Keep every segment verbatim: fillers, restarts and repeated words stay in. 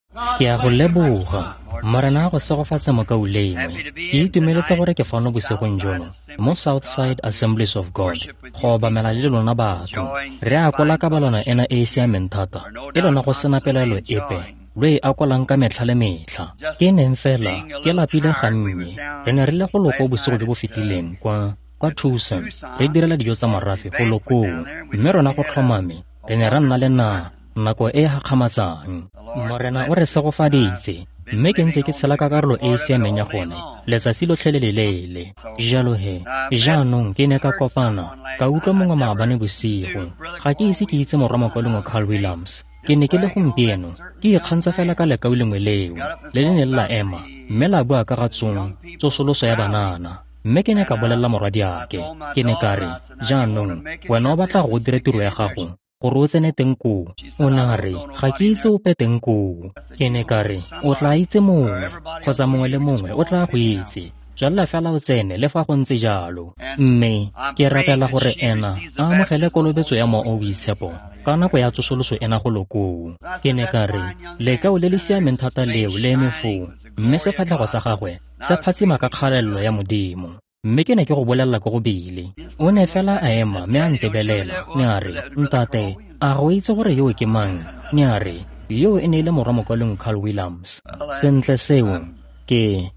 Ke a go leboga. Morena a go segofatse mokaulengwe. Ke itumeletse gore ke fano bosigong jono mo Southside Assemblies of God go obamela le lona batho. Re akola kabalano ena e e siameng thata, e lona go sena pelaelo epe lo e akolang ka metlha le metlha. Ke neng fela ke lapile gannye. Re ne re le go loko bosigo jo bo fetileng kwa kwa Tucson, re direla dijo tsa morafe go lokoo, mme rona go tlhomame re ne ra nna le na nako e e gakgamatsang. Morena o re segofaditse, mme ke ntse ke tshela ka karolo e e siameng ya gone letsatsi lotlhe le leleele. Jalo he, jaanong ke ne ka kopana ka utlwa mongwe maabane bosigo. Ga ke ise ke itse morwa mokaulengwe Carl Williams. Ke ne ke le gompieno ke ikgantsha fela ka lekau lengwe leo le le neng la ema mme la bua ka ga tsong tsosoloso ya banana. Mme ke ne ka bolelela morwadiake, ke ne ka re, jaanong wena o batla go dira tiro ya gago gore o tsene teng koo. O ne a re, ga ke itse ope teng koo. Ke ne ka re, o tla itse mongwe kgotsa mongwe le mongwe o tla go itse. Tswelela fela o tsene le fa go ntse jalo. Mme ke rapela gore ena a amogele kolobetso ya Mowa o o Boitshepo ka nako ya tsosoloso ena go lokoo. Ke ne ka re, lekao le le siameng thata leo le eme foo, mme sefatlhego sa gagwe se phatsima ka kgalalelo ya Modimo. Mme ke ne ke go bolelela ko go bile. O ne fela a ema mme a ntebelela, ne a re, ntate, a go itse gore yo ke mang? Ne a re, yo e ne e le morwa mokaulengwe Carl Williams. Sentle seo, ke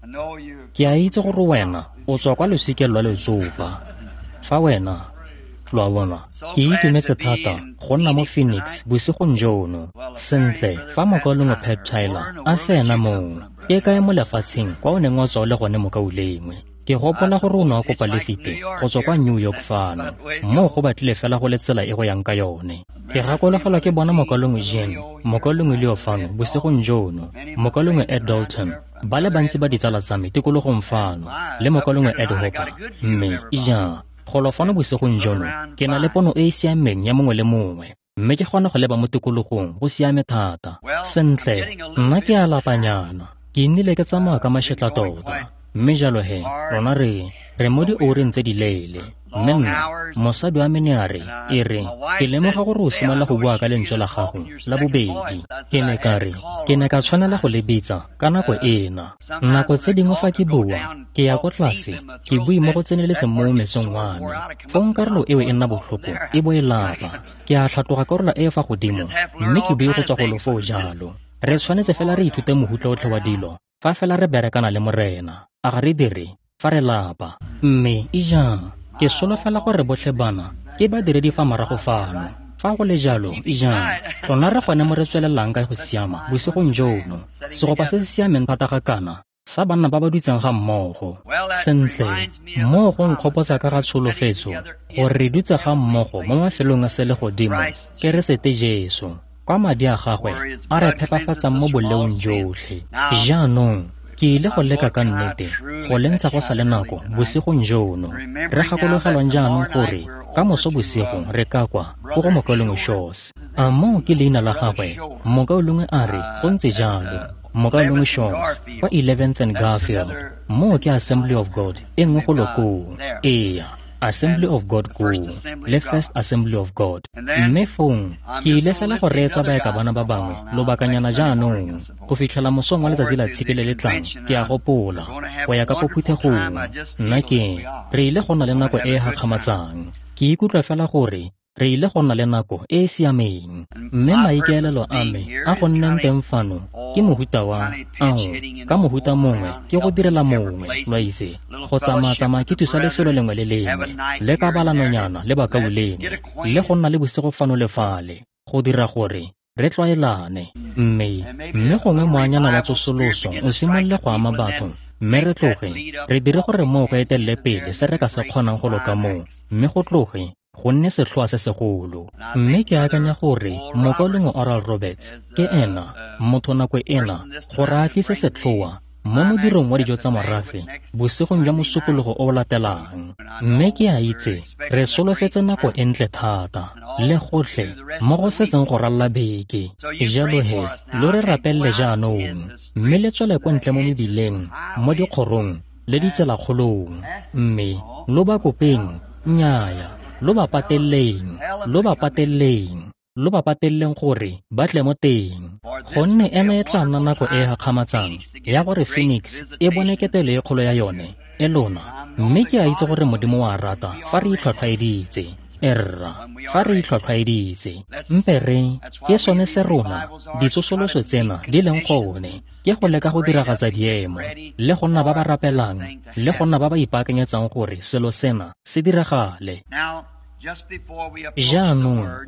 ke a itse gore wena o tswa kwa losikeng lwa letsopa. Fa wena, lo a bona, ke itumetse thata go nna mo Phoenix bosigong jono. Sentle, fa mokaulengwe Pat Tyler a se ena moo, ke kae mo lefatsheng kwa o neng wa tswa o le gone mokaulengwe? Ke gopola gore o ne wa kopa lefite go tswa kwa New York fano, moo go batlile fela go le tsela e go yang ka yone. Ke gakologelwa ke bona mokaulengwe Jean, mokaulengwe Leo fano bosigong jono, mokaulengwe Ed Dalton, ba le bantsi ba ditsala tsa me tikologong fano, le mokaulengwe Ed Hopper. Mme ja, golo fano bosigong jono ke na le pono e e siameng ya mongwe le mongwe, mme ke kgona go leba mo tikologong go siame thata. Sentle, nna ke a lapanyana, ke nnile ke tsamaya ka mašetla tota. Mme jalo he, rona re re mo dioureng tse di leele. Mme nna, mosadi wa me ne a re, e re, ke lemoga gore o simolola go bua ka lentswe la gago la bobedi. Ke ne ka re, ke ne ka tshwanela go le bitsa ka nako ena. Nako tse dingwe fa ke bua, ke ya ko tlase, ke bue mo go tseneletseng mo mesong wa me. Fong karolo eo e nna botlhoko, e bo e lapa. Ke a tlhatloga karolo e e fa godimo, mme ke bue go tswa golo foo jalo. Re tshwanetse fela re ithute mohuta otlhe wa dilo fa fela re berekana le Morena. A ga re dire fa re lapa. Mme ija, ke solofela gore botlhe bana ke badiredi fa morago fano. Fa go le jalo, ija, rona re gone mo re tswelelang ka go siama bosigong jono. Segopa se se siameng thata ga kana sa banna ba ba dutseng ga mmogo. Sentle, moo go nkgopotsa ka ga tsholofetso gore re dutse ga mmogo mo mafelong a selegodimo Keresete Jesu, kwa madi a gagwe a re phepafatsang mo boleong jotlhe. Jaanong ke ile go leka ka nnete go le ntsha go sa le nako bosigong jono. Re gakologelwang jaanong gore ka moso bosigo re ka kwa ko go mokaulengwe Shaws. A moo ke leina la gagwe? Mokaulengwe a re go ntse jalo. Mokaulengwe Shaws kwa eleventh and Garfield. Moo ke Assembly of God e nngwe go lokoo. Ee, Assembly of God koo, le First Assembly of God. Mme fong ke ile fela go reetsa baeka bana ba bangwe lobakanyana jaanong go fitlhela mosong wa letsatsi la Tshipi le le tlang. Ke a gopola go ya ka ko phuthegong. Nna ke re ile go nna le nako e e gakgamatsang. Ke ikutlwa fela gore re ile go nna le nako e e siameng. Mme maikaelelo a me a go nneng teng fano ke mohuta wa ao, ka mohuta mongwe ke go direla mongwe, lo itse, go tsamaya-tsamaya ke thusa lefelo lengwe le lengwe, le kabalanonyana le bakaulengwe, le go nna le bosigo fano le fale, go dira gore re tlwaelane. Mme mme gongwe moanyana wa tsosoloso o simolole go ama batho, mme re tloge re dire gore moo go etelele pele se re ka se kgonang go loka moo, mme go tloge go nne setlhoa se segolo. Mme ke akanya gore mokaulengwe Oral Roberts ke ena motho nako ena gore a tlise setlhoa mo modirong wa dijo tsa morafe bosigong jwa mosupologo o o latelang. Mme ke a itse re solofetse nako e ntle thata le gotlhe mo go setseng go ralla beke. Jalo he, lo re rapelele jaanong, mme le tswele kwa ntle mo mebileng, mo dikgorong le ditselakgolong, mme lo ba kopeng, nnyaya, lo ba pateleng, lo ba pateleng. lo ba pateleleng gore ba tle mo teng, gonne ena e tla nna nako e e gakgamatsang ya gore Phoenix e bone ketelo e kgolo ya yone e lona. Mme ke a itse gore Modimo wa rata fa re itlhwatlhwaeditse. Erra, fa re itlhwatlhwaeditse, mpe re ke sone se rona ditsosoloso tsena di leng gone, ke go leka go diragatsa diemo le go nna ba ba rapelang le go nna ba ba ipaakanyetsang gore selo sena se diragale. Jaanong,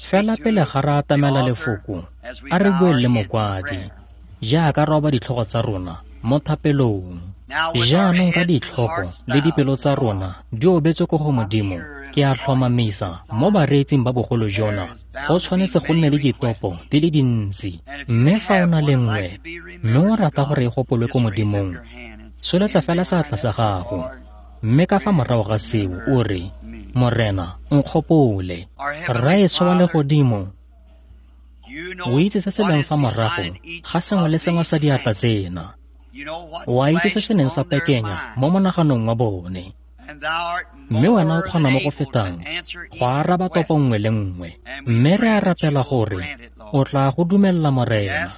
fela pele ga re atamela lefoko, a re bueng le mokwadi jaaka re oba ditlhogo tsa rona mo thapelong. Jaanong ka ditlhogo le dipelo tsa rona di obetswe ko go Modimo, ke a tlhomamisa mo bareetsing ba bogolo jona go tshwanetse go nne le ditopo di le dintsi. Mme fa o na le nngwe mme o rata gore e gopolwe ko Modimong, tsholetsa fela seatla sa gago, mme ka fa morago ga seo o re, Morena, nkgopole. Rraetsho wa legodimo, o itse se se leng fa morago ga sengwe le sengwe sa diatla tsena. O a itse se se neng sa pekenya mo monaganong wa bone, mme wena o kgona mo go fetang go araba topo nngwe le nngwe. Mme re a rapela gore o tla go dumella, Morena.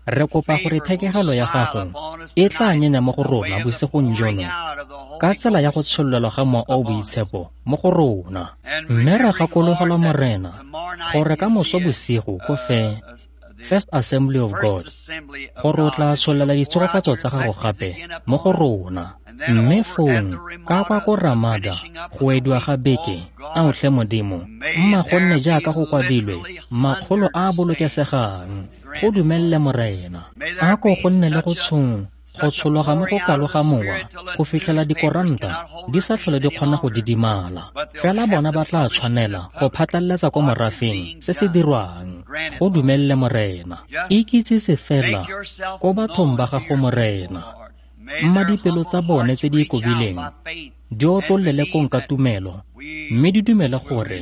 Re kopa gore thekegelo ya gago e tla nyenya mo go rona bosigong jono ka tsela ya go tshololelwa ga Mowa o o Boitshepo mo go rona. Mme re gakologelwa, Morena, gore ka moso bosigo ko fe First Assembly of God, gore o tla tsholela ditshegofatso tsa gago gape mo go rona. Mme fong ka kwa ko Ramada go ediwa ga beke, ao tlhe Modimo, mma go nne jaaka go kwadilwe, makgolo a a bolokesegang. Go dumelle, Morena. A ko go nne le go tshong go tshologa mo go kalo ga mowa go fitlhela dikoranta di sa tlhole di kgona go didimala, fela bona ba tla tshwanela go phatlaletsa ko morafeng se se dirwang. Go dumelle, Morena. Ikitsise fela ko bathong ba gago, Morena. Mma dipelo tsa bone tse di ikobileng di otlollele kong ka tumelo, mme di dumele gore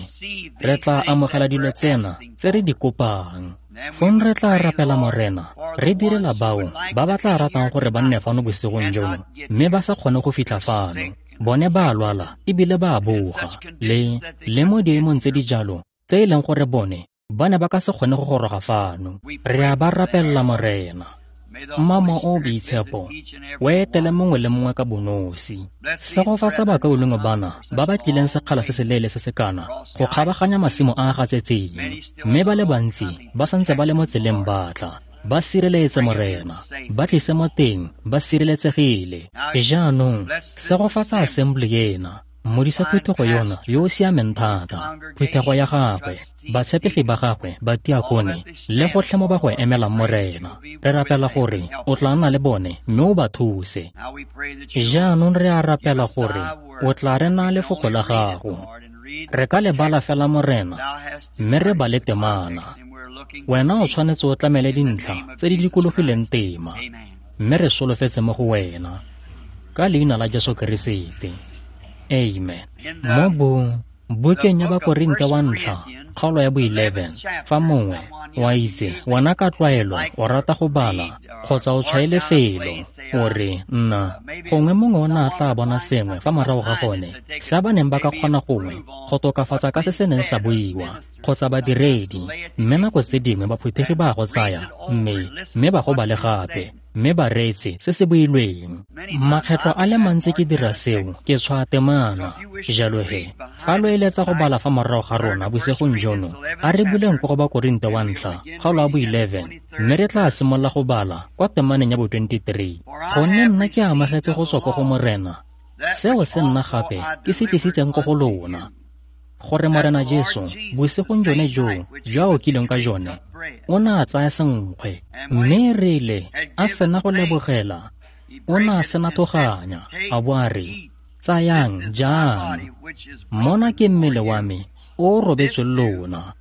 re tla amogela dilo tsena tse re di kopang. Fong re tla rapela, Morena, re direla bao ba ba tla ratang gore ba nne fano bosigong jono mme ba sa kgone go fitlha fano. Bone ba a lwala ebile ba a boga, le le mo diemong tse di jalo tse e leng gore bone ba ne ba ka se kgone go goroga fano. Re a ba rapella, Morena. Mma Mowa o o Boitshepo o etele mongwe le mongwe ka bonosi. Segofatsa bakaulengwe bana ba ba tlileng sekgala se se leele se se kana go kgabaganya masimo a a gatsetseng, mme ba le bantsi ba santse ba le mo tseleng ba tla. Ba sireletse, Morena, ba tlise mo teng ba sireletsegile. Jaanong segofatsa assembly ena, modisa phuthego yona yo o siameng thata, phuthego ya gagwe, batshepegi ba gagwe, batiakone le gotlhe mo ba go emelang, Morena. Re rapela gore o tla nna le bone mme o ba thuse. Jaanong re a rapela gore o tla re naya lefoko la gago. Re ka le bala fela, Morena, mme re bale temana. Wena o tshwanetse o tlamele dintlha tse di dikologileng tema, mme re solofetse mo go wena. Ka leina la Jesu Keresete, amen. Mo bo bukeng ya Bakorinte wa ntlha, kgaolo ya bo eleven, fa mongwe wa itse wena ka tlwaelo o rata go bala kgotsa o tshwaele felo, o re nna gongwe mongwe o ne a tla bona sengwe fa morago ga gone se ba neng ba ka kgona gongwe go tokafatsa ka se se neng sa buiwa kgotsa badiredi, mme nako tse dingwe baphuthegi ba go tsaya mme mme ba go bale gape mme ba reetse se se builweng. Makgetlho a le mantsi ke dira seo, ke tshwaya temana. Jalo he, fa lo eletsa go bala fa morago ga rona bosigong jono, a re buleng ko go Bakorinte wa ntlha, kgaolo ya bo eleven, mme re tla simolola go bala kwa temaneng ya bo twenty-three. Gonne nna ke amogetse go tswa ko go Morena seo se nna gape ke se tlisitseng ko go lona, gore Morena Jesu bosigong jone joo jo a okileng ka jone, o ne a tsaya senkgwe, mme rile a sena go lebogela, o ne a sena toganya, a bo a re, tsayang jang, mona ke mmele wa me o o robetsweng lona,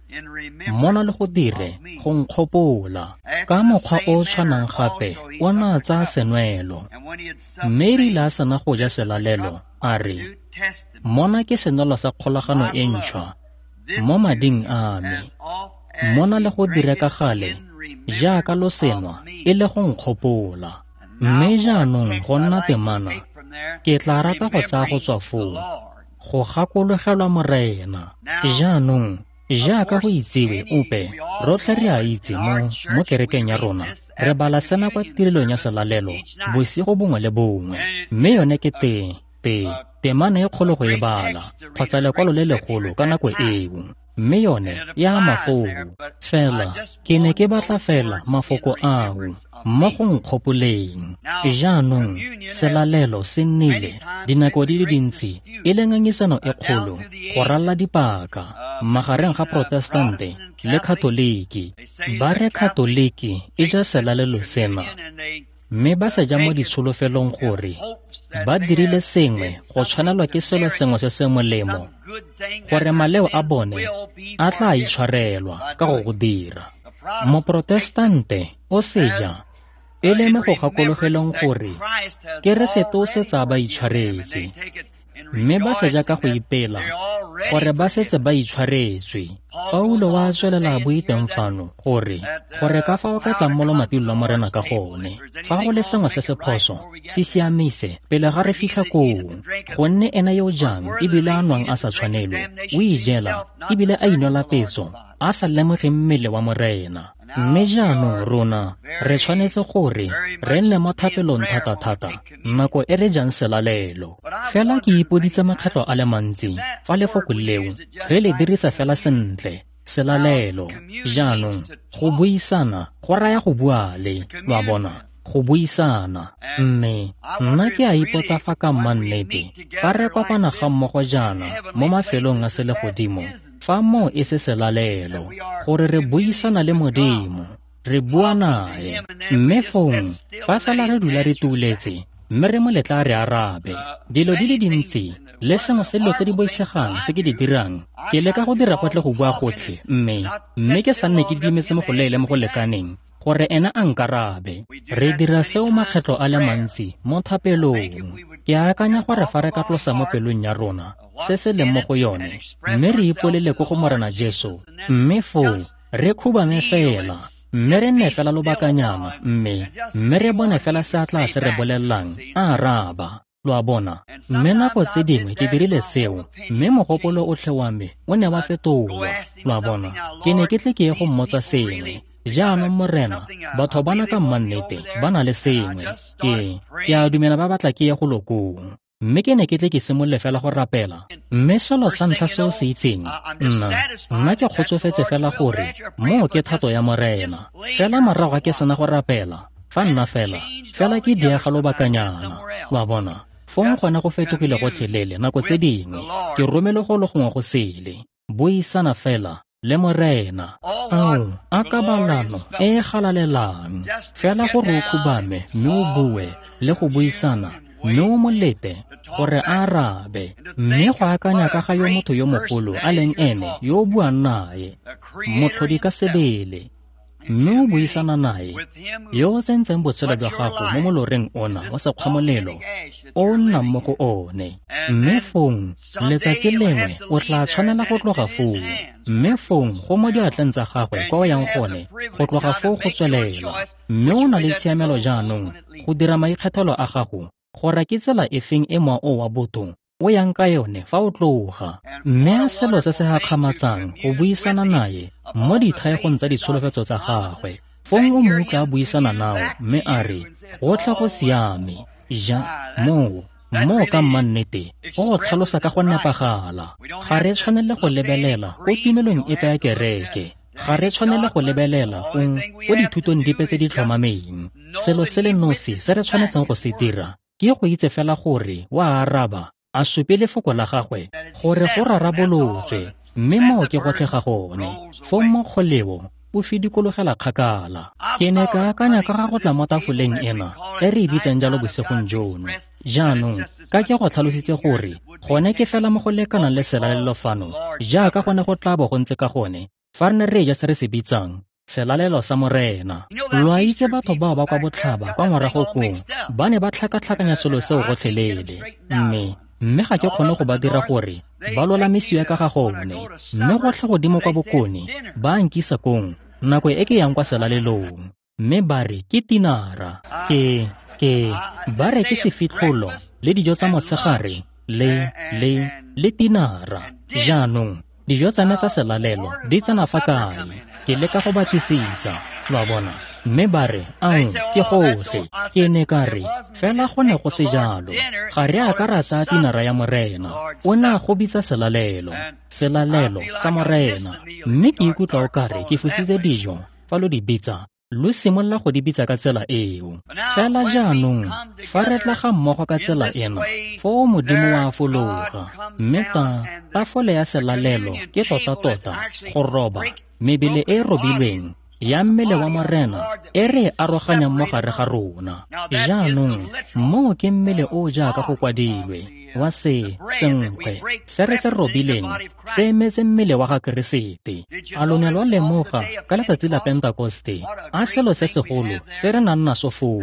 mona le go dire go nkgopola. Ka mokgwa o o tshwanang gape o ne a tsaya senwelo, mme rile a sena go ja selalelo, a re, mona ke senwelo sa kgolagano e ntšhwa mo mading a me, mona le go dire ka gale jaaka lo senwa e le go nkgopola. Mme jaanong go nna temana, ke tla rata go tsaya go tswa foo go gakologelwa Morena. Jaanong Jaaka go itsiwe ope, rotlhe re a itse mo mo kerekeng ya rona, re bala sena kwa tirelong ya selalelo bosigo bongwe le bongwe. Mme yone ke te te temana e kgolo go e bala, kgotsa lekwalo le legolo ka nako eo. Mme yone e ama foo. Fela ke ne ke batla fela mafoko ao mo go nkgopoleng. Jaanong selalelo se nnile dinako di le dintsi e le ngangisano e kgolo go ralala dipaka magareng ga Protestante le Katoliki. Ba re Katoliki e ja selalelo sena, mme ba se ja mo ditsholofelong gore ba dirile sengwe go tshwanelwa ke selo sengwe se se molemo, gore maleo a bone a tla itshwarelwa ka go go dira. Moprotestante o se ja e le mo go gakologelong gore Keresete o setse a ba itshwaretse, mme ba se ja ka go ipela gore ba setse ba itshwaretswe. Paulo wa tswelela a bue teng fano gore gore ka fa o ka tlang mo lomating lwa Morena ka gone, fa go le sengwe se se phoso, se siamise pele ga re fitlha koo, gonne ena yo o jang ebile a nwang a sa tshwanelwe, o ijela ebile a inwela peso a sa lemoge mmele wa Morena. Mme jaanong rona re tshwanetse gore re nne mo thapelong thata-thata nako e re jang selalelo. Fela ke ipoditse makgetlo a le mantsi fa lefoko leo re le dirisa fela sentle, selalelo. Jaanong go buisana go raya go bua le, lo a bona, go buisana. Mme nna ke a ipotsa fa ka mannete fa re kopana ga mmogo jaana mo mafelong a selegodimo, fa moo e se selalelo, gore re buisana le Modimo, re bua nae. Mme fong fa fela re dula re tuuletse mme re mo letla re arabe dilo di le dintsi le sengwe se dilo tse di boitshegang tse ke di dirang, ke leka go dira gotlhe go bua gotlhe, mme mme ke sa nne ke dimetse mo go leele mo go lekaneng gore ena a nkarabe. Re dira seo makgetlo a le mantsi mo thapelong. Ke akanya gore fa re ka tlosa mo pelong ya rona se se leng mo go yone, mme re ipolele ko go Morena Jesu, mme foo re khubame fela, mme re nne fela lobakanyana, mme mme re bone fela se a tla se re bolelelang a araba. Lo a bona? Mme nako tse dingwe ke dirile seo, mme mogopolo otlhe wa me o ne wa fetolwa. Lo a bona? Ke ne ke tle ke ye go mmotsa sengwe. Jaanong Morena, batho bana ka mmannete ba na le sengwe. Ke ke a dumela ba batla ke ye go lokong. Mme ke ne ke tle ke simolole fela go rapela. Mme selo sa ntlha se o se itseng, nna nna ke kgotsofetse fela gore moo ke thato ya Morena. Fela morago ga ke sena go rapela, fa nna fela fela ke diega lobakanyana. Lo a bona? Fong gone go fetogile gotlhelele nako tse dingwe. Ke romele go le gongwe go sele. Buisana fela le Morena. Ao, a kabalano e e galalelang. Fela gore o khubame mme o bue le go buisana, mme o mo lete gore a arabe. Mme go akanya ka ga yo motho yo mogolo a leng ene yo o buang nae, motlhodi ka sebele, mme o buisana nae yo o tsentseng botshelo jwa gago mo moloreng ona wa sekgwamolelo o o nnang mo go one. Mme fong letsatsi lengwe o tla tshwanela go tloga foo, mme fong go mo diatleng tsa gagwe kwa o yang gone go tloga foo go tswelela. Mme o na le tshiamelo jaanong go dira maikgethelo a gago gore ke tsela efeng e mowa o wa botho o yang ka yone fa o tloga. Mme a selo se se gakgamatsang go buisana nae mo dithaegong tsa ditsholofetso tsa gagwe. Fong o mo utlwa a buisana nao mme a re, gotlhe go siame. Ja, moo moo ka mmannete o go tlhalosa ka go nepagala. Ga re tshwanele go lebelela ko tumelong epe ya kereke. Ga re tshwanele go lebelela go ko dithutong dipe tse di tlhomameng. Selo se le nosi se re tshwanetseng go se dira ke go itse fela gore wa araba, a supe lefoko la gagwe gore go rarabolotswe, mme moo ke gotlhe ga gone. Fong mo kgoleo o fidikologela kgakala. Ke ne ka akanya ka ga go tla mo tafoleng ena e re e bitsang jalo bosigong jono. Jaanong ka ke go tlhalositse gore gone ke fela mo go lekanang le selalelo fano, jaaka gone go tla bo go ntse ka gone fa re ne re ja se re se bitsang selalelo sa Morena. Lo a itse batho bao ba kwa botlhaba kwa morago koo ba ne ba tlhakatlhakanya selo seo gotlhelele, mme mme ga ke kgone go ba dira gore ba lolamisiwe ka ga gone. Mme gotlhe godimo kwa bokone ba nkisa kong nako e ke yang kwa selalelong, mme ba re ke tinara, ke ke ba re ke sefitlholo le dijo tsa motshegare le le le tinara. Jaanong Dijo tsa me tsa selalelo di tsena fa kae? Ke leka go batlisisa, lo a bona. Mme ba re, ao, ke gotlhe. Ke ne ka re, fela go ne go se jalo. Ga re a ka ra tsaya tinara ya Morena. O ne a go bitsa selalelo, selalelo sa Morena. Mme ke ikutlwa o kare ke fositse dijo fa lo di bitsa, lo simolola go di bitsa ka tsela eo. Fela jaanong, fa re tla ga mmogo ka tsela ena, foo Modimo wa fologa. Mme ta, tafole ya selalelo ke tota-tota go roba mebele e e robilweng ya mmele wa Morena e re e aroganyang mo gare ga rona. Jaanong, moo ke mmele o jaaka go kwadilwe wa se senkgwe se re se robileng se emetse mmele wa ga Keresete. A lo ne lwa lemoga ka letsatsi la Pentekoste a selo se segolo se re nang naso foo,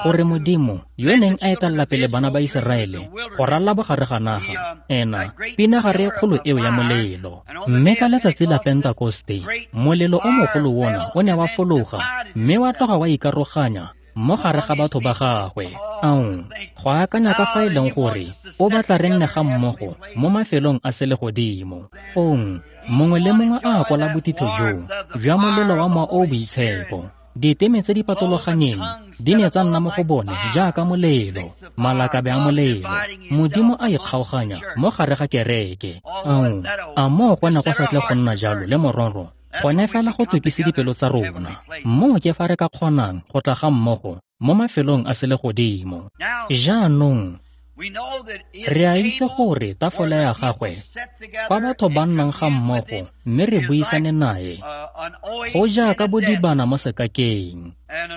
gore Modimo yo neng a etelela pele bana ba Iseraele go ralala bogare ga naga, ena pinagare e kgolo eo ya molelo. Mme ka letsatsi la Pentekoste molelo o mogolo ona o ne wa fologa mme wa tloga wa ikaroganya mo gare ga batho ba gagwe. Ao, go akanya ka fa e leng gore o batla re nne ga mmogo mo mafelong a selegodimo. Fong mongwe le mongwe a akola bothitho joo jwa molelo wa mowa o o boitshepo. Diteme tse di patologanyeng di ne tsa nna mo go bone jaaka molelo, malakabe a molelo. Modimo a ikgaoganya mo gare ga kereke. Ao, a moo go ne go sa tle go nna jalo le mororo gone fela go tukise dipelo tsa rona. Moo ke fa re ka kgonang go tla ga mmogo mo mafelong a selegodimo. Jaanong, re a itse gore tafole ya gagwe, kwa batho ba nnang ga mmogo mme re buisane nae, go jaaka bodibana mo sekakeng.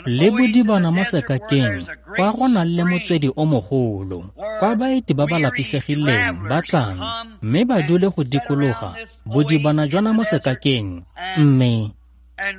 Le bodibana mo sekakeng kwa go nang le motswedi o mogolo, kwa baeti ba ba lapisegileng ba tlang mme ba dule go dikologa bodibana jona mo sekakeng, mme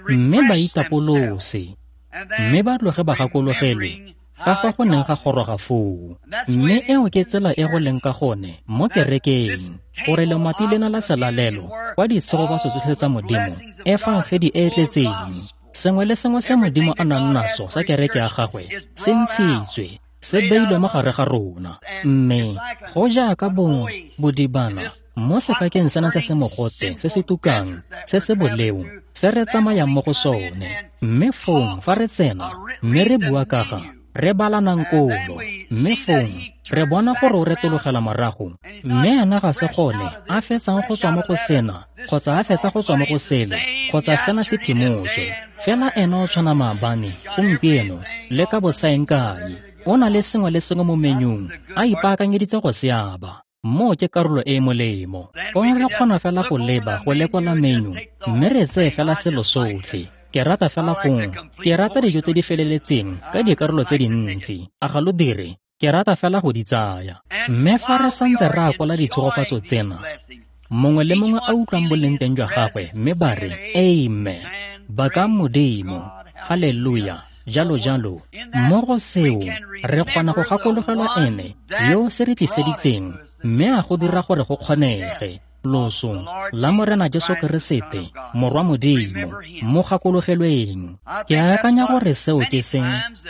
mme ba itapolose, mme ba tloge ba gakologelwe ka fa go neng ga goroga foo. Mme eo ke tsela e go leng ka gone mo kerekeng, gore lemati lena la selalelo kwa ditshegofatso tsotlhe tsa Modimo, efangedi e e tletseng, sengwe le sengwe se Modimo a nang naso sa kereke ya gagwe se ntshitswe, se beilwe mo gare ga rona. Mme go jaaka bong bodibana mo sekakeng sena se se mogote, se se tukang, se se boleo, se re tsamayang mo go sone. Mme fong fa re tsena mme re bua ka ga re balanang kolo, mme fong re bona gore o retologela morago, mme ena ga se gone a fetsang go tswa mo go sena kgotsa a fetsa go tswa mo go sele kgotsa sena se phimotswe. Fela ena o tshwana maabane, gompieno le ka bosaeng kae. O na le sengwe le sengwe mo menyung a ipaakanyeditse go se aba. Moo ke karolo e e molemo. Gongwe re kgona fela go leba go lekola menu mme re tseye fela selo sotlhe. Ke rata fela gongwe, ke rata dijo tse di feleletseng ka dikarolo tse dintsi. A ga lo dire? Ke rata fela go di tsaya. Mme fa re santse re akola ditshegofatso tsena, mongwe le mongwe a utlwang boleng teng jwa gagwe mme ba re, amen, bakang Modimo, haleluya, jalo jalo. Mo go seo re kgona go gakologelwa ene yo se re tliseditseng mme a go dira gore go kgonege. Loso la Morena Jesu Keresete, Morwa Modimo, mo gakologelweng. Ke akanya gore seo ke se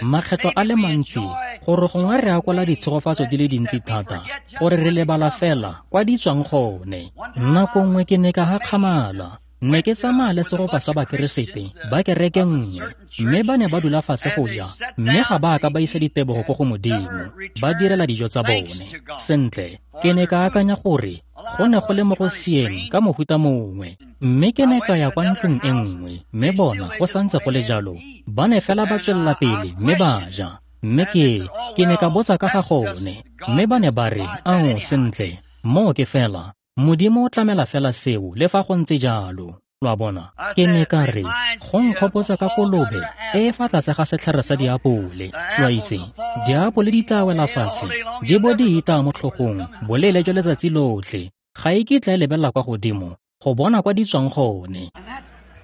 makgetlo a le mantsi gore gongwe re akola ditshegofatso di le dintsi thata gore re lebala fela kwa di tswang gone. Nako nngwe ke ne ka hakgamala. Ne ke tsamaya le segopa sa Bakeresete ba kereke nngwe, mme ba ne ba dula fatshe go ja, mme ga ba ka ba isa ditebogo ko go Modimo, ba direla dijo tsa bone. Sentle, ke ne ka akanya gore go ne go le mo go sieng ka mohuta mongwe. Mme ke ne ka ya kwa ntlong e nngwe, mme bona go santse go le jalo, ba ne fela ba tswelela pele mme ba ja. Mme ke ke ne ka botsa ka ga gone, mme ba ne ba re, ao, sentle, moo ke fela Modimo o tlamela fela seo le fa go ntse jalo. Lo a bona? Ke ne ka re, go nkgopotsa ka kolobe e e fa tlase ga setlhare sa diapole. Lo a itse, diapole di tla wela fatshe di bo di itaya mo tlhogong boleele jwa letsatsi lotlhe. Ga e kitla e lebelela kwa godimo go bona kwa di tswang gone.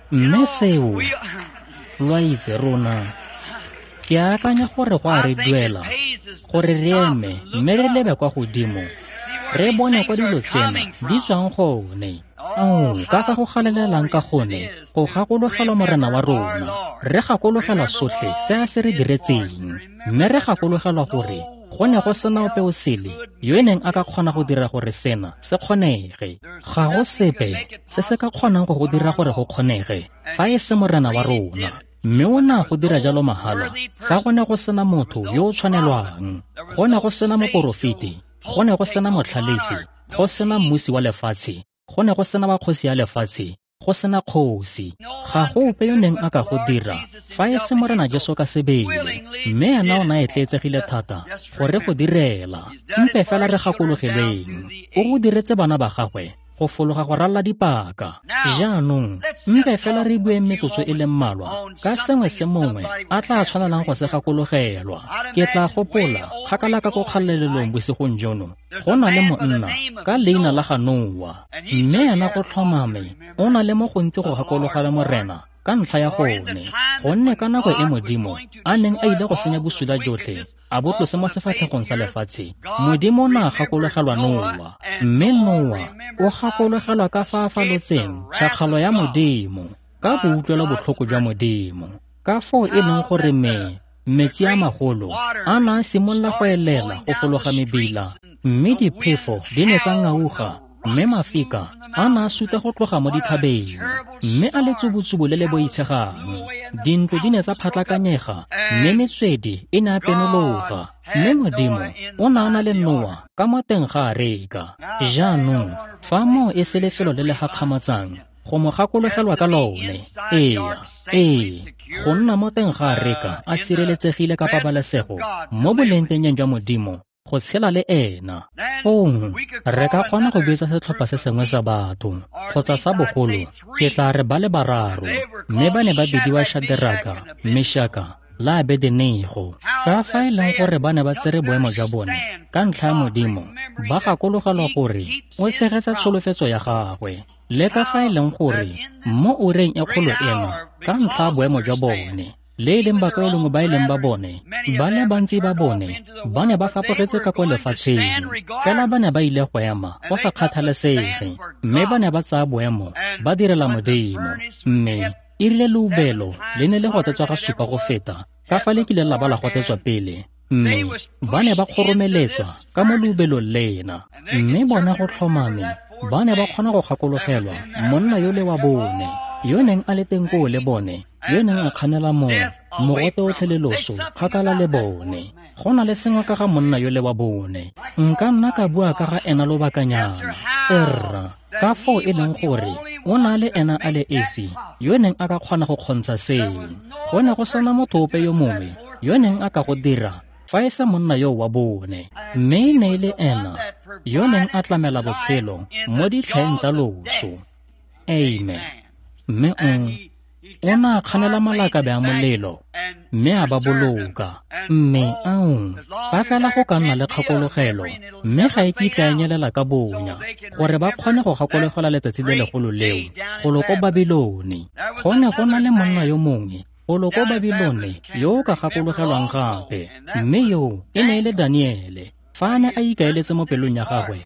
Mme seo, lo a itse rona, ke akanya gore go a re duela gore re eme mme re lebe kwa godimo, re bone kwa dilo tsena di tswang gone. Ao, ka fa go galelelang ka gone go gakologelwa Morena wa rona. Re gakologelwa sotlhe se a se re diretseng, mme re gakologelwa gore Go ne go sena ope o sele yo neng a ka kgona go dira gore sena se kgonege. Ga go sepe se se ka kgonang go go dira gore go kgonege fa e se Morena wa rona. Mme o ne a go dira jalo mahala fa go ne go sena motho yo o tshwanelwang. Go ne go sena moporofeti, go ne go sena motlhalefi, go sena mmusi wa lefatshe, go ne go sena wa kgosi ya lefatshe, go sena kgosi. Ga go ope yo neng a ka go dira fa e se Morena Jesu ka sebele. Mme ena o ne a etleetsegile thata gore go direla. Mpe fela re gakologelweng, o go diretse bana ba gagwe go fologa go ralla dipaka. Jaanong mpe fela re bueng metsotso e le mmalwa ka sengwe se mongwe a tla tshwanelang go se gakologelwa. Ke tla gopola kgakala ka ko kgalelelong bosigong jono, go na le monna ka leina la ga Noa, mme ena go tlhomame o na le mo gontsi go gakologela Morena ka ntlha ya gone, gonne ka nako e Modimo a neng a ile go senya bosula jotlhe a bo tlose mo sefatlhegong sa lefatshe, Modimo o ne a gakologelwa Noa. Mme Noa o gakologelwa ka fa a falotseng tšhakgalo ya Modimo ka boutlwelo botlhoko jwa Modimo, ka foo e leng gore me metsi a magolo a ne a simolola go elela go fologa mebila, mme diphefo di ne tsa ngauga, mme mafika a ne a suta go tloga mo dithabeng, mme a le tsubutsubu le le boitshegang. Dintlo di ne tsa phatlakanyega, mme metswedi e ne a penologa. Mme Modimo o ne a na le Noa ka mo teng ga areka. Jaanong fa moo e se lefelo le le gakgamatsang go mo gakologelwa ka lone, ee, ee, go nna mo teng ga areka a sireletsegile ka pabalesego mo bolengtengeng jwa Modimo, go tshela le ena. Fong re ka kgona go bitsa setlhopha se sengwe sa batho kgotsa sa bogolo, ke tla re ba le bararo, mme ba ne ba bidiwa Shadraka, Meshaka le Abednego. Ka fa e leng gore ba ne ba tsere boemo jwa bone ka ntlha ya Modimo, ba gakologelwa gore o tshegetsa tsholofetso ya gagwe, le ka fa e leng gore mo ureng e kgolo eno ka ntlha ya boemo jwa bone, le e leng bakaulengwe ba e leng ba bone, ba le bantsi ba bone ba ne ba fapogetse ka kwa lefatsheng, fela ba ne ba ile go ema go sa kgathalesege, mme ba ne ba tsaya boemo ba direla Modimo. Mme e rile leubelo le ne le gotetswa ga supa go feta ka fa le kileng la ba la gotetswa pele, mme ba ne ba kgoromeletswa ka mo leubelong lena. Mme bona go tlhomame ba ne ba kgona go gakologelwa monna yo le wa bone yo neng a le teng koo le bone, yo neng a kganela moo mogote otlhe le loso kgakala le bone. Go na le sengwe ka ga monna yo le wa bone, nka nna ka bua ka ga ena lobakanyana. Erra, ka foo e leng gore o na le ena a le esi yo neng a ka kgona go kgontsha seo. Go ne go sena motho ope yo mongwe yo neng a ka go dira fa e se monna yo wa bone, mme e ne e le ena yo neng a tlamela botshelo mo ditlhaeng tsa loso. Amen. Mme o o ne a kganela malakabe a molelo mme a ba boloka. Mme ao, fa fela go ka nna le kgakologelo, mme ga e kitla e nyelela ka bonya, gore ba kgone go gakologelwa letsatsi le legolo leo golo ko Babilone. Go ne go na le monna yo mongwe golo ko Babilone yo o ka gakologelwang gape, mme yo e ne e le Daniele, fa a ne a ikaeletse mo pelong ya gagwe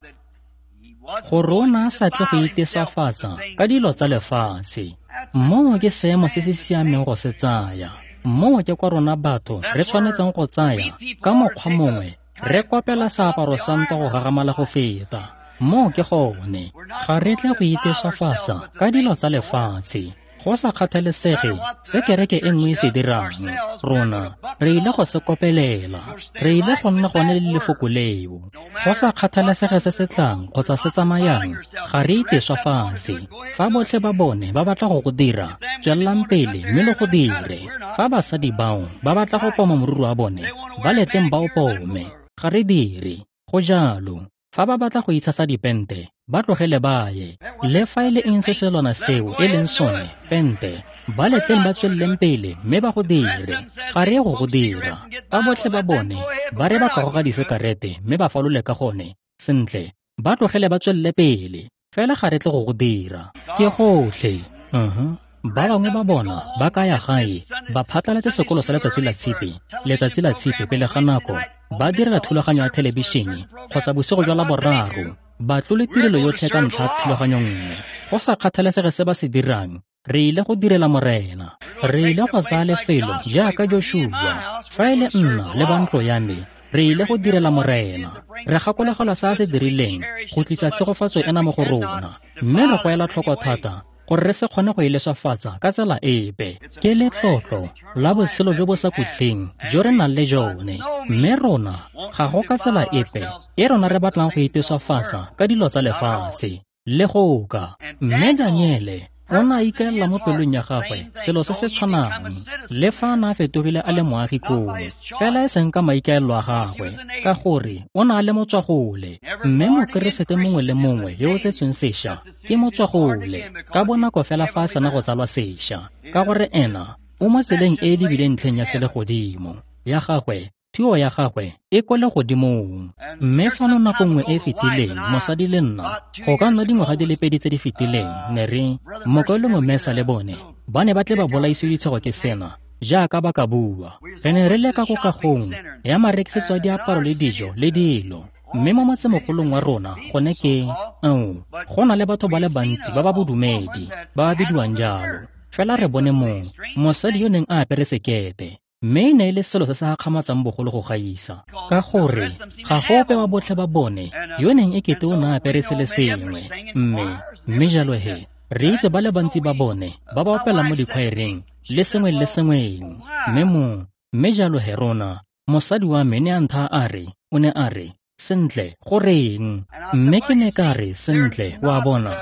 gore o ne a sa tle go iteswafatsa ka dilo tsa lefatshe. Moo ke seemo se se siameng go se tsaya. Moo ke kwa rona batho re tshwanetseng go tsaya ka mokgwa mongwe, re kopela seaparo sa ntwa go gagamala go feta. Moo ke gone, ga re tle go iteswafatsa ka dilo tsa lefatshe. Go sa kgathalesege se kereke e nngwe e se dirang, rona re ile go se kopelela, re ile go nna gone le lefoko leo. Go sa kgathalesege se se tlang kgotsa se tsamayang, ga re iteswafatse. Fa botlhe ba bone ba batla go go dira, tswelelang pele mme le go dire. Fa basadi bao ba batla go poma moriri wa bone, ba letleng ba o pome. Ga re dire go jalo. Fa ba batla go itshasa dipente, ba tlogele ba ye. Le fa e le eng se se lona seo e leng sone, pente, ba letleng ba tsweleleng pele mme ba go dire. Ga re ye go go dira. Fa botlhe ba bone ba re ba ka goga disekarete mme ba falole ka gone, sentle, ba tlogele ba tswelele pele. Fela ga re tle go go dira. Ke gotlhe. Uh-huh. Ba bangwe ba bona ba ka ya gae, ba phatlalatse sekolo sa letsatsi la tshipi, letsatsi la tshipi pele ga nako, ba direla thulaganyo ya thelebišene kgotsa bosigo jwa Laboraro, ba tlole tirelo yotlhe ka ntlha ya thulaganyo nngwe. Go sa kgathalesege se ba se dirang, re ile go direla Morena. Re ile go tsaya lefelo jaaka Joshua. Fa e le nna le ba ntlo ya me, Re ile go direla Morena. Re gakologelwa se a se dirileng go tlisa tshegofatso ena mo go rona, mme re go ela tlhoko thata gore re se kgone go e leswafatsa ka tsela epe. Ke letlotlo la botshelo jo bo sa khutleng jo re nang le jone, mme rona ga go ka tsela epe e rona re batlang go iteswafatsa ka dilo tsa lefatshe le go ka. Mme Daniele o ne a ikaelela mo pelong ya gagwe selo se se tshwanang, le fa a ne a fetogile a le moagi koo, fela e seng ka maikaelelo a gagwe, ka gore o ne a le motswagole. Mme mokeresete mongwe le mongwe yo o setsweng sešwa ke motswagole ka bonako fela fa a sena go tsalwa sešwa, ka gore ena o mo tseleng e e lebileng ntlheng ya selegodimo ya gagwe. Thuo ya gagwe e kwa legodimong. Mme fano nako nngwe e e fetileng, mosadi le nna, go ka nna dingwaga di le pedi tse di fetileng, ne re mokaulengwe Mesa le bone ba ne ba tle ba bolaisiwe ditshego ke sena, jaaka ba ka bua. Re ne re le ka ko kagong ya marekisetso a diaparo le dijo le dilo. Mme mo motsemogolong wa rona gone ke ao, go na le batho ba le bantsi ba ba bodumedi ba ba bidiwang jalo. Fela re bone mongwe, mosadi yo neng a apere sekete, mme e ne e le selo se se gakgamatsang bogolo go gaisa, ka gore ga go ope wa botlhe ba bone yo neng e kete o ne a apere se le sengwe. Mme mme jalo he re itse ba le bantsi ba bone ba ba opelang mo dikhwaereng le sengwe le sengweng. Mme mo mme jalo he rona, mosadi wa me ne a ntha a re, o ne a re, sentle, goreng? Mme ke ne ka re, sentle, wa bona,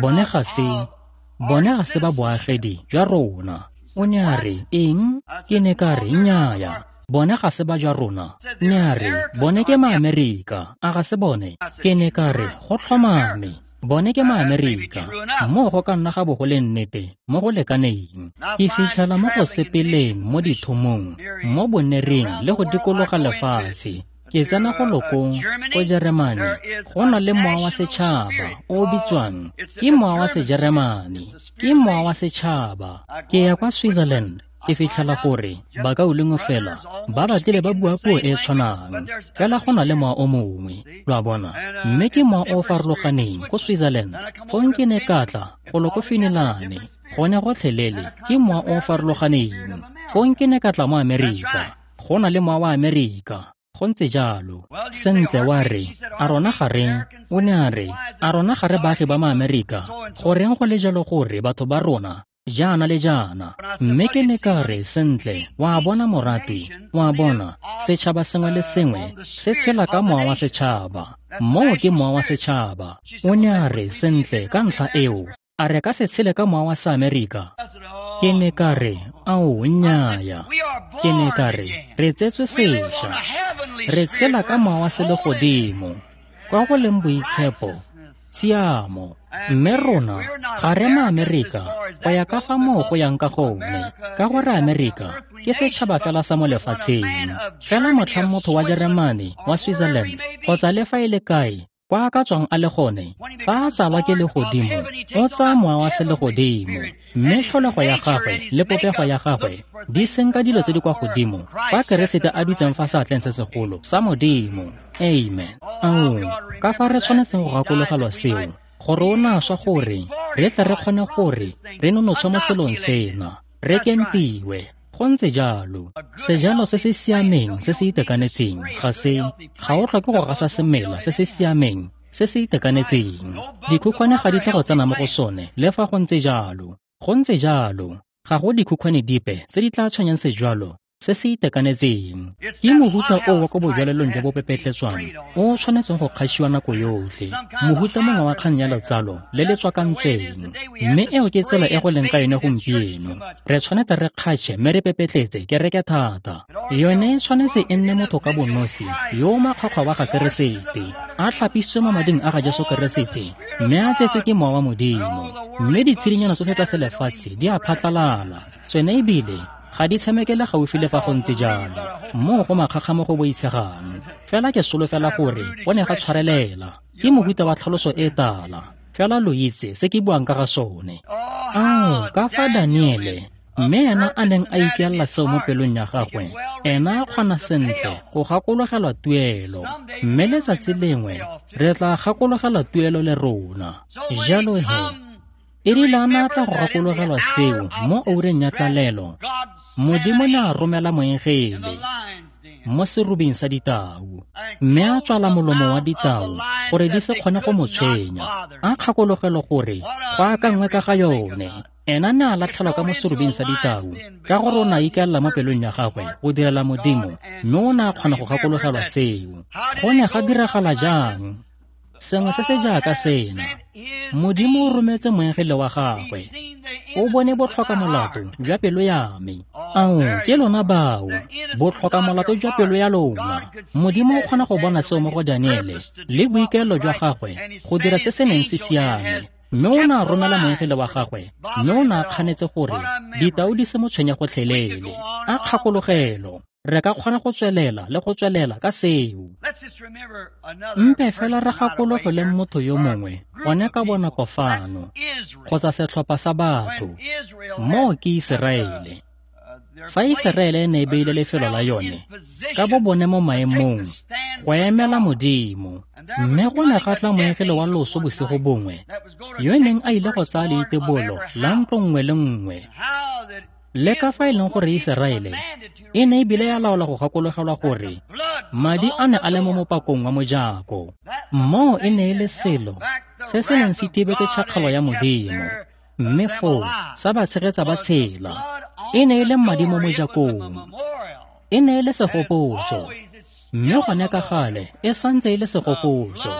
bone ga se bone ga se ba boagedi jwa rona. O ne a re, eng? Ke ne ka re, nnyaya, bone ga se ba jwa rona. Ne a re, bone ke Maamerika, a ga se bone? Ke ne ka re, go tlhomame, bone ke Maamerika. Moo go ka nna ga bo go le nnete mo go lekaneng. Ke fitlhela mo go sepeleng mo dithomong, mo bonereng le go dikologa lefatshe. Ke tsena go lokong ko Jeremane, go na le mowa wa setšhaba o o bitswang ke mowa wa Sejeremane, ke mowa wa setšhaba. Ke ya kwa Switzerland, ke fitlhela gore bakaulengwe fela ba batlile ba bua puo e e tshwanang, fela go na le mowa o mongwe, lo a bona, mme ke mowa o o farologaneng ko Switzerland. Fong ke ne ka tla golo ko Finilane, gone gotlhelele ke mowa o o farologaneng. Fong ke ne ka tla mo Amerika, go na le mowa wa Amerika. Go ntse jalo. Sentle, wa re, a rona ga re, o ne a re, a rona ga re baagi ba Maamerika? Goreng go le jalo gore batho ba rona jaana le jaana? Mme ke ne ka re, sentle, wa bona moratwi, wa bona, setšhaba sengwe le sengwe se tshela ka mowa wa setšhaba. Moo ke mowa wa setšhaba. O ne a re, sentle, ka ntlha eo, a re ka se tshele ka mowa wa Seamerika? Ke ne ka re, ao, nnyaya. Ke ne ka re, re tsetswe sešwa, re tshela ka mowa wa selegodimo, kwa go leng boitshepo, tshiamo. Mme rona ga re Maamerika go ya ka fa moo go yang ka gone, ka gore Amerika ke setšhaba fela sa mo lefatsheng. Fela motlhang motho wa Jeremane, wa Switzerland, kgotsa le fa e le kae kwa a ka tswang a le gone, fa a tsalwa ke legodimo, o tsaya mowa wa selegodimo, mme tlholego ya gagwe le popego ya gagwe di senka dilo tse di kwa godimo kwa Keresete a dutseng fa seatleng se segolo sa Modimo. Amen. Ao, ka fa re tshwanetseng go gakologelwa seo, gore o ne a swa gore re tle re kgone gore re nonotshwe mo selong sena, re kentiwe. Go ntse jalo. Sejalo se se siameng se se itekanetseng ga se ga o tlhoke go gasa semela se se siameng se se itekanetseng. Dikhukhwane ga di tle go tsena mo go sone le fa go ntse jalo. Go ntse jalo. Ga go dikhukhwane dipe tse di tla tshwenyang sejalo se se itekanetseng. Ke mohuta o wa ko bojalelong jo bo pepetletswang o o tshwanetseng go kgašiwa nako yotlhe, mohuta mongwe wa kgang ya letsalo le le tswakantsweng. Mme eo ke tsela e go leng ka yone gompieno. Re tshwanetse re kgatšhe mme re pepetletse kereke thata. Yone e tshwanetse e nne motho ka bonosi yo o makgwakgwa wa ga Keresete, a tlhapisitswe mo mading a ga Jesu Keresete, mme a tsetswe ke mowa wa Modimo. Mme ditshedinyana tsotlhe tsa selefatshe di a phatlalala, tsone ebile ga di tshamekele gaufi le fa go ntse jalo. Moo go makgakga mo go boitshegang. Fela ke solofela gore go ne ga tshwarelela. Ke mohuta wa tlhaloso e tala. Fela lo itse se ke buang ka ga sone. Ao, ka fa Daniele, mme ena a neng a ikaelela seo mo pelong ya gagwe, ena a kgona sentle go gakologelwa tuelo. Mme letsatsi lengwe re tla gakologelwa tuelo le rona. Jalo he, e rile a ne a tla go gakologelwa seo mo oureng ya tlalelo, Modimo ne a romela moengele. mo serubing sa ditau, mme a tswala molomo wa ditau gore di se kgone go mo tshwenya. A kgakologelo gore go akangwe ka ga yone. Ena ne a latlhelwa ka mo serubing sa ditau ka gore o ne a ikaelela mo pelong ya gagwe go direla Modimo, mme o ne a kgona go gakologelwa seo. Go ne ga diragala jang? Sengwe se se jaaka sena. Modimo o rometse moengele wa gagwe. O bone botlhoka molato jwa pelo ya me. Ao, ke lona bao, botlhoka molato jwa pelo ya lona. Modimo o kgona go bona seo mo go Daniele le boikaelelo jwa gagwe go dira se se neng se siame. Mme o ne a romela moengele wa gagwe, mme o ne a kganetse gore ditau di se mo tshwenye gotlhelele. A kgakologelo, re ka kgona go tswelela le go tswelela ka seo. Mpe fela re gakologele motho yo mongwe gone ka bonako fano, kgotsa setlhopha sa batho. Moo ke Iseraele. Fa Iseraele e ne e beile lefelo la yone ka bo bone mo maemong go emela Modimo, mme go ne ga tla moengele wa loso bosigo bongwe yo neng a ile go tsaya leitebolo la ntlo nngwe le nngwe. Le ka fa e leng gore Iseraele e ne ebile ya laola go gakologelwa gore madi a ne a le mo mopakong wa mojako. Moo e ne e le selo se se neng se thibetse tšhakgalo ya Modimo, mme foo sa ba tshegetsa ba tshela. E ne e le madi mo mojakong, e ne e le segopotso, mme gone ka gale e santse e le segopotso.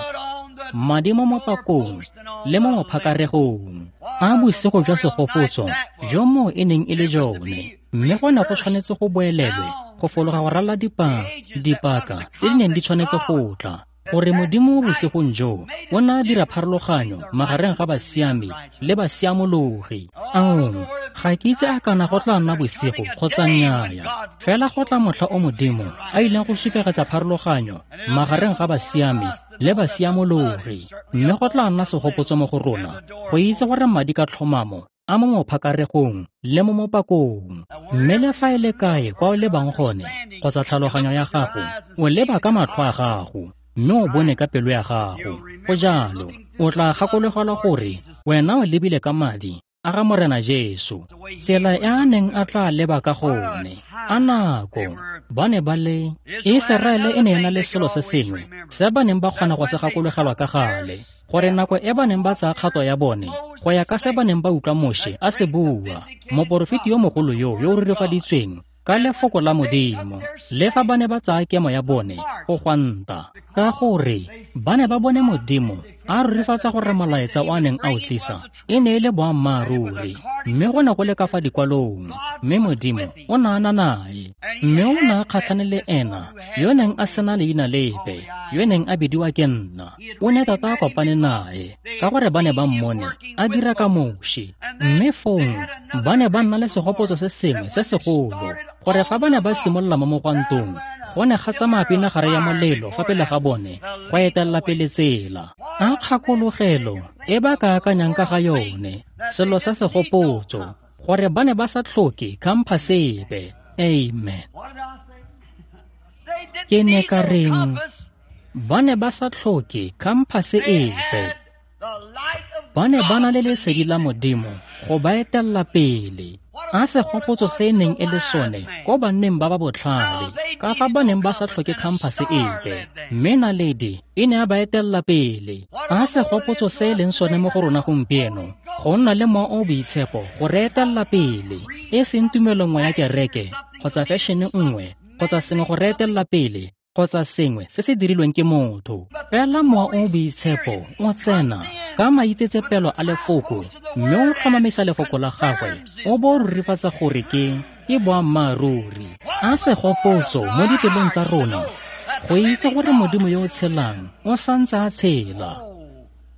Madi mo mopakong le mo mophakaregong. A bosigo jwa segopotso jo moo e neng e le jone, mme go ne go tshwanetse go boelelwe go fologa go ralala dipa dipaka tse di neng di tshwanetse go tla, gore Modimo bosigong jo o ne a dira pharologanyo magareng ga basiami le basiamologi. Ao, ga ke itse a kana go tla nna bosigo kgotsa nnyaya, fela go tla motlha o Modimo a ileng go supegetsa pharologanyo magareng ga basiami le basiamologi, mme go tla nna segopotso mo go rona go itse gore madi ka tlhomamo a mo mophakaregong le mo mopakong. Mme le fa e le kae kwa o lebang gone kgotsa tlhaloganyo ya gago, o leba ka matlho a gago, mme o bone ka pelo ya gago. Go jalo, o tla gakologelwa gore wena o lebile ka madi a ga Morena Jesu, tsela e a neng a tla leba ka gone. A nako ba ne ba le Iseraele e ne e na le selo se sengwe se ba neng ba kgona go se gakologelwa ka gale, gore nako e ba neng ba tsaya kgato ya bone go ya ka se ba neng ba utlwa Moshe a se bua, moporofeti yo mogolo yo yo o rurifaditsweng ka lefoko la Modimo, le fa ba ne ba tsaya kemo ya bone go gwanta, ka gore ba ne ba bone Modimo a rurifatsa gore molaetsa o a neng a o tlisa e ne e le boammaaruri, mme go ne go le ka fa dikwalong, mme Modimo o ne a na nae, mme o ne a kgatlhane le ena yo neng a sena leina lepe, yo neng a bidiwa ke nna. O ne tota a kopane nae ka gore ba ne ba mmone a dira ka Moshe, mme fong ba ne ba nna le segopotso se sengwe se segolo, gore fa ba ne ba simolola mo mogwantong, go ne ga tsamaya pinagare ya molelo fa pele ga bone go etelela pele tsela. A kgakologelo e ba ka akanyang ka ga yone, selo sa segopotso, gore ba ne ba sa tlhoke khamphase epe. Amen. Ke ne ka reng ba ne ba sa tlhoke khamphase epe. Ba ne ba na le lesedi la Modimo go ba etelela pele. A segopotso se e neng e le sone ko banneng ba ba botlhale, ka fa ba neng ba sa tlhoke khamphase epe, mme naledi e ne a ba etelela pele. A segopotso se e leng sone mo go rona gompieno, go nna le Mowa o o Boitshepo go re etelela pele, e seng tumelo nngwe ya kereke kgotsa fashion-e nngwe kgotsa sengwe go re etelela pele kgotsa sengwe se se dirilweng ke motho. Fela Mowa o o Boitshepo o tsena ka maitsetsepelo a lefoko, mme o tlhomamisa lefoko la gagwe, o bo o rurifatsa gore ke ke boammaaruri. A segopotso mo dipelong tsa rona go itse gore Modimo yo o tshelang o santse a tshela.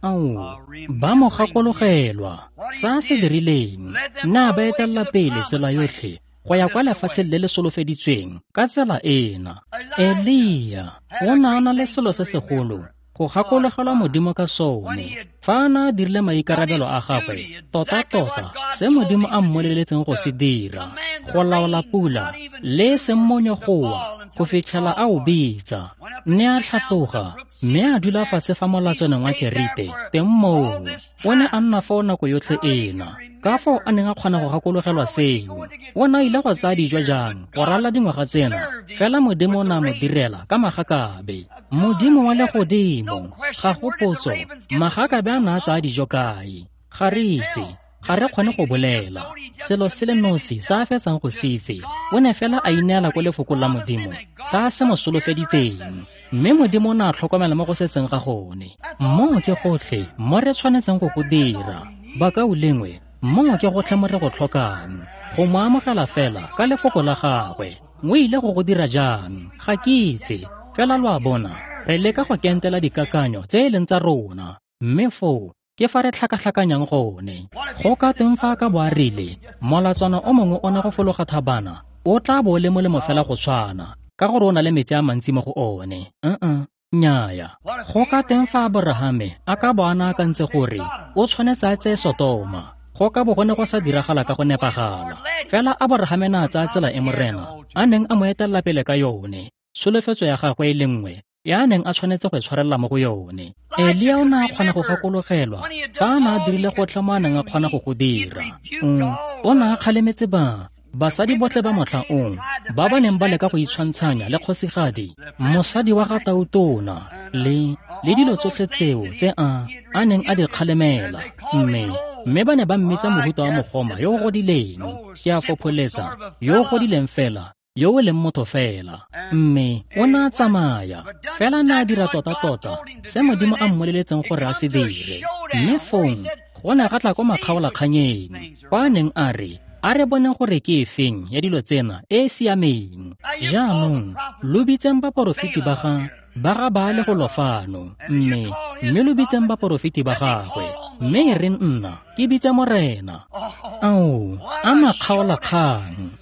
Ao, ba mo gakologelwa sa se dirileng, nna ba etelela pele tsela yotlhe go ya kwa lefatsheng le le solofeditsweng ka tsela ena. Elia o ne a na le selo se segolo go gakologelwa Modimo ka sone fa a ne a dirile maikarabelo a gagwe, tota-tota se Modimo a mmoleletseng go se dira, go laola pula le e seng monyo go wa go fitlhela a o bitsa. Ne a tlhatloga mme a dula fatshe fa molatswaneng wa Kerite teng moo. O ne a nna foo nako yotlhe ena Ka fao a neng a kgona go gakologelwa seo. O ne a ile go tsaya dijo jang go ralala dingwaga tsena, fela Modimo o ne a mo direla ka magakabe. Modimo wa legodimo, ga go potso, magakabe a ne a tsaya dijo kae? Ga re itse, ga re kgone go bolela. Selo se le nosi sa a fetsang go se itse, o ne fela a ineela ko lefokong la Modimo, sa a se mo solofeditseng. Mme Modimo o ne a tlhokomela mo go setseng ga gone. Moo ke gotlhe mo re tshwanetseng go go dira. Bakaulengwe, moo ke gotlhe mo re go tlhokang. Go mo amogela fela ka lefoko la gagwe. O ile go go dira jang? Ga ke itse. Fela lo a bona, re leka go kentela dikakanyo tse e leng tsa rona. Mme foo ke fa re tlhakatlhakanyang gone. Go ka teng fa ka bo a rile, molatswana o mongwe o ne go fologa thabana, o tla bo o le molemo fela go tshwana, ka gore o na le metsi a mantsi mo go one. Uh-uh, nnyaya. Go ka teng fa Aborahame a ka bo a ne akantse gore o tshwanetse a tseye Sotoma, go ka bo go ne go sa diragala ka go nepagala. Fela Aborahame ne a tsaya tsela e Morena a neng a mo etelela pele ka yone, tsholofetso ya gagwe e le nngwe ya a neng a tshwanetse go e tshwarelela mo go yone. Elia o ne a kgona go gakologelwa fa a ne a dirile gotlhe mo a neng a kgona go go dira. Mm, o ne a kgalemetse ba basadi botlhe ba motlha oo ba ba neng ba leka go itshwantshanya le kgosigadi, mosadi wa ga Tautona, le le dilo tsotlhe tseo tse a a neng a di kgalemela. Mme mme ba ne ba mmitsa mohuta wa mogoma yo o godileng, ke a fopholetsa, yo o godileng fela, yo o leng motho fela. Mme o ne a tsamaya, fela ne a dira tota-tota se Modimo a mmoleletseng gore a se dire. Mme fong go ne ga tla ko makgaolakganyeng, kwa a neng a re, a re boneng gore ke efeng ya dilo tsena e e siameng. Jaanong lo bitseng baporofeti ba ga ba ga Baale go lo fano, mme mme lo bitseng baporofeti ba gagwe, mme e re nna ke bitse Morena. Ao, a makgaolakgang.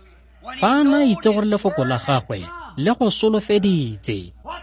Fa a ne a itse gore lefoko la gagwe le go solofeditse,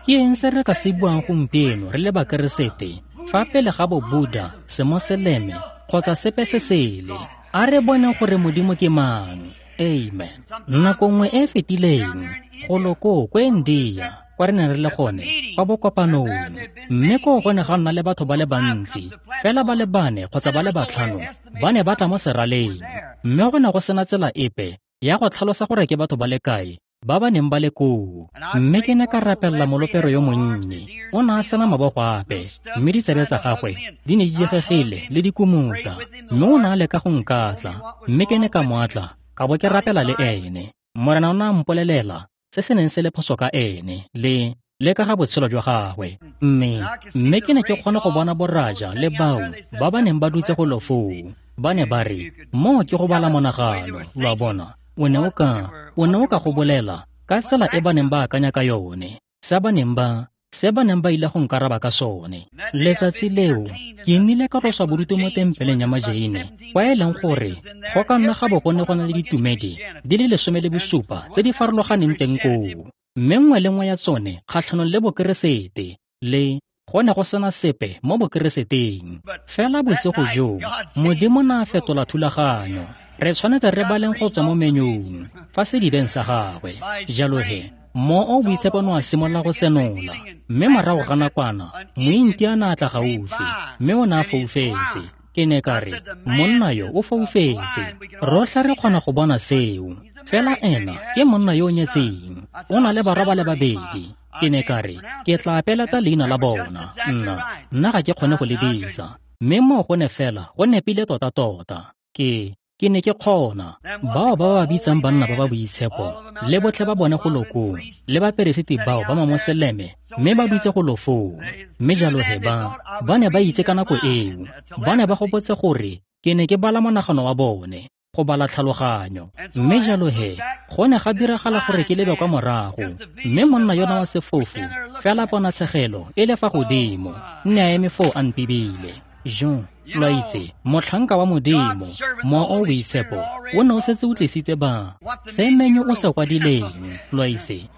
ke eng se re ka se buang gompieno re le Bakeresete fa pele ga Bobuda, Semoseleme kgotsa sepe se sele? A re boneng gore Modimo ke mang. Amen. Nako nngwe e e fetileng, golo koo ko India, kwa re neng re le gone kwa bokopanong, mme koo go ne ga nna le batho ba le bantsi, fela ba le bane kgotsa ba le batlhano ba ne ba tla mo seraleng, mme go ne go sena tsela epe ya go tlhalosa gore ke batho ba le kae ba ba neng ba le koo. Mme ke ne ka rapelela molopero yo monnye. O ne a sena mabogo ape, mme ditsebe tsa gagwe di ne di diegegile le dikumuta, mme o ne a leka go nkatla, mme ke ne ka mo atla, ka bo ke rapela le ene. Morena o ne a mpolelela se se neng se le phoso ka ene le le ka ga botshelo jwa gagwe. Mme mme ke ne ke kgona go bona boraja le bao ba ba neng ba dutse go lo foo. Ba ne ba re, moo ke go bala monagano, lo a bona. O ne o ka o ne o ka go bolela ka tsela e ba neng ba akanya ka yone, se ba neng ba se ba neng ba ile go nkaraba ka sone. Letsatsi leo ke nnile ka tloswa bodutu mo tempeleng ya Majeine, kwa e leng gore go ka nna ga bo go ne go na le ditumedi di le lesome le bosupa tse di farologaneng teng koo, mme nngwe le nngwe ya tsone kgatlhanong le Bokeresete, le go ne go sena sepe mo Bokereseteng. Fela bosigo joo Modimo ne a fetola thulaganyo. Re tshwanetse re baleng go tswa mo menyong fa sedibeng sa gagwe. Jalo he, mo o boitshepo no a simolola go senola, mme morago ga nakwana mointi a ne a tla gaufi, mme o ne a foufetse. Ke ne ka re, monna yo o foufetse, rotlhe re kgona go bona seo, fela ena ke monna yo o nyetseng, o na le barwa ba le babedi. Ke ne ka re, ke tla peleta leina la bona, nna nna ga ke kgone go le bitsa, mme moo go ne fela go nepile tota-tota. Ke ke ne ke kgona. Bao ba ba bitsang banna ba ba boitshepo le botlhe ba bone go lo koo, le baperesiti bao ba Mamoseleme, mme ba dutse go lo foo. Mme jalo he ba ba ne ba itse ka nako eo, ba ne ba gopotse gore ke ne ke bala monagano wa bone, go bala tlhaloganyo. Mme jalo he go ne ga diragala gore ke lebe kwa morago, mme monna yona wa sefofu fela ponatshegelo e le fa godimo, nne a eme foo a mpibile. Jo, lo a itse, motlhanka wa Modimo, mowa o boitshepo o ne o setse o tlisitse ba se menyo o se kwadileng, lo a itse.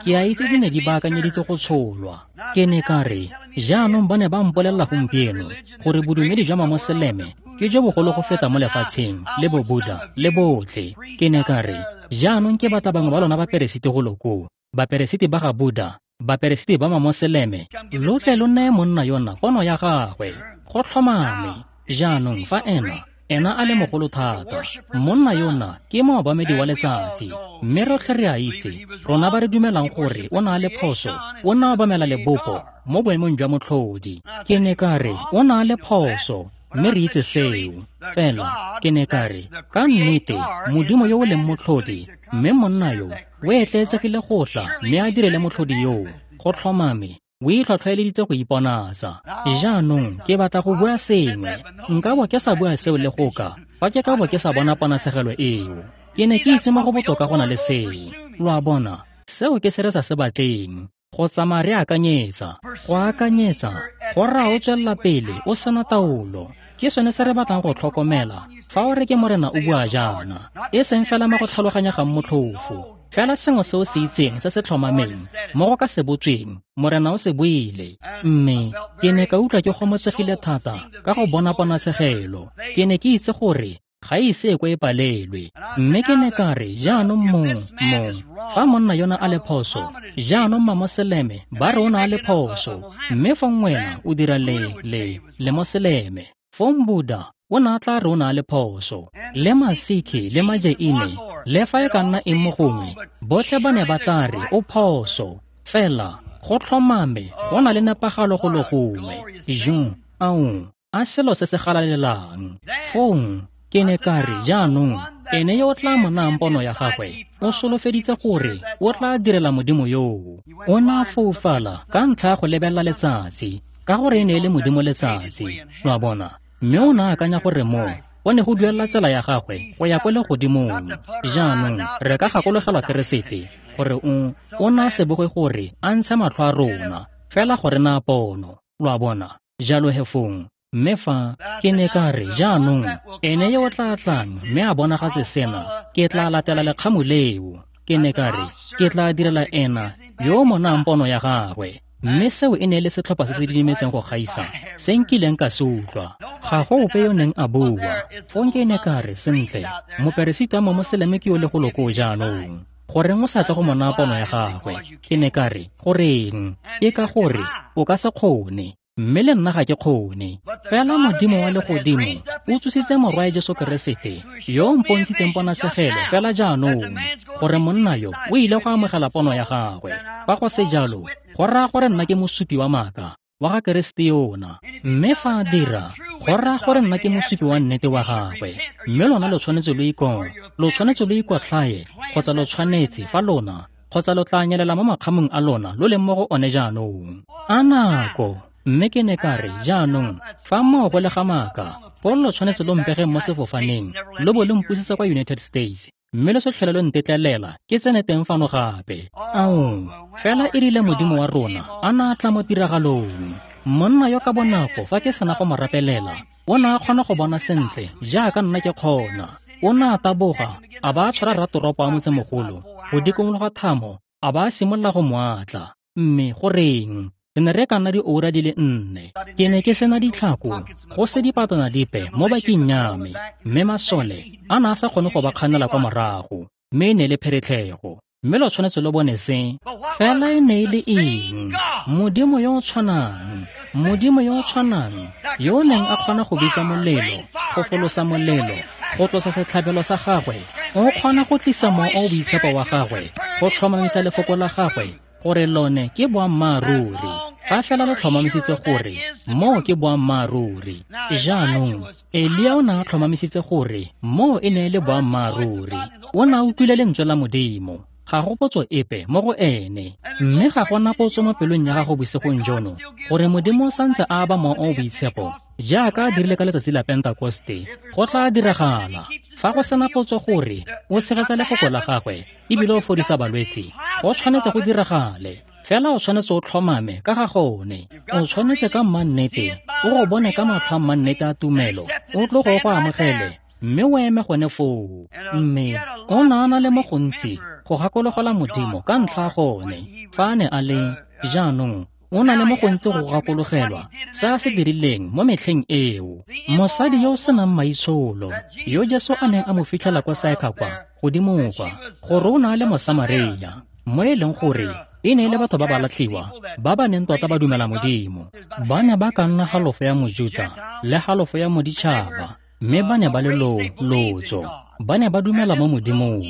Ke a itse di ne di baakanyeditse go tsholwa. Ke ne ka re, jaanong ba ne ba mpolelela gompieno gore bodumedi jwa Mamoseleme ke jo bogolo go feta mo lefatsheng, le Bobuda le botlhe. Ke ne ka re, jaanong ke batla bangwe ba lona baperesiti go lo koo, baperesiti ba ga Buda, baperesiti ba Mamoseleme, lo tle lo neye monna yona pono ya gagwe. Go tlhomame. Jaanong fa ena Ena a le mogolo thata. Monna yona ke moobamedi wa letsatsi. Mme rotlhe re a itse, rona ba re dumelang gore o na le phoso, o na obamela lebopo mo boemong jwa motlhodi. Ke ne ka re, o na le phoso, mme re itse seo. Fela, ke ne ka re, ka nnete, Modimo yo o leng motlhodi, mme monna yo o etleetsegile go tla mme a direle motlhodi yoo, go tlhomame, o itlhwatlhwaeleditse go iponatsa. Jaanong ke batla go bua sengwe. Nka bo ke sa bua seo le goka, fa ke ka bo ke sa bona ponatshegelo eo. Ke ne ke itse mo go botoka go na le seo. Lo a bona, seo ke se re sa se batleng. Go tsamaya re akanyetsa, go akanyetsa, go raya o tswelela pele o sena taolo. Ke sone se re batlang go tlhokomela fa o re ke Morena o bua jaana, e seng fela mo go tlhaloganyegang motlhofo, fela sengwe se o se itseng se se tlhomameng mo go ka se botsweng, Morena o se buile. Mme ke ne ka utlwa ke gomotsegile thata ka go bona ponatshegelo. Ke ne ke itse gore ga e ise e ko e palelwe. Mme ke ne ka re, jaanong mong, mong, fa monna yona a le phoso, jaanong mamoseleme ba re o na a le phoso, mme fong wena o dira le, le, le moseleme. Fong Buddha o ne a tla re o na le phoso, le Masikhi le Majaine, le fa e ka nna eng mo gongwe, botlhe ba ne ba tla re o phoso. Fela go tlhomame go na le nepagalo go le gongwe. Jung, ao, a selo se se galalelang. Fong ke ne ka re, jaanong ene yo o tla mo nayang pono ya gagwe o solofeditse gore o tla direla Modimo yoo. O ne a foufala ka ntlha ya go lebelela letsatsi, ka gore e ne e le Modimo letsatsi, lo a bona. Mme o ne a akanya gore moo go ne go duelela tsela ya gagwe go ya kwa legodimong. Jaanong re ka gakologelwa Keresete gore o o ne a se boge gore a ntshe matlho a rona, fela gore na pono, lo a bona. Jalo he fong, mme fa ke ne ka re, jaanong ene yo o tla tlang mme a bonagatse sena, ke tla latela lekgamu leo. Ke ne ka re, ke tla direla ena yo o mo nayang pono ya gagwe. Mme seo e ne e le setlhopha se se didimetseng go gaisa se nkileng ka se utlwa. Ga go ope yo neng a bua. Fong ke ne ka re, sentle, moperesiti wa momoseleme ke yo le golo koo jaanong. Goreng o sa tle go mo naya pono ya gagwe? Ke ne ka re, goreng? Ke ka gore o ka se kgone, mme le nna ga ke kgone. Fela Modimo wa legodimo o tsositse Morwae Jesu Keresete, yo o mpontshitseng ponatshegelo fela jaanong, gore monna yo o ile go amogela pono ya gagwe. Fa go se jalo, go raya gore nna ke mosupi wa maaka wa ga Keresete yona. Mme fa a dira, go raya gore nna ke mosupi wa nnete wa gagwe. Mme lona lo tshwanetse lo iko, lo tshwanetse lo ikotlhaye, kgotsa lo tshwanetse fa lona, kgotsa lo tla nyelela mo makgamong a lona lo leng mo go one jaanong. A nako. Mme ke ne ka re, jaanong, fa moo go le ga maaka, foo lo tshwanetse lo mpegeng mo sefofaneng, lo bo lo mpusetsa kwa United States, mme lo se tlhole lo ntetlelela ke tsene teng fano gape. Ao, fela e rile Modimo wa rona a na a tla mo tiragalong. Monna yo ka bonako fa ke sena go mo rapelela, o ne a kgona go bona sentle jaaka nna ke kgona. O ne a taboga, a ba a tshwara ratoropo a motsemogolo go dikologa thamo, a ba a simolola go mo atla. Mme goreng? Re ne re ka nna dioura di le nne. Ke ne ke sena ditlhako, go se dipatana dipe mo baking ya me, mme masole a ne a sa kgone go ba kganela kwa morago, mme e ne e le pheretlhego. Mme lo tshwanetse lo bone se. Fela e ne e le eng? Modimo yo o tshwanang, Modimo yo o tshwanang, yo o neng a kgona go bitsa molelo, go folosa molelo, go tlosa setlhabelo sa gagwe, o kgona go tlisa mowa o o boitshepo wa gagwe, go tlhomamisa lefoko la gagwe, gore lone ke boammaaruri. Fa fela lo tlhomamisitse gore moo ke boammaaruri. Jaanong, Elia o ne a tlhomamisitse gore moo e ne e le boammaaruri. O ne a utlwile lentswe la Modimo. Ga go potso epe mo go ene. Mme ga gona potso mo pelong ya gago bosigong jono, gore Modimo o santse a aba mowa o o boitshepo jaaka a dirile ka letsatsi la Pentekoste. Go tla diragala. Fa go sena potso gore o tshegetsa lefoko la gagwe ebile o fodisa balwetse, go tshwanetse go diragale. Fela o tshwanetse o tlhomame ka ga gone. O tshwanetse ka mmannete o go bone ka matlho a mmannete a tumelo, o tloge o go amogele, mme o eme gone foo. Mme o ne a na le mo gontsi go gakologelwa Modimo ka ntlha ya gone. Fa a ne a le, jaanong o na le mo gontsi go gakologelwa se a se dirileng mo metlheng eo. Mosadi yo o senang maitsholo, yo Jesu a neng a mo fitlhela kwa Saekha kwa godimo kwa, gore o ne a le Mosamaria, mo e leng gore e ne e le batho ba ba latlhiwa ba ba neng tota ba dumela Modimo. Ba ne ba ka nna halofo ya Mojuta le halofo ya Moditšhaba, Mme ba ne ba le lo, lotso. Ba ne ba dumela mo Modimong.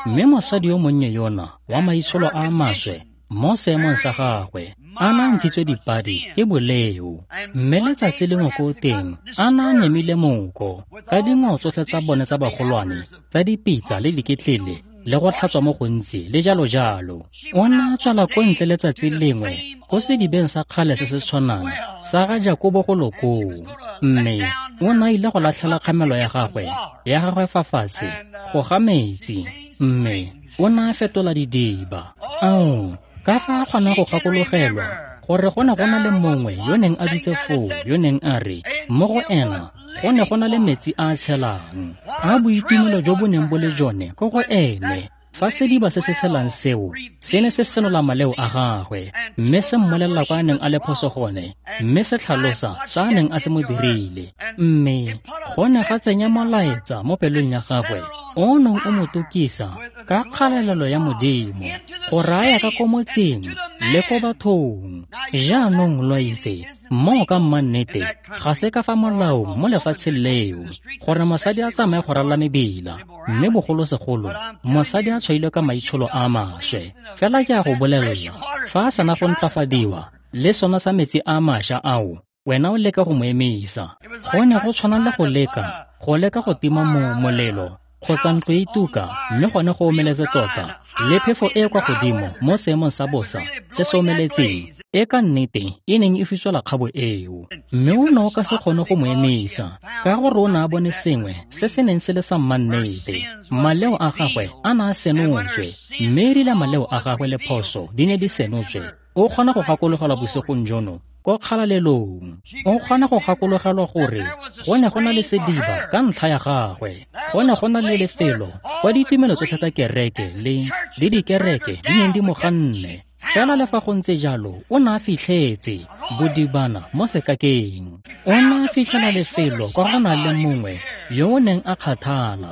Mme mosadi yo monnye yona wa maitsholo a a maswe mo seemong sa gagwe a na a ntshitswe dipadi ke boleo. Mme letsatsi lengwe ko teng a na a nyemile moko ka dingwao tsotlhe tsa bone tsa bagolwane tsa dipitsa le diketlele le go tlhatswa mo gontsi le jalo jalo. O ne a tswela ko ntle letsatsi lengwe ko sedibeng sa kgale se se tshwanang sa ga Jakobo go lo koo. Mme o ne a ile go latlhela kgamelo ya gagwe ya gagwe fa fatshe go ga metsi, mme o ne a fetola didiba. Ao, ka fa a kgona go gakologelwa gore go ne go na le mongwe yo neng a dutse foo yo neng a re mo go ena go ne go na le metsi a a tshelang, a boitumelo jo bo neng bo le jone ko go ene. Fa sediba se se tshelang seo se ne se senola maleo a gagwe, mme se mmolelela kwa a neng a le phoso gone, mme se tlhalosa sa a neng a se mo dirile. Mme go ne ga tsenya molaetsa mo pelong ya gagwe o neng o mo tokisa ka kgalalelo ya Modimo go raya ka ko motseng le ko bathong. Jaanong lo itse moo ka mmannete ga se ka fa molaong mo lefatsheng leo gore mosadi a tsamaye go ralala mebila, mme bogolosegolo mosadi a tshwailwe ka maitsholo a a maswe. Fela ke a go bolelela, fa a sena go ntlafadiwa le sona sa metsi a mašwa ao, wena o leka go mo emisa. Go ne go tshwana le go leka go leka go tima mo molelo kgotsa ntlo e tuka, mme gone go omeletse tota le phefo e kwa godimo mo seemong sa bosa se se omeletseng e ka nnete e neng e fiswela kgabo eo. Mme o ne o ka se kgone go mo emisa ka gore o ne a bone sengwe se se neng se le sa mmannete. Maleo a gagwe a ne a senotswe, mme e rile maleo a gagwe le phoso di ne di senotswe, o kgona go gakologelwa bosigong jono ko kgalalelong. O kgona go gakologelwa gore go ne go na le sediba ka ntlha ya gagwe, go ne go na le lefelo kwa ditumelo tsotlhe tsa kereke le le dikereke di neng di mo ganne. Fela le fa go ntse jalo, o ne a fitlhetse bodibana mo sekakeng. O ne a fitlhela lefelo kwa go na le mongwe yo o neng a kgathala,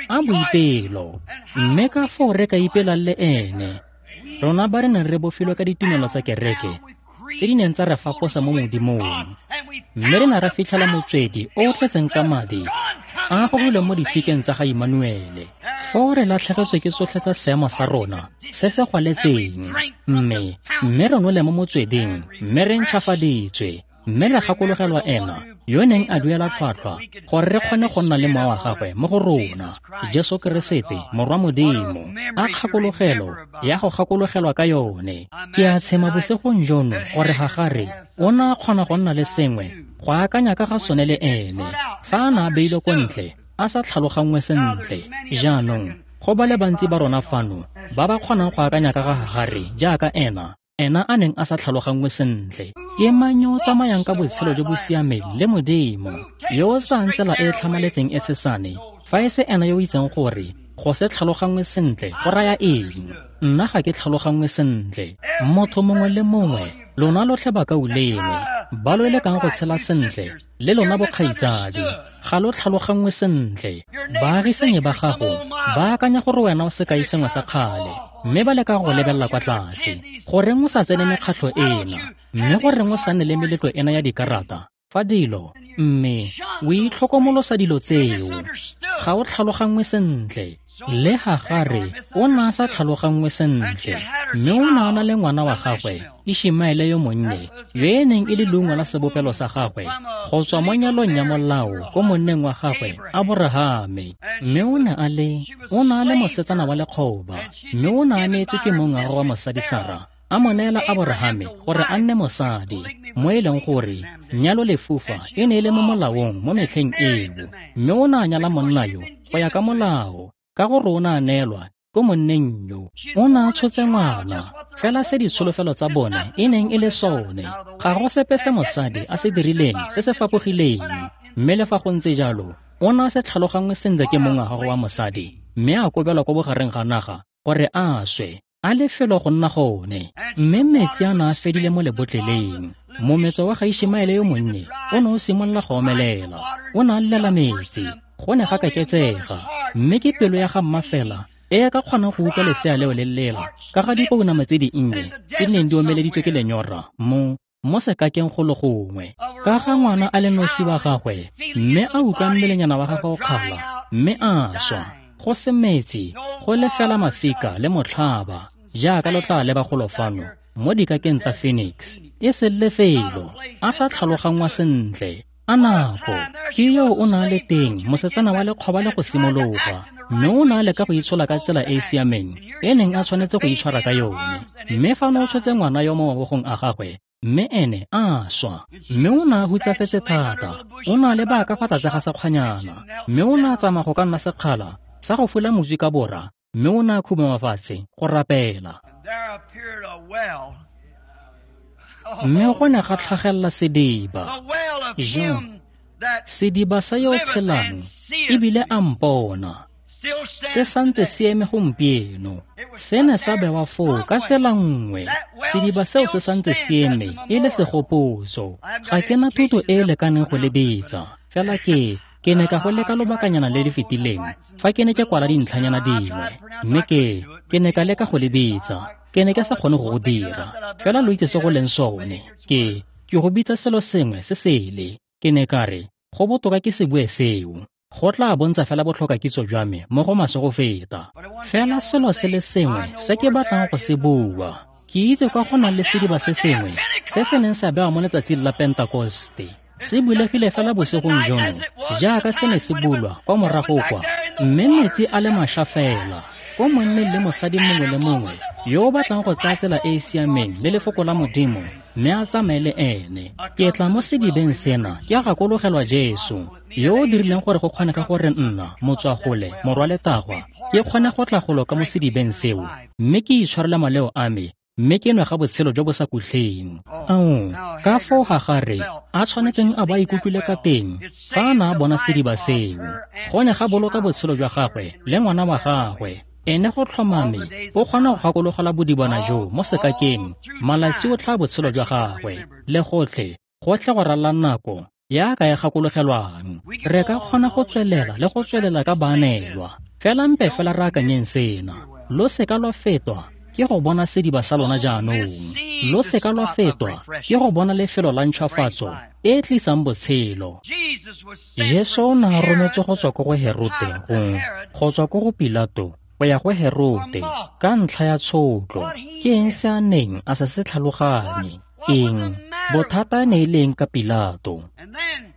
a boipelo. Mme ka foo re ka ipelang le ene, rona ba re neng re bofilwe ka ditumelo tsa kereke tse di neng tsa re faposa mo Modimong, mme re ne ra fitlhela motswedi o o tletseng ka madi a gogilweng mo ditshikeng tsa ga Immanuele. Foo re latlhegetswe ke tsotlhe tsa seemo sa rona se se gwaletseng, mme mme re nole mo motsweding, mme re ntšhafaditswe, mme re gakologelwa ena yo neng a duela tlhwatlhwa gore re kgone go nna le mowa wa gagwe mo go rona, Jesu Keresete Morwa Modimo. A kgakologelo ya go gakologelwa ka yone. Ke a tshema bosigong jono gore Hagare o ne a kgona go nna le sengwe go akanya ka ga sone le ene fa a ne a beilwe ko ntle a sa tlhaloganngwe sentle. Jaanong go ba le bantsi ba rona fano ba ba kgonang go akanya ka ga Hagare jaaka ena ena a neng a sa tlhaloganngwe sentle. Ke mang yo o tsamayang ka botshelo jo bo siameng le Modimo, yo o tsayang tsela e e tlhamaletseng e tshesane, fa e se ena yo o itseng gore go se tlhaloganngwe sentle go raya eng? Nna ga ke tlhaloganngwe sentle. Motho mongwe le mongwe, lona lotlhe bakaulengwe ba lo lekang go tshela sentle le lona bokgaitsadi, ga lo tlhaloganngwe sentle. Baagisanyi ba gago ba akanya gore wena o sekai sengwe sa kgale, mme ba leka go lebelela kwa tlase. Goreng o sa tsene mekgatlho ena, mme goreng o sa nne le meletlo ena ya dikarata fa dilo, mme o itlhokomolosa dilo tseo? Ga o tlhaloganngwe sentle. Le Hagare o ne a sa tlhaloganngwe sentle, mme o ne a na le ngwana wa gagwe Išemaele yo monnye, yo e neng e le leungo la sebopelo sa gagwe go tswa mo nyalong ya molao ko monneng wa gagwe Aborahame. Mme o ne a le o ne a le mosetsana wa lekgoba, mme o ne a neetswe ke mong wa gagwe wa mosadi Sara, a mo neela Aborahame gore a nne mosadi, mo e leng gore nyalo lefufa e ne e le mo molaong mo metlheng eo. Mme o ne a nyala monna yo go ya ka molao, ka gore o ne a neelwa ko monneng yo. O ne a tshotse ngwana, fela se ditsholofelo tsa bone e neng e le sone. Ga go sepe se mosadi a se dirileng se se fapogileng. Mme le fa go ntse jalo, o ne a se tlhaloganngwe sentle ke mong wa gagwe wa mosadi, mme a kobelwa ko bogareng ga naga gore a swe, a lefelo go nna gone. Mme metsi a ne a fedile mo lebotleleng. Mometso wa ga Išemaele yo monnye o ne o simolola go omelela. O ne a llela metsi, go ne ga kaketsega. Mme ke pelo ya ga mma fela e ka kgonang go utlwa lesea leo le lela ka ga dipounama tse dinnye tse di neng di omeleditswe ke lenyora mo mo sekakeng go le gongwe, ka ga ngwana a le nosi wa gagwe, mme a utlwa mmelenyana wa gagwe o kgala, mme a swa, go se metsi, go le fela mafika le motlhaba, jaaka lo tla leba golo fano mo dikakeng tsa Phoenix, e se lefelo, a sa tlhaloganngwa sentle. A nako, ke yo o na le teng mosetsana wa lekgoba le go simologa, mme o na leka go itshola ka tsela e e siameng e neng a tshwanetse go itshwara ka yone. Mme fa o tshotse ngwana yo mo mabogong a gagwe, mme ene a swa, mme o ne a hutsafetse thata, o ne a leba ka fa tlase ga sekgwanyana, mme o ne a tsamaya go ka nna sekgala sa go fula moswi ka bora, mme o ne a khubama fatshe go rapela. Mme go ne ga tlhagelela sediba, jo, sediba sa yo tshelang, ebile a mpona, se santse se eme gompieno. Se ne sa bewa foo ka tsela nngwe, sediba seo se santse se eme e le segopotso. Ga ke na thuto e e lekaneng go le bitsa, fela ke ke ne ka go leka lobakanyana le le fetileng fa ke ne ke kwala dintlhanyana dingwe, mme ke ke ne ka leka go le bitsa, ke ne ke sa kgone go go dira, fela lo itse se go leng sone. Ke ke go bitsa selo sengwe se sele. Ke ne ka re go botoka ke se bue seo, go tla bontsha fela botlhokakitso jwa me mo go maswe go feta. Fela selo se le sengwe se ke batlang go se bua, ke itse kwa go nang le sediba se sengwe se se neng sa bewa mo letsatsing la Pentekoste, se bulegile fela bosigong jono jaaka se ne se bulwa kwa morago kwa, mme metsi a le mašwa fela ko monneng le mosadi mongwe le mongwe yo o batlang go tsaya tsela e e siameng le lefoko la Modimo, mme a tsamaye le ene. Ke tla mo sedibeng sena ke a gakologelwa Jesu, yo o dirileng gore go kgonege gore nna, motswagole, morwa letagwa, ke kgone go tla golo ka mo sedibeng seo, mme ke itshwarele maleo a me, mme ke nwe ga botshelo jo bo sa kutlheng. Ao, ka foo Hagare a tshwanetseng a bo a ikutlwile ka teng fa a ne a bona sediba seo. Go ne ga boloka botshelo jwa gagwe le ngwana wa gagwe. Ene go tlhomame o kgona go gakologela bodibana jo mo sekakeng malatsi otlhe a botshelo jwa gagwe, le gotlhe gotlhe go ralala nako ya ka e gakologelwang. Re ka kgona go tswelela le go tswelela ka baanelwa, fela mpe fela re akanyeng sena. Lo seka lwa fetwa ke go bona sediba sa lona jaanong, lo seka lwa fetwa ke go bona lefelo la ntšhwafatso e e tlisang botshelo. Jesu o ne a rometswe go tswa ko go Herote go go tswa ko go Pilato go ya go Herote ka ntlha ya tshotlo. Ke eng se a neng a sa se tlhaloganye? Eng bothata ne e leng ka Pilato?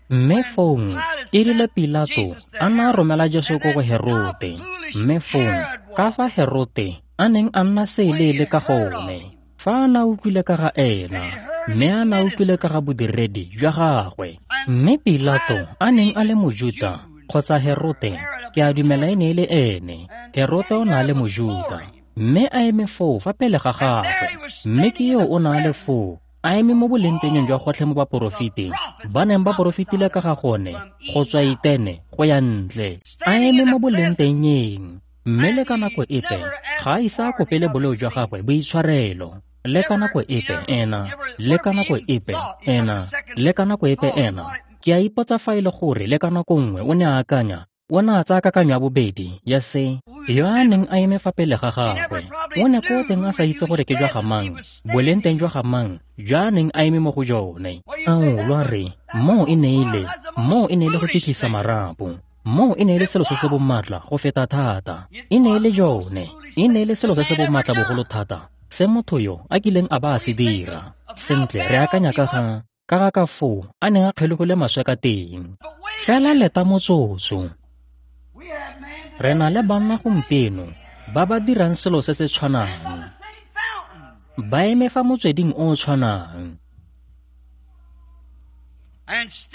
Mme fong e rile Pilato a na a romela Jesu ko go Herote, mme fong ka fa Herote a neng a nna seeleele ka gone fa a na utlwile ka ga ena, mme a na utlwile ka ga bodiredi jwa gagwe. Mme Pilato a neng a le Mojuta, kgotsa Herote, ke a dumela e ne e le ene, Herote o ne a le Mojuta, mme a eme foo fa pele ga gagwe, mme ke yo o ne a le foo a eme mo bolengtengeng jwa gotlhe mo baporofeteng ba neng ba porofetile ka ga gone go tswa Itene go ya ntle, a eme mo bolengtengeng, mme le ka nako epe ga a ise a kopele boleo jwa gagwe boitshwarelo. Le ka nako epe ena, le ka nako epe ena, le ka nako epe ena. Ke a ipotsa fa e le gore le ka nako nngwe o ne a akanya, o ne a tsaya kakanyo ya bobedi ya se yo a neng a eme fa pele ga gagwe. O ne ko teng a sa itse gore ke jwa ga mang, boleng teng jwa ga mang jwa a neng a eme mo go jone. Ao, lwa re moo e ne e le, moo e ne e le go tsitlisa marapo, moo e ne e le selo se se bomatla go feta thata. E ne e le jone, e ne e le selo se se bomatla bogolo thata se motho yo a kileng a ba a se dira. Sentle, re akanya ka ga ka ga ka foo a neng a kgelogile maswe ka teng. Fela leta motsotso. Re na le banna gompieno ba ba dirang selo se se tshwanang, ba eme fa motsweding o o tshwanang,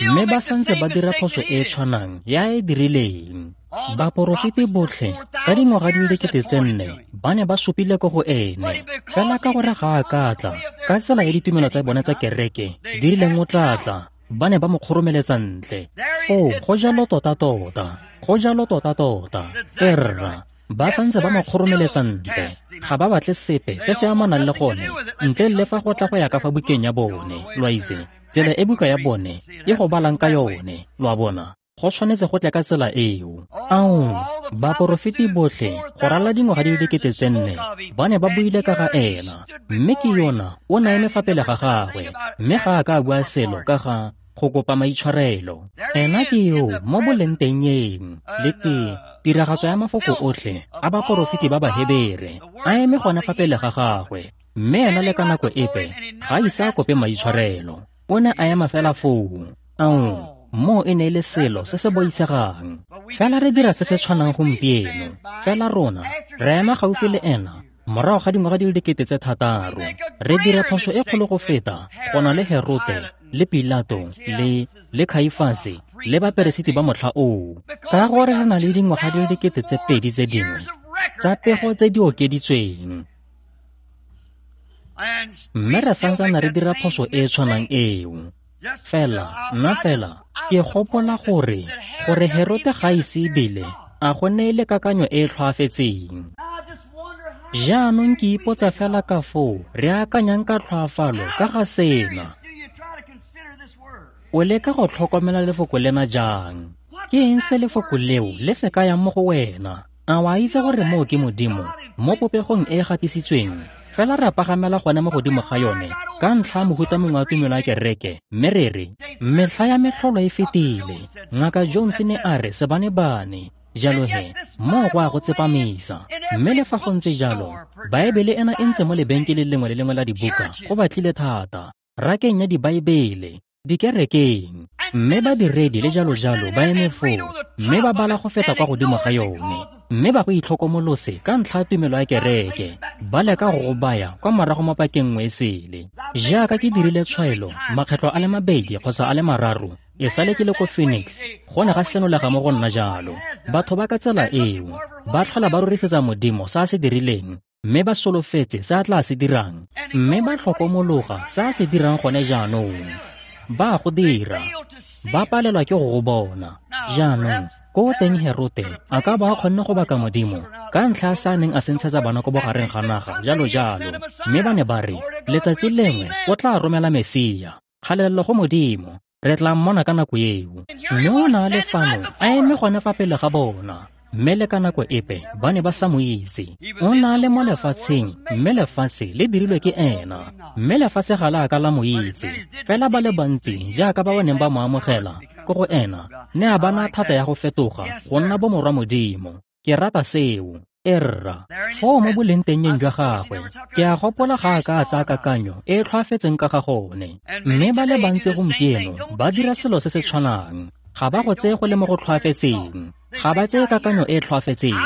mme ba santse ba dira phoso e e tshwanang ya e dirileng. Baporofeti botlhe ka dingwaga di le dikete tse nne ba ne ba supile ko go ene, fela ka gore ga a ka tla ka tsela ya ditumelo tsa bone tsa kereke di rileng o tla tla, ba ne ba mo kgoromeletsa ntle. Foo go jalo tota-tota, go jalo tota-tota. Erra, ba santse ba mo kgoromeletsa ntle, ga ba batle sepe se se amanang le gone ntle le fa go tla go ya ka fa bukeng ya bone. Lo a itse tsela e buka ya bone e go balang ka yone, lo a bona, go tshwanetse go tle ka tsela eo. Ao, baporofeti botlhe go ralala dingwaga di le dikete tse nne ba ne ba buile ka ga ena, Mme ke yona o ne a eme fa pele ga gagwe, mme ga a ka a bua selo ka ga go kopa maitshwarelo. Ena ke yo mo bolengtengeng le te tiragatso ya mafoko otlhe a baporofeti ba Bahebere a eme gone fa pele ga gagwe, mme ena le ka nako epe ga a ise a kope maitshwarelo. O ne a ema fela foo. Ao, moo e ne e le selo se se boitshegang. Fela re dira se se tshwanang gompieno. Fela rona re ema gaufi le ena morago ga dingwaga di le dikete tse thataro. Re dira phoso e kgolo go feta go na le Herote le Pilato le le Khaifase le baperesiti ba motlha oo, ka gore re na le dingwaga di le dikete tse pedi tse dingwe tsa pego tse di okeditsweng. Mme re santsane re dira phoso e e tshwanang eo. Fela, nna fela, ke gopola gore gore Herote ga ise ebile a go neele kakanyo e e tlhoafetseng. Jaanong ke ipotsa fela ka foo re akanyang ka tlhoafalo ka ga sena. O leka go tlhokomela lefoko lena jang? Ke eng se lefoko leo le se kayang mo go wena? A wa itse gore moo ke Modimo mo popegong e e gatisitsweng? Fela re pagamela gone mo godimo ga yone ka ntlha ya mohuta mongwe wa tumelo ya kereke, mme re re metlha ya metlholo e fetile. Ngaka Jones ne a re sebane-bane. Jalo he, moo go a go tsepamisa. Mme le fa go ntse jalo, Baebele ena e ntse mo lebenkeleng lengwe le lengwe la dibuka go batlile thata, rakeng ya dibaebele, dikerekeng, mme badiredi le jalo-jalo ba eme foo, mme ba bala go feta kwa godimo ga yone, mme ba go itlhokomolose ka ntlha ya tumelo ya kereke, ba leka go go baya kwa morago mo pakeng nngwe e sele. Jaaka ke dirile tshwaelo makgetlo a le mabedi kgotsa a le mararo e sale ke le ko Phoenix, go ne ga senolega mo go nna jalo. Batho ba ka tsela eo ba tlhola ba rorisetsa Modimo se a se dirileng, mme ba solofetse se a tla se dirang, mme ba tlhokomologa se a se dirang gone jaanong. Ba go dira, ba palelwa ke go go bona. Jaanong ko teng Herote a ka ba a kgonne go baka Modimo ka ntlha ya se a neng a se ntshetsa bana ko bogareng ga naga, jalo jalo. Mme ba ne ba re letsatsi lengwe o tla romela Mesia. Kgalelelo go Modimo, re tla mmona ka nako eo. Mme o ne a le fano a eme gone fa pele ga bona, mme le ka nako epe ba ne ba sa mo itse. O ne a le mo lefatsheng, mme lefatshe le dirilwe ke ena, mme lefatshe ga le a ka la mo itse. Fela ba le bantsi jaaka ba ba neng ba mo amogela ko go ena, ne a ba naya thata ya go fetoga go nna bomorwa Modimo. Ke rata seo. Erra, foo mo bolengtengeng jwa gagwe, ke a gopola ga a ka a tsaya kakanyo e e tlhoafetseng ka ga gone. Mme ba le bantsi gompieno ba dira selo se se tshwanang. Ga ba go tseye go le mo go tlhoafetseng. Ga ba tseye kakanyo e e tlhoafetseng.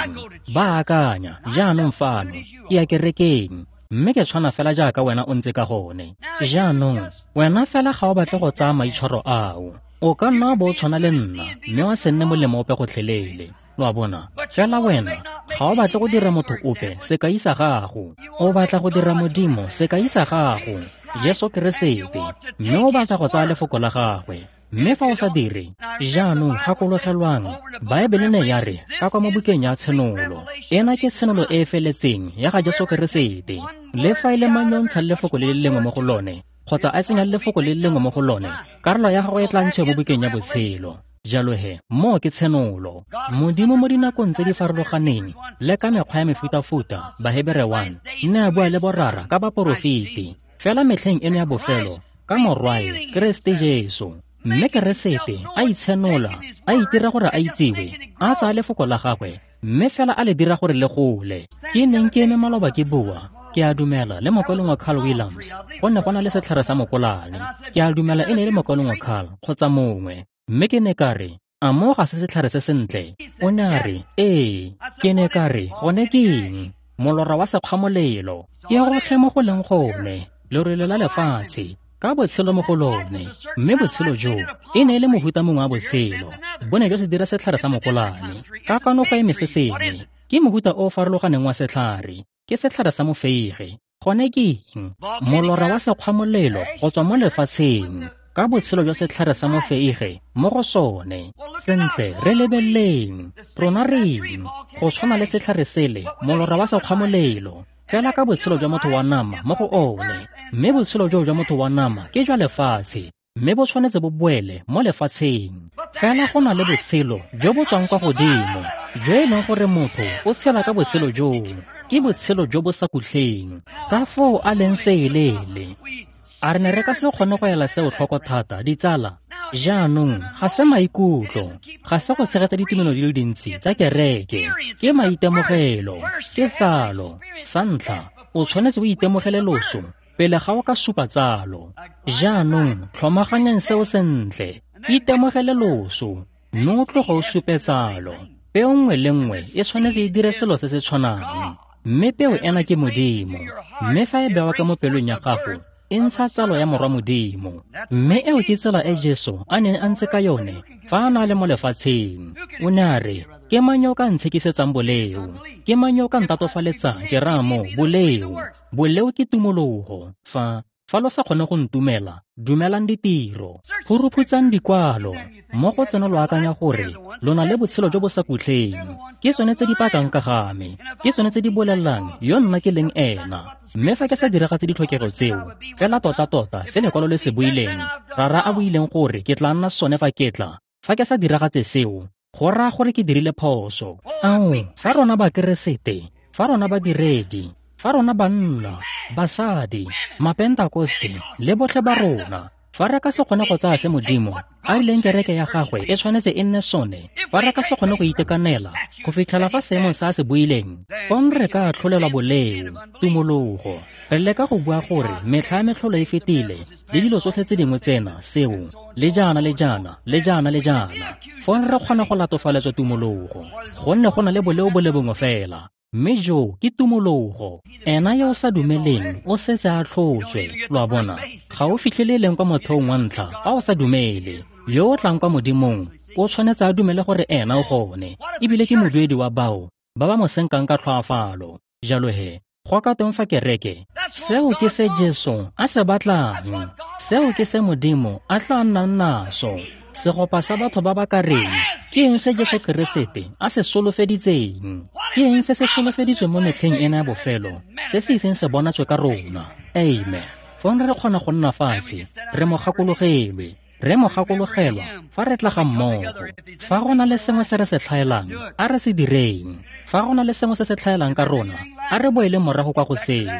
Ba akanya, jaanong fano, ke ya kerekeng, mme ke tshwana fela jaaka wena o ntse ka gone. Jaanong, wena fela ga o batle go tsaya maitshwaro ao. O ka nna bo o tshwana le nna, mme wa se nne molemo ope gotlhelele. Lo a bona? Fela wena ga o batle go dira motho ope sekai sa gago. O batla go dira Modimo sekai sa gago, Jesu Keresete, mme o batla go tsaya lefoko la gagwe. Mme fa o sa dire, jaanong gakologelwang, Baebele ne ya re ka kwa mo bukeng ya Tshenolo, ena ke tshenolo e e feletseng ya ga Jesu Keresete. Le fa e le mang yo o ntshang lefoko le le lengwe mo go lone, kgotsa a tsenya lefoko le le lengwe mo go lone, karolo ya gagwe e tla ntshiwa mo bukeng ya botshelo. Jalo he, moo ke tshenolo. Modimo mo dinakong tse di farologaneng le ka mekgwa ya mefutafuta, Bahebere one, ne a bua le borara ka baporofeti. Fela metlheng eno ya bofelo, ka Morwae, Keresete Jesu. Mme Keresete a itshenola, a itira gore a itsiwe, a tsaya lefoko la gagwe, mme fela a le dira gore le gole. Ke neng ke eme maloba ke bua, ke a dumela le mokwalong wa Carl Williams, go ne go na le setlhare sa mokolane. Ke a dumela e ne e le mokwalong wa Carl kgotsa mongwe. Mme ke ne ka re, a moo ga se setlhare se sentle? O ne a re, ee. Ke ne ka re, gone ke eng? Molora wa sekgwamolelo. Ke gotlhe mo go leng gone, lerole la lefatshe, ka botshelo mo go lone. Mme botshelo joo e ne e le mohuta mongwe wa botshelo. Bo ne jwa se dira setlhare sa mokolane. Ka kwano go eme se sengwe, ke mohuta o o farologaneng wa setlhare. Ke setlhare sa mofeige. Gone ke eng? Molora wa sekgwamolelo go tswa mo lefatsheng, ka botshelo jwa setlhare sa mofeige mo go sone. Sentle, re lebeleleng. Rona re eng? Go tshwana le setlhare sele, molora wa sekgwamolelo, fela ka botshelo jwa motho wa nama mo go one. Mme botshelo joo jwa motho wa nama ke jwa lefatshe, mme bo tshwanetse bo boele mo lefatsheng. Fela go na le botshelo jo bo tswang kwa godimo, jo e leng gore motho o tshela ka botshelo joo. Ke Ke botshelo jo bo sa khutleng. Ka foo a leng seelele. A re ne re ka se kgone go ela seo tlhoko thata, ditsala? Jaanong ga se maikutlo, ga se go tshegetsa ditumelo di le dintsi tsa kereke, ke maitemogelo, ke tsalo. Sa ntlha, o tshwanetse o itemogele loso pele ga o ka supa tsalo. Jaanong tlhomaganyang seo sentle, itemogele loso, mme o tloge o supe tsalo. Peo nngwe le nngwe e tshwanetse e dire selo se se tshwanang, mme peo ena ke Modimo, mme fa e bewa ka mo pelong ya gago, e ntsha tsalo ya morwa Modimo. Mme eo ke tsela e Jesu a neng a ntse ka yone fa a na le mo lefatsheng. O ne a re, ke mang yo o ka ntshekisetsang boleo? Ke mang yo o ka ntatofaletsang ke raya mo boleo? Boleo ke tumologo. Fa fa lo sa kgone go ntumela, dumelang ditiro. Phuruphutsang dikwalo. Mo go tseno lo akanya gore lo na le botshelo jo bo sa khutleng. Ke tsone tse di pakang ka ga me. Ke tsone tse di bolelelang yo nna ke leng ena. Mme fa ke sa diragatse ditlhokego tseo, fela tota-tota se lekwalo le se buileng, Rara a buileng gore ke tla nna sone fa ke tla, fa ke sa diragatse seo, go raya gore ke dirile phoso. Ao, fa rona Bakeresete, fa rona badiredi, fa rona banna, basadi, Mapentakoste le botlhe ba rona, fa re ka se kgone go tsaya se Modimo a rileng kereke ya gagwe e tshwanetse e nne sone, fa re ka se kgone go itekanela go fitlhela fa seemong sa se buileng, fong re ka atlholelwa boleo, tumologo. Re leka go bua gore metlha ya metlholo e fetile le dilo tsotlhe tse dingwe tsena, seo, le jaana le jaana, le jaana le jaana. Fong re kgona go latofaletswa tumologo, gonne go na le boleo bo le bongwe fela, mme jo ke tumologo. Ena yo o sa dumeleng o setse a tlhotswe, lo a bona. Ga o fitlhele leng kwa motheong wa ntlha fa o sa dumele. Yo o tlang kwa Modimong o tshwanetse a dumele gore ena o gone, ebile ke moduedi wa bao ba ba mo senkang ka tlhoafalo. Jalo he, go ka teng fa kereke, seo ke se Jesu a se batlang, seo ke se Modimo a tla nnang naso. Segopa sa batho ba ba ka reng, ke eng se Jesu Keresete a se solofeditseng? Ke eng se se solofeditsweng mo metlheng ena ya bofelo, se se iseng se bonatswe ka rona? Amen. Fong re kgona go nna fatshe, re mo gakologelwe, re mo gakologelwa fa re tla ga mmogo. Fa go na le sengwe se re se tlhaelang, a re se direng. Fa go na le sengwe se se tlhaelang ka rona, a re boeleng morago kwa go seo.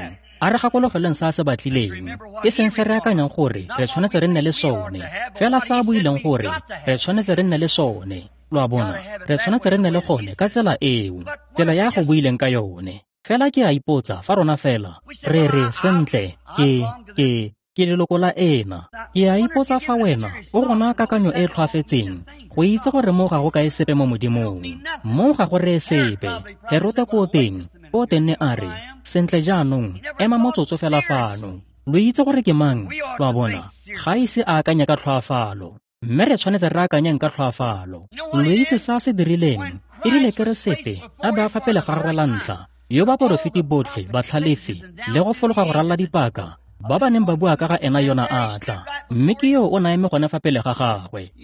A re gakologeleng sa se batlileng, e seng se re akanyang gore re tshwanetse re nne le sone, fela sa buileng gore re tshwanetse re nne le sone. Lo a bona, re tshwanetse re nne le gone ka tsela eo, tsela ya go buileng ka yone. Fela ke a ipotsa fa rona fela re re sentle, ke ke ke leloko la ena. Ke a ipotsa fa wena o gona kakanyo e tlhoafetseng go itse gore mo ga go kae sepe mo Modimong, mo ga go reye sepe. Herote ko teng, ko teng ne a re, sentle jaanong, ema motsotso fela fano. Lo itse gore ke mang? Lo a bona, ga ise a akanya ka tlhoafalo, mme re tshwanetse re akanyeng ka tlhoafalo. Lo itse sa se dirileng, e rile Keresete a be a fa pele ga gagwe la ntlha, yo baporofeti botlhe batlhalefi le go fologa go ralla dipaka ba ba neng ba bua ka ga ena yona a tla, mme ke yo o na eme gone fa pele ga gagwe.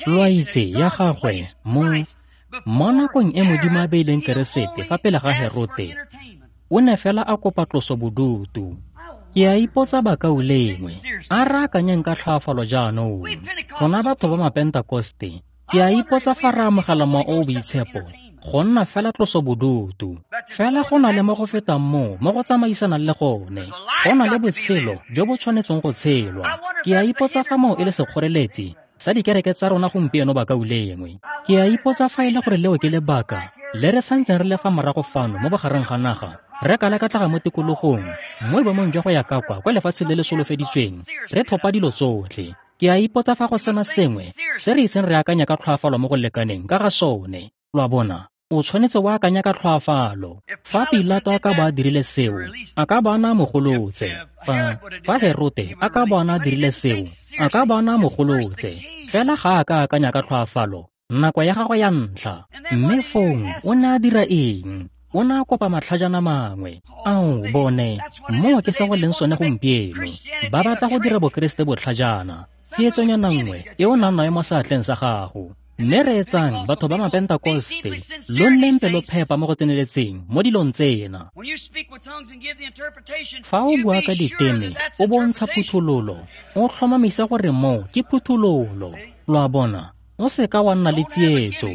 Lo a itse ya gagwe mo mo nakong e Modimo a beileng Keresete fa pele ga Herote, o ne fela a kopa tloso bodutu. Ke a ipotsa bakaulengwe, a re akanyeng ka tlhoafalo jaanong. Rona batho ba Mapentakoste, ke a ipotsa fa re amogela Mowa o o Boitshepo go nna fela tloso bodutu. Fela go na le mo go fetang moo mo go tsamaisanang le gone. Go na le botshelo jo bo tshwanetseng go tshelwa. Ke a ipotsa fa moo e le sekgoreletsi sa dikereke tsa rona gompieno bakaulengwe. Ke a ipotsa fa e le gore leo ke lebaka le re santseng re le fa morago fano mo bogareng ga naga, re ka leka tlaga mo tikologong, mo boemong jwa go ya ka kwa kwa lefatsheng le le solofeditsweng, re thopa dilo tsotlhe. Ke a ipotsa fa go sena sengwe se re iseng re akanya ka tlhoafalo mo go lekaneng ka ga sone. Lo a bona, o tshwanetse wa akanya ka tlhoafalo. Fa Pilato a ka ba a dirile seo, a ka ba a na mogolotse. Fa fa Herote a ka ba a na dirile seo, a ka ba a na mogolotse. Fela ga a ka akanya ka tlhoafalo nako ya gagwe ya ntlha. Mme fong o ne a dira eng? O ne a kopa matlhajana mangwe. Ao, bone, moo ke se go leng sone gompieno. Ba batla go dira Bokeresete botlhajana, tsietsonyana nngwe e o nang nayo mo seatleng sa gago. Mme reetsang batho ba Mapentakoste, lo nneng pelophepa mo go tseneletseng mo dilong tsena. Fa o bua ka diteme, o bontsha phuthololo, o tlhomamisa gore moo ke phuthololo. Lo a bona, o seka wa nna le tsietso.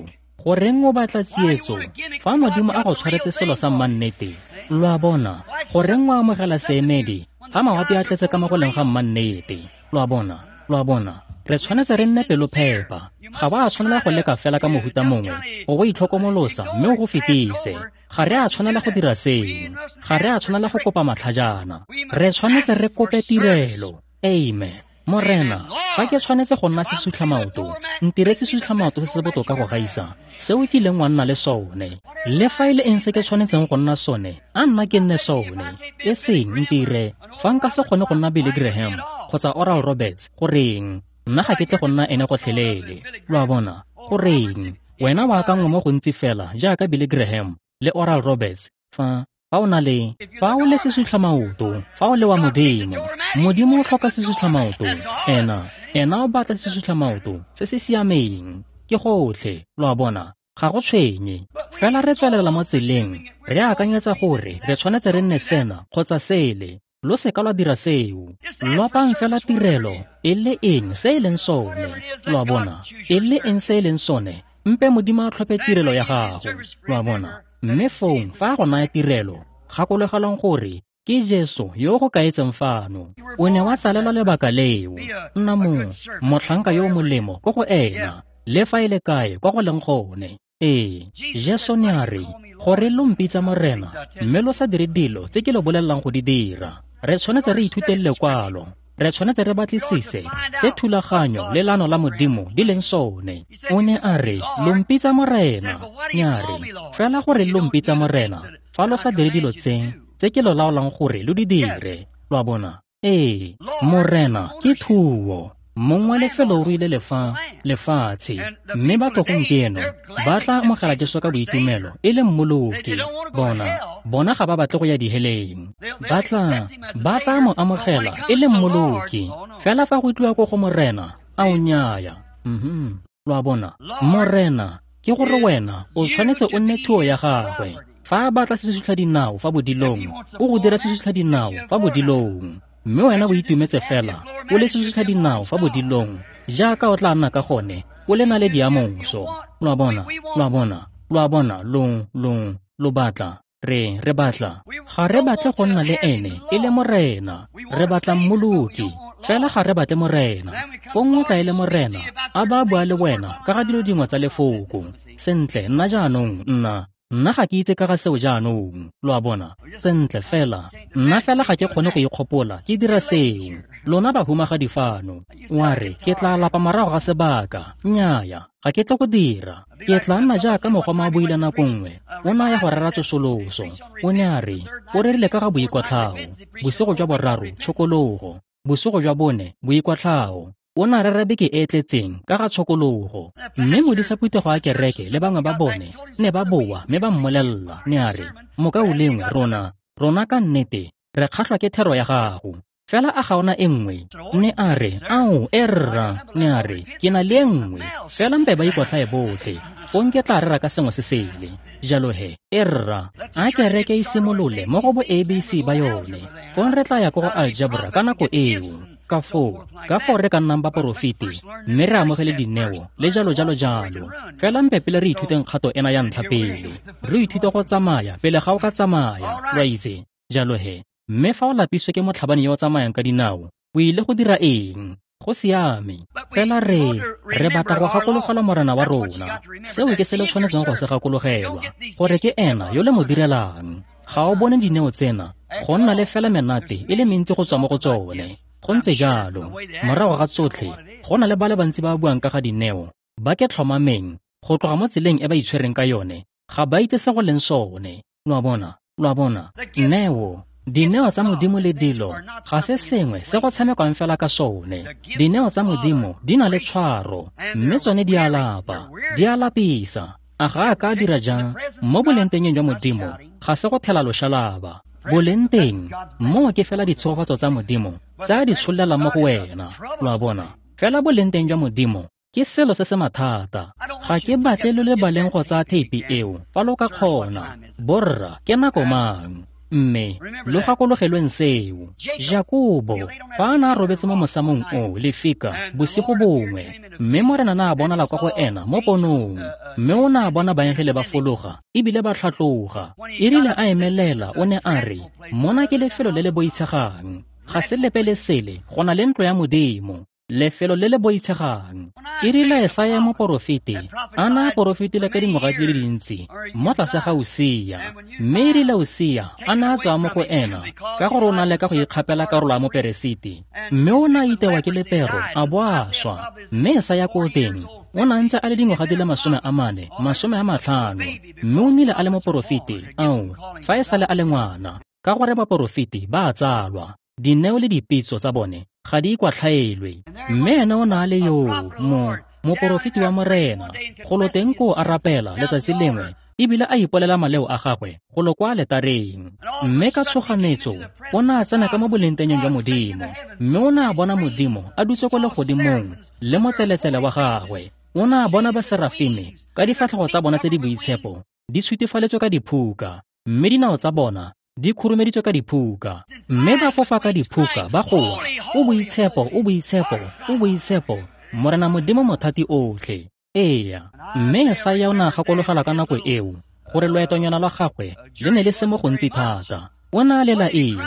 Goreng o batla tsietso fa Modimo a go tshwaretse selo sa mmannete? Lo a bona? Goreng o amogela seemedi fa mawapi a tletse ka mo go leng ga mmannete? Lo a bona? Lo a bona? Re tshwanetse re nne pelophepa. Ga ba a tshwanela go leka fela ka mohuta mongwe go go itlhokomolosa mme o go fetise. Ga re a tshwanela go dira seo. Ga re a tshwanela go kopa matlhajana. Re tshwanetse re kope tirelo. Amen. Morena, fa ke tshwanetse go nna sesutlhamaoto, ntire sesutlhamaoto se se botoka go gaisa seo kileng wa nna le sone. Le fa e le eng se ke tshwanetseng go nna sone, a nna ke nne sone. E seng ntire fa nka se kgone go nna Billy Graham kgotsa Oral Roberts, goreng nna ga ke tle go nna ene gotlhelele. Lo a bona? Goreng wena o akangwa mo gontsi fela jaaka Billy Graham le Oral Roberts fa fa o na le fa o le sesutlhamaoto, fa o le wa Modimo. Modimo o tlhoka sesutlhamaoto. Ena ena o batla sesutlhamaoto se se siameng. Ke gotlhe. Lo a bona? Ga go tshwenye. Fela re tswelela mo tseleng re akanyetsa gore re tshwanetse re nne sena kgotsa sele. Lo seka lwa dira seo. Lopang fela tirelo e le eng se e leng sone. Lo a bona? E le eng se e leng sone, mpe Modimo a tlhophe tirelo ya gago. Lo a bona? Mme fong fa go naya tirelo, gakologelwang gore ke Jesu yo go kaetseng fano. O ne wa tsalelwa lebaka leo. Nna mo motlhanka yo o molemo ko go ena, le fa e le kae kwa go leng gone. Ee, Jesu ne a re, gore lo mpitsa Morena, mme lo sa dire dilo tse ke lo bolelelang go di dira. Re tshwanetse re ithute lekwalo. Re tshwanetse re batlisise se thulaganyo le lano la Modimo di leng sone. O ne a re, lo mpitsa Morena. Ne a re, fela gore lo mpitsa Morena fa lo sa dire dilo tse tse ke lo laolang gore lo di dire. Lo a bona? Ee, Morena ke thuo. Mong wa lefelo o ruile lefa lefatshe, mme batho gompieno ba tla amogela Jesu ka boitumelo e le mmoloki. Bona bona ga ba batle go ya diheleng. Ba tla ba tla mo amogela e le mmoloki. Fela fa go tliwa ko go Morena, a o nnyaya. Mhm. Lo a bona? Morena ke gore wena o tshwanetse o nne thuo ya gagwe. Fa a batla sesutlha dinao fa bodilong, o go dira sesutlha dinao fa bodilong. Mme wena o itumetse fela o le sesutlha dinao fa bodilong jaaka o tla nna ka gone o le naledi ya moso. Lo a bona? Lo a bona? Lo a bona? Lo lo lo batla re re batla ga re batle go nna le ene e le Morena. Re batla mmoloki fela, ga re batle Morena. Fong o tla e le Morena a ba bua le wena ka ga dilo dingwe tsa lefoko. Sentle, nna jaanong nna nna ga ke itse ka ga seo jaanong. Lo a bona? Sentle fela nna fela ga ke kgone go ikgopola ke dira seo. Lona bahumagadi fano, wa re ke tla lapa morago ga sebaka. Nnyaya, ga ke tle go dira. Ke tla nna jaaka mogoma a buile nako nngwe. O ne a ya go rera tsosoloso. O ne a re o rerile ka ga boikwatlhao. Bosigo jwa boraro, tshokologo. Bosigo jwa bone, boikwatlhao. O ne a rera beke e e tletseng ka ga tshokologo. Mme modisa phuthego a kereke le bangwe ba bone ne ba boa mme ba mmolelela. Ne a re, mokaulengwe, rona rona ka nnete re kgatlhwa ke thero ya gago. Fela a ga ona e nngwe? Ne a re, ao e rra. Ne a re, ke na le e nngwe. Fela mpe ba ikotlhae botlhe, fong ke tla rera ka sengwe se sele. Jalo he, e rra, a kereke e simolole mo go bo A B C ba yone. Fong re tla ya ko go algebra ka nako eo. Ka foo, ka foo re ka nnang baporofeti mme re amogele dineo le jalo jalo jalo. Fela mpe pele re ithuteng kgato ena ya ntlha pele. Re ithute go tsamaya pele ga o ka tsamaya, lo a itse. Jalo he, mme fa o lapiswe ke motlhabani yo o tsamayang ka dinao, o ile go dira eng? Go siame. Fela re re batla go gakologelwa Morena wa rona. Seo ke se le tshwanetseng go se gakologelwa, gore ke ena yo le mo direlang. Ga o bone dineo tsena go nna le fela menate e le mentsi go tswa mo go tsone. Go ntse jalo. Morago ga tsotlhe, go na le ba le bantsi ba buang ka ga dineo, ba ke tlhomameng go tloga mo tseleng e ba itshwereng ka yone, ga ba itse se go leng sone. Lo a bona? Lo a bona? Neo, dineo tsa Modimo le dilo ga se sengwe se go tshamekwang fela ka sone. Dineo tsa Modimo di na le tshwaro, mme tsone di a lapa, di a lapisa. A ga a ka dira jang mo bolengtengeng jwa Modimo? Ga se go thela loshalaba. Boleng teng moo ke fela ditshegofatso tsa Modimo tse a di tshollelang mo go wena. Lo a bona? Fela boleng teng jwa Modimo ke selo se se mathata. Ga ke batle lo lebaleng go tsaya theipi eo fa lo ka kgona. Borra, ke nako mang? Mme lo gakologelweng seo. Jakobo, fa a ne a robetse mo mosamong o lefika bosigo bongwe, mme Morena ne a bonala kwa go ena mo ponong, mme o ne a bona baengele ba fologa ebile ba tlhatloga. E rile a emelela o ne a re, mona ke lefelo le le boitshegang, ga se lepe le sele go na le ntlo ya Modimo, lefelo le le boitshegang. E rile Esaya moporofeti a na a porofetile ka dingwaga di le dintsi mo tlase ga Usia, mme e rile Usia a na a tswa mo go ena ka gore o na leka go ikgapela karolo ya moperesiti, mme o ne a itewa ke lepero a bo a swa. Mme Esaya ko teng o ne a ntse a le dingwaga di le masome a mane, masome a matlhano, mme o nnile a le moporofeti ao fa e sale a le ngwana, ka gore baporofeti ba a tsalwa, dineo le dipitso tsa bone ga di ikwatlhaelwe. Mme ene o ne a le yo mo moporofeti wa Morena, golo teng koo a rapela letsatsi lengwe ebile a ipolela maleo a gagwe golo kwa aletareng. Mme ka tshoganetso o ne a tsena ka mo bolengtengeng jwa Modimo, mme o ne a bona Modimo a dutse kwa legodimong le motseletsele wa gagwe. O ne a bona baserafime ka difatlhego tsa bona tse di boitshepo di shutifaletswe ka diphuka, mme dinao tsa bona di khurumeditswe ka diphuka, mme ba fofa ka diphuka ba goa, o boitshepo, o boitshepo, o boitshepo, Morena Modimo mothati otlhe. Eya, mme Esaya o ne a gakologelwa ka nako eo gore loetonyana lwa gagwe le ne le se mo gontsi thata. O ne a lela eng?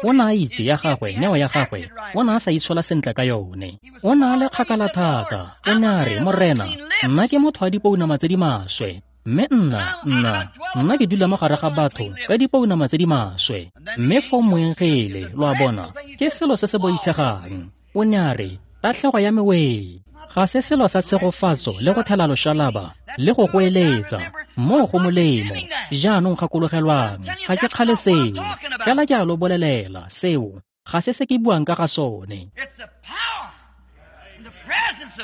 O ne a itse ya gagwe, neo ya gagwe, o ne a sa itshola sentle ka yone. O ne a le kgakala thata. O ne a re, Morena, nna ke motho wa dipounama tse di maswe, mme nna, nna, nna ke dula mo gare ga batho ka dipounama tse di maswe. Mme foo moengele, lo a bona, ke selo se se boitshegang. O ne a re, tatlhego ya me wee, ga se selo sa tshegofatso le go thela loshalaba le go goeletsa, moo go molemo. Jaanong gakologelwang, ga ke kgale seo, fela ke a lo bolelela, seo ga se se ke buang ka ga sone.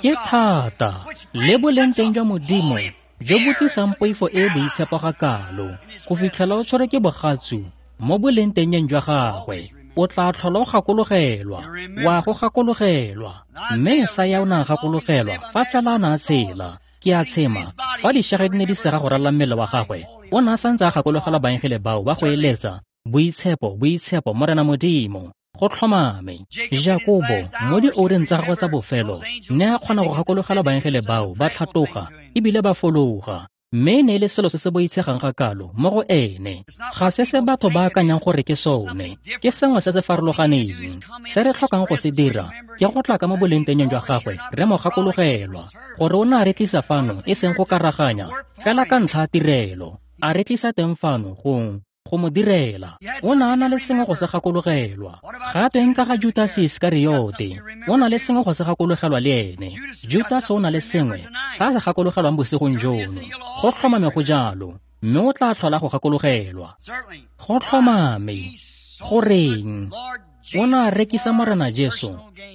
Ke thata le boleng teng jwa Modimo jo bo tlisang poifo e e boitshepo ga kalo, go fitlhela o tshwere ke bogatsu mo boleng tengeng jwa gagwe. O tla tlhola o gakologelwa, wa go gakologelwa. Mme Esaya o ne a gakologelwa fa fela a ne a tshela. Ke a tshema, fa dišege di ne di sega go ralla mmele wa gagwe, o ne a santse a gakologelwa baengele bao ba go eletsa, boitshepo, boitshepo, Morena Modimo. Go tlhomame, Jakobo mo dioureng tsa gagwe tsa bofelo ne a kgona go gakologelwa baengele bao ba tlhatloga ebile ba fologa, mme e ne e le selo se se boitshegang ga kalo mo go ene. Ga se se batho ba akanyang gore ke sone, ke sengwe se se farologaneng. Se re tlhokang go se dira ke go tla ka mo bolengtengeng jwa gagwe re mo gakologelwa gore o ne a re tlisa fano e seng go karaganya, fela ka ntlha ya tirelo. A re tlisa teng fano go go mo direla. O ne a na le sengwe go se gakologelwa. Ga tweng ka ga Judas Iskariote? O na le sengwe go se gakologelwa le ene. Judas o na le sengwe sa se gakologelwang bosigong jono. Go tlhomame go jalo, mme o tla tlhola go gakologelwa. Go tlhomame. Goreng? O ne a rekisa Morena Jesu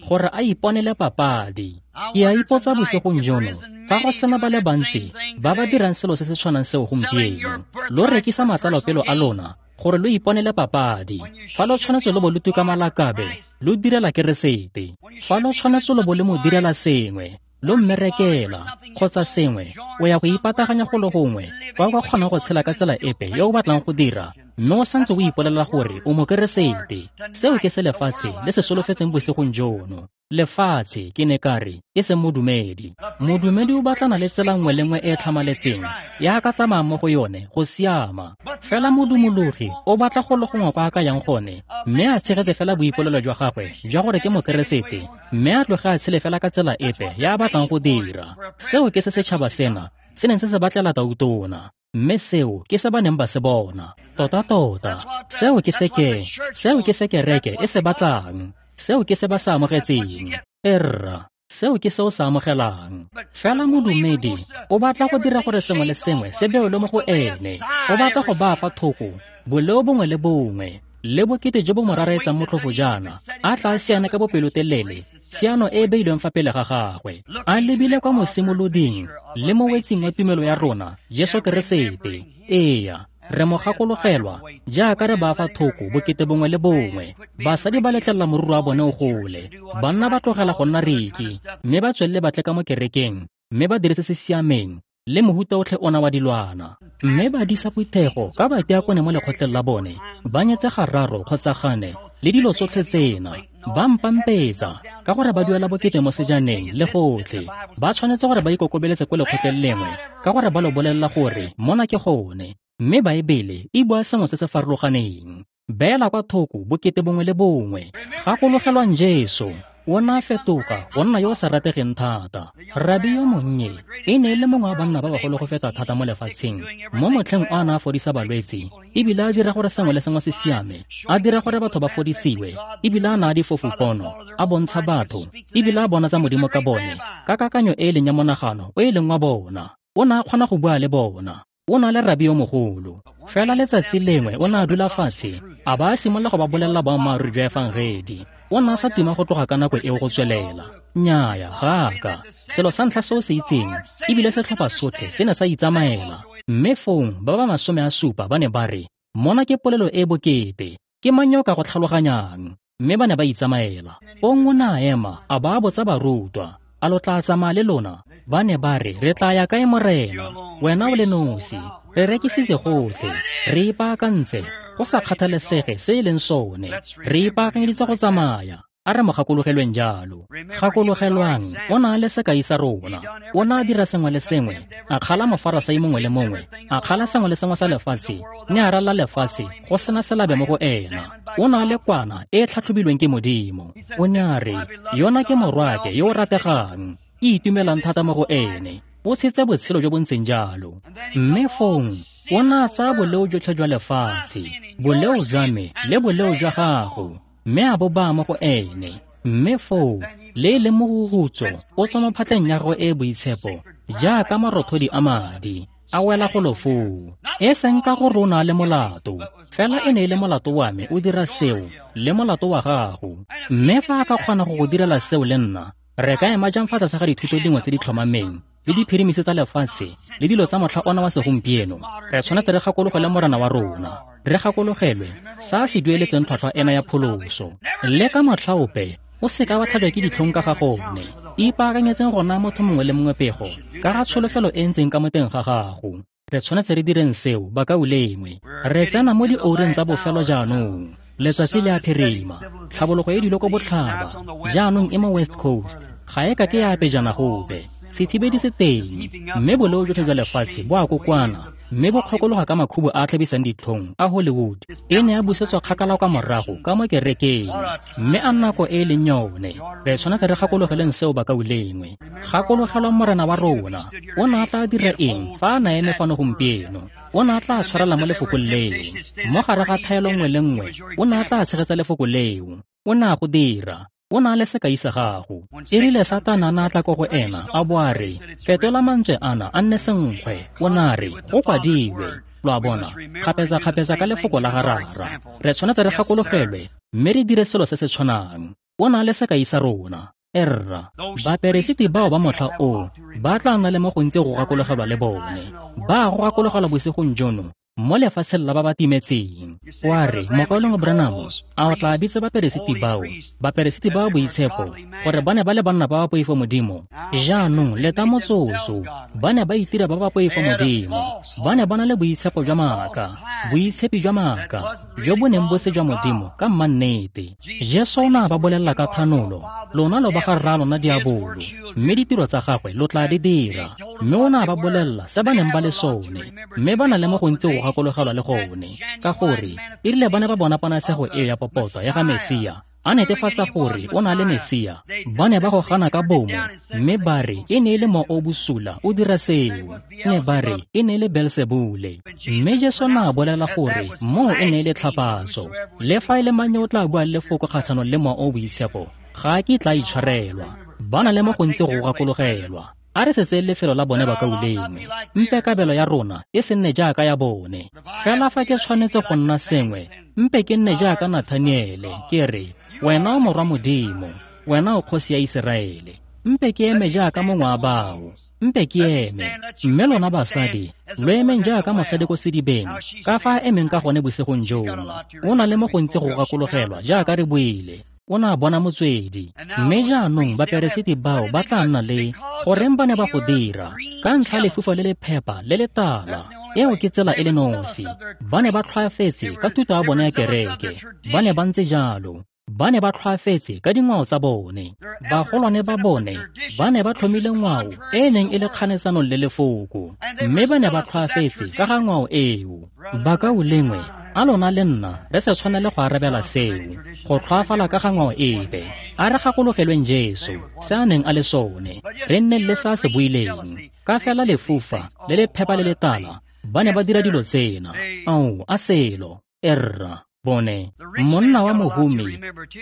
gore a iponele papadi. Ke a ipotsa bosigong jono, fa go sena ba le bantsi ba ba dirang selo se se tshwanang seo gompieno. Lo rekisa matsalopelo a lona gore lo iponele papadi. Fa lo tshwanetse lo bo lo tuka malakabe, lo direla Keresete. Fa lo tshwanetse lo bo le mo direla sengwe, lo mmerekela kgotsa sengwe, o ya go ipataganya go le gongwe kwa o ka kgonang go tshela ka tsela epe yo o batlang go dira, mme o santse o ipolelela gore o mokeresete. Seo ke se lefatshe le se solofetseng bosigong jono. Lefatshe, ke ne ka re, e seng modumedi. Modumedi o batlana le tsela nngwe le nngwe e e tlhamaletseng ya ka tsamayang mo go yone go siama. Fela modumologi o batla go le gongwe kwa a ka yang gone, mme a tshegetse fela boipolelo jwa gagwe jwa gore ke mokeresete, mme a tloge a tshele fela ka tsela epe ya a batlang go dira. Seo ke se setšhaba sena se neng se se batlela tautona, mme seo ke se ba neng ba se bona. Tota-tota, seo ke se ke, seo ke se kereke e se batlang. Seo ke se ba se amogetseng. Erra, seo ke se o se amogelang. Fela modumedi o batla go dira gore sengwe le sengwe se beelwe mo go ene. O batla go baa fa thoko boleo bongwe le bongwe le bokete jo bo mo raraetsang motlhofo jaana, a tla siana ka bopelotelele tshiano e e beilweng fa pele ga gagwe, a lebile kwa mosimoloding le mo wetsing wa tumelo ya rona, Jesu Keresete. Eya, re mo gakologelwa jaaka re baa fa thoko bokete bongwe le bongwe. Basadi ba letlelela moruru wa bone o gole, banna ba tlogela go nna reki, mme ba tswelele ba tle ka mo kerekeng, mme ba dire se se siameng le mohuta otlhe ona wa dilwana. Mme ba disa phuthego ka batiakone mo lekgotleng la bone, ba nyetse gararo kgotsa gane, le dilo tsotlhe tsena. Ba mpampetsa ka gore ba duela bokete mo sejaneng le gotlhe. Ba tshwanetse gore ba ikokobeletse ko lekgotleng lengwe ka gore ba lo bolelela gore mona ke gone. Mme Baebele e bua sengwe se se farologaneng. Beela kwa thoko bokete bongwe le bongwe. Gakologelwang Jesu, o ne a fetoga go nna yo o sa rategeng thata. Rabi yo monnye e ne e le mongwe wa banna ba bagolo go feta thata mo lefatsheng. Mo motlheng o a ne a fodisa balwetse, ebile a dira gore sengwe le sengwe se siame, a dira gore batho ba fodisiwe, ebile a naya difofu pono, a bontsha batho, ebile a bona tsa Modimo ka bone, ka kakanyo e e leng ya monagano o e leng wa bona. O ne a kgona go bua le bona. O na le rabi yo mogolo. Fela letsatsi lengwe o ne a dula fatshe, a ba a simolola go ba bolelela boammaaruri jwa efangedi. O ne a sa tima go tloga ka nako eo go tswelela. Nnyaya, ga ka. Selo sa ntlha se o se itseng, ebile setlhopha sotlhe se ne sa itsamaela. Mme fong ba ba masome a supa ba ne ba re, mona ke polelo e bokete, ke mang yo o ka go tlhaloganyang? Mme ba ne ba itsamaela. Fong o ne a ema, a ba a botsa barutwa, a lo tla tsamaya le lona? Ba ne ba re, re tla ya kae Morena? Wena o le nosi, re rekisitse gotlhe, re ipaakantse, go sa kgathalesege se e leng sone, re ipaakanyeditse go tsamaya. A re mo gakologelweng jalo. Gakologelwang, o na le sekai sa rona. O ne a dira sengwe le sengwe, a kgala mofarasai mongwe le mongwe, a kgala sengwe le sengwe sa lefatshe, ne a ralla lefatshe go sena selabe mo go ena. O na le kwana e e tlhatlhobilweng ke Modimo. O ne a re, yona ke morwake yo o rategang, ke itumelang thata mo go ene. O tshetse botshelo jo bo ntseng jalo. Mme fong o ne a tsaya boleo jotlhe jwa lefatshe, boleo jwa me le boleo jwa gago, mme a bo baya mo go ene. Mme foo le e leng mohuhutso o tswa mo phatleng ya gagwe e e boitshepo jaaka marothodi a madi a wela golo foo. E seng ka gore o na le molato, fela e ne e le molato wa me o dira seo le molato wa gago. Mme fa a ka kgona go go direla seo le nna, re ka ema jang fa tlase ga dithuto dingwe tse di tlhomameng le diphirimisi tsa lefatshe le dilo tsa motlha ona wa segompieno? Re tshwanetse re gakologelwe Morena wa rona, re gakologelwe sa se dueletseng tlhwatlhwa ena ya pholoso. Le ka motlha ope o seka wa tlhajwa ke ditlhong ka ga gone. Ipaakanyetseng go naya motho mongwe le mongwe pego ka ga tsholofelo e ntseng ka mo teng ga gago. Re tshwanetse re direng seo, bakaulengwe. Re tsena mo dioureng tsa bofelo jaanong. Letsatsi le a phirima, tlhabologo e dilo ko botlhaba jaanong e mo West Coast, ga e ka ke ya pejana gope. Sethibedi se teng, mme boleo jotlhe jwa lefatshe bo a kokwana, mme bo kgokologa ka makhubu a a tlhabisang ditlhong a Hollywood. E ne ya busetswa kgakala kwa morago ka mo kerekeng, mme a nako e e leng yone. Re tshwanetse re gakologeleng seo, bakaulengwe. Gakologelwang Morena wa rona. O ne a tla dira eng fa a na eme fano gompieno? O ne a tla tshwarela mo lefokong leo. Mo gare ga thaelo nngwe le nngwe, o ne a tla tshegetsa lefoko leo. O ne a go dira. O na le sekai sa gago. E rile Satana a na tla ko go ena, a bo a re, fetola mantswe ana a nne senkgwe. O ne a re, go kwadilwe. Lo a bona, kgapetsa-kgapetsa ka lefoko la ga Rara. Re tshwanetse re gakologelwe, mme re dire selo se se tshwanang. O na le sekai sa rona. Erra, baperesiti bao ba motlha o ba tla nna le mo gontsi go gakologelwa le bone. Ba go gakologelwa bosigong jono mo lefatsheng la ba ba timetseng. Wa re, mokaulengwe Branham, a o tla bitsa baperesiti bao, baperesiti ba boitshepo, gore ba ne ba le banna ba ba poifo Modimo? Jaanong leta motsotso, ba ne ba itira ba ba poifo Modimo. Ba ne ba na le boitshepo jwa maaka, boitshepi jwa maaka, jo bo neng bo se jwa Modimo ka mmannete. Jesu o ne a ba bolelela ka thanolo, lona lo ba ga rra lona diabolo, mme ditiro tsa gagwe lo tla di dira. Mme o ne a ba bolelela se ba neng ba le sone, mme ba na le mo gontsi go gakologelwa le gone, ka gore e rile ba ne ba bona ponatshego eo ya popota ya ga Mesia, a netefatsa gore o na le Mesia, ba ne ba go gana ka bomo, mme ba re e ne e le mowa o bosula o dira seo. Ne ba re e ne e le Beelsebule. Mme Jesu na a bolela gore moo e ne e le tlhapatso. Le fa e le mang yo o tla buang lefoko kgatlhanong le mowa o boitshepo, ga a kitla a itshwarelwa. Ba na le mo gontsi go gakologelwa. A re se tseye lefelo la bone bakaulengwe. Mpe kabelo ya rona e se nne jaaka ya bone. Fela fa ke tshwanetse go nna sengwe, mpe ke nne jaaka Nathaniele, ke re, wena o morwa Modimo, wena o kgosi ya Iseraele. Mpe ke eme jaaka mongwe wa bao. Mpe ke eme. Mme lona basadi, lo emeng jaaka mosadi ko sedibeng, ka fa a emeng ka gone bosigong jono. O na le mo gontsi go gakologelwa jaaka re buile. O ne a bona motswedi. Mme jaanong baperesiti bao ba tla nna le goreng ba ne ba go dira ka ntlha lefufa le le phepa le le tala. Eo ke tsela e le nosi. Ba ne ba tlhwaafetse ka thuto ya bone ya kereke. Ba ne ba ntse jalo. Ba ne ba tlhwaafetse ka dingwao tsa bone. Bagolwane ba bone ba ne ba tlhomile ngwao e e neng e le kganetsanong le lefoko, mme ba ne ba tlhwaafetse ka ga ngwao eo. Bakaulengwe, a lona le nna re se tshwanele go arabela seo, go tlhwaafala ka ga ngwao epe. A re gakologelweng Jesu, se a neng a le sone, re nne le se a se buileng. Ka fela lefufa le le phepa le le tala, ba ne ba dira dilo tsena. Ao, a selo, erra. Bone, monna wa mohumi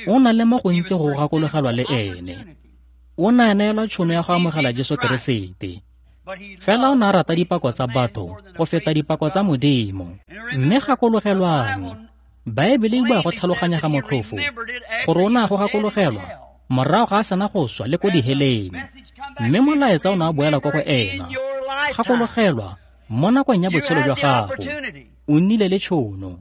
o na le mo gontsi go gakologelwa le ene. O ne a neelwa tšhono ya go amogela Jesu Keresete. Fela o ne a rata dipako tsa batho go feta dipako tsa Modimo. Mme gakologelwang, Baebele e bua go tlhaloganya ga motlhofo gore o ne a go gakologelwa morago ga a sena go swa le ko diheleng. Mme molaetsa o ne a boela ko go ena. Gakologelwa mo nakong ya botshelo jwa gago, o nnile le tšhono.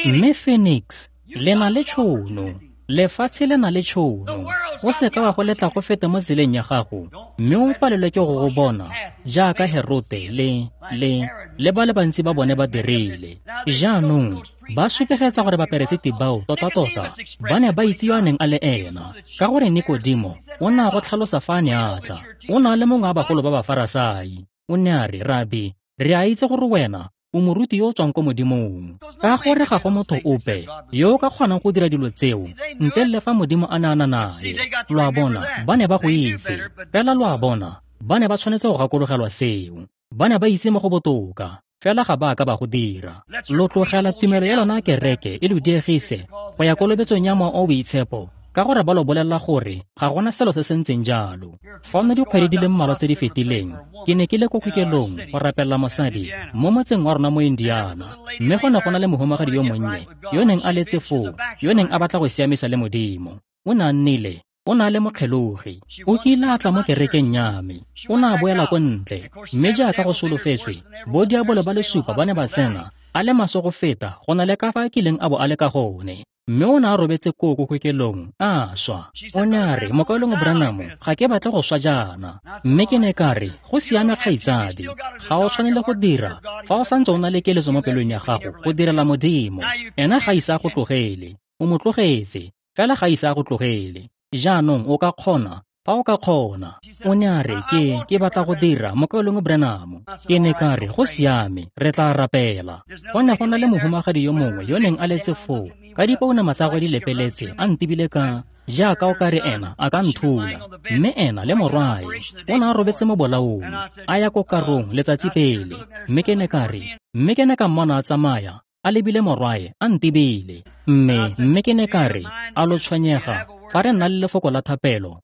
Mme Phoenix, le na le tšhono. Lefatshe le na le tšhono. O se ka wa go letla go feta mo tseleng ya gago, mme o palelwe ke go go bona jaaka Herote le le le ba le bantsi ba bone ba dirile. Jaanong ba supegetsa gore baperesiti bao tota-tota ba ne ba itse yo a neng a le ena, ka gore Nikodimo o ne a go tlhalosa fa a ne a tla. O ne a le mongwe wa bagolo ba Bafarasai. O ne a re, Rabi, re a itse gore wena o moruti yo o tswang ko Modimong, ka gore ga go motho ope yo o ka kgonang go dira dilo tseo ntle le fa Modimo a ne a na nae. Lo a bona, ba ne ba go itse. Fela lo a bona, ba ne ba tshwanetse go gakologelwa seo. Ba ne ba itse mo go botoka, fela ga ba ka ba go dira. Lo tlogela tumelo ya lona kereke e lo diegise go ya kolobetsong ya Mowa o Boitshepo, ka gore ba lo bolelela gore ga gona selo se se ntseng jalo. Fa nna dikgwedi di le mmalwa tse di fetileng, ke ne ke le ko kokelong go rapelela mosadi mo motseng wa rona mo Indiana, mme go ne go na le mohumagadi yo monnye yo neng a letse foo, yo neng a batla go siamisa le Modimo. O ne a nnile, o ne a le mokgelogi. O kile a tla mo kerekeng ya me. O ne a boela ko ntle, mme jaaka go solofetswe, bo diabolo ba le supa ba ne ba tsena a le maswe go feta go na le ka fa a kileng a bo a le ka gone. Mme o ne a robetse koo ko kokelong, a swa. O ne a re, Mokaulengwe Branham, ga ke batle go swa jaana. Mme ke ne ka re, go siame kgaitsadi, ga o tshwanele go dira fa o santse o na le keletso mo pelong ya gago go direla Modimo. Ena ga ise a go tlogele, o mo tlogetse, fela ga ise a go tlogele. Jaanong o ka kgona, fa o ka kgona. O ne a re, ke ke batla go dira, Mokaulengwe Branham. Ke ne ka re, go siame, re tla rapela. Go ne go na le mohumagadi yo mongwe yo neng a letse foo, ka dipounama tsa gagwe di lepeletse, a ntebile ka jaaka o ka re ena a ka nthula. Mme ena le morwae o ne a robetse mo bolaong, a ya ko karong letsatsi pele. Mme ke ne ka re, mme ke ne ka mmona a tsamaya a lebile morwae a ntebile. Mme mme ke ne ka re, a lo tshwenyega fa re nna le lefoko la thapelo?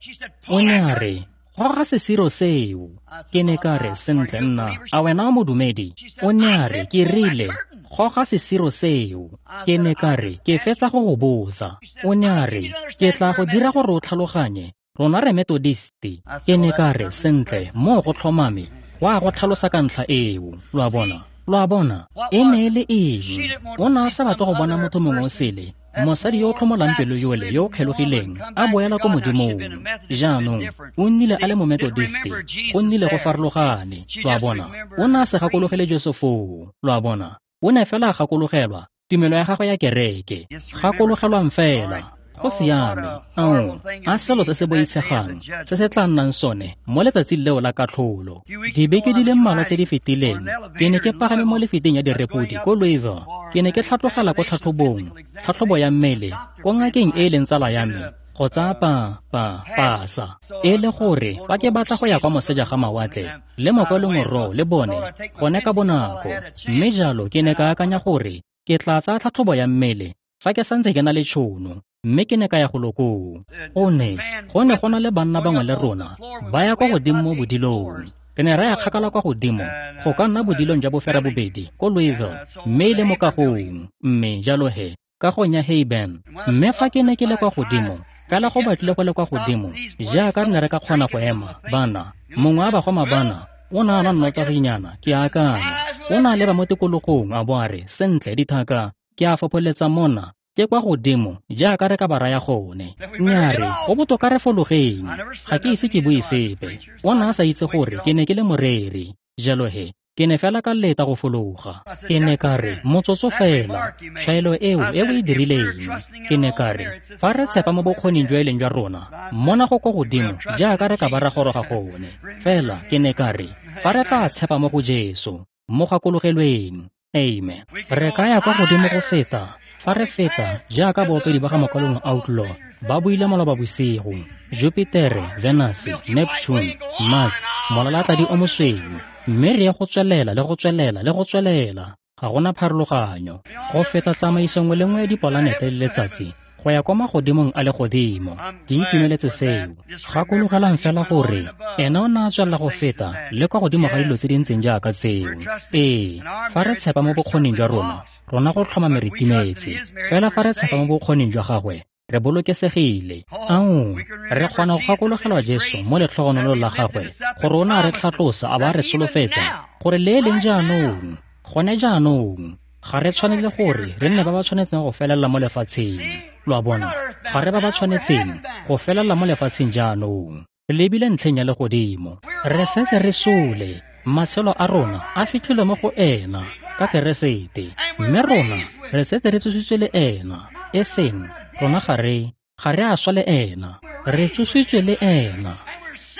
O ne a re, goga sesiro seo. Ke ne ka re, sentle nna, a wena o modumedi? O ne a re, ke rile, goga sesiro seo. Ke ne ka re, ke fetsa go go botsa. O ne a re, ke tla go dira gore o tlhaloganye, rona re Methodisti. Ke ne ka re, sentle, moo go tlhomame, wa go tlhalosa ka ntlha eo. Lo a bona, lo a bona, e ne e le eng? O ne a sa batle go bona motho mongwe o sele, mosadi yo o tlhomolang pelo yole yo o kgelogileng a boela ko Modimong. Jaanong o nnile a le mo Methodisti, go nnile go farologane. Lo a bona, o ne a se gakologele Jesu foo. Lo a bona, o ne fela a gakologelwa tumelo ya gagwe ya kereke. Gakologelwang fela, go siame. Ao, a selo se se boitshegang se se tla nnang sone mo letsatsing leo la katlholo. Dibeke di le mmalwa tse di fetileng, ke ne ke pagame mo lefiteng ya direpodi ko Louisville. Ke ne ke tlhatlogela ko tlhatlhobong, tlhatlhobo ya mmele, ko ngakeng e e leng tsala ya me, go tsaya pa pa pasa. E le gore fa ke batla go ya kwa moseja ga mawatle le mokaulengwe Roe le bone gone ka bonako. Mme jalo ke ne ka akanya gore ke tla tsaya tlhatlhobo ya mmele fa ke santse ke na le tšhono. Mme ke ne ka ya go lokong. Go ne go ne go na le banna bangwe le rona ba ya kwa godimo mo bodilong. Re ne ra ya kgakala kwa godimo go ka nna bodilong jwa bofera bobedi ko Louisville, mme e le mo kagong. Mme jalo he, kagong ya Hayben. Mme fa ke ne ke le kwa godimo, fela go batlile go le kwa godimo jaaka re ne re ka kgona go ema, bana, mongwe wa bagoma bana o ne a nwa nnotaginyana, ke akanya. O ne a leba mo tikologong a bo a re, sentle dithaka, ke a fopholetsa mona Ke kwa godimo jaaka re ka ba raya gone. Mme a re, go botoka re fologeng. Ga ke ise ke bue sepe. O ne a sa itse gore ke ne ke le moreri. Jalo he, ke ne fela ka leta go fologa. Ke ne ka re, motsotso fela, tshwaelo eo e o e dirileng. Ke ne ka re, fa re tshepa mo bokgoning jo e leng jwa rona, mona go kwa godimo jaaka re ka ba ra goroga gone. Fela ke ne ka re, fa re tla tshepa mo go Jesu, mo gakologelweng. Amen. Re ka ya kwa godimo go feta, fa re feta jaaka baopedi ba ga Mokwalong Outlaw ba buile maloba bosigo, Jupitere, Venus, Neptune, Mars, molalatladi o mosweu, mme re ye go tswelela le go tswelela le go tswelela. Ga gona pharologanyo. Go feta tsamaiso nngwe le nngwe ya dipolanete le letsatsi go ya kwa magodimong a legodimo. Ke itumeletse seo. Gakologelang fela gore ena o ne a tswelela go feta le kwa godimo ga dilo tse di ntseng jaaka tseo. Ee, fa re tshepa mo bokgoning jwa rona, rona go tlhomame re timetse. Fela fa re tshepa mo bokgoning jwa gagwe, re bolokesegile. Ao, re kgona go gakologelwa Jesu mo letlhogonolong la gagwe gore o ne a re tlhatlosa a ba re solofetsa gore le e leng jaanong, gone jaanong, ga re tshwanele gore re nne ba ba tshwanetseng go felela mo lefatsheng. Lo a bona, ga re ba ba tshwanetseng go felela mo lefatsheng jaanong. Re lebile ntlheng ya legodimo. Re setse re sole, matshelo a rona a fitlhile mo go ena ka Keresete, mme rona re setse re tsositswe le ena. E seng rona ga re ga re a swa le ena, re tsositswe le ena,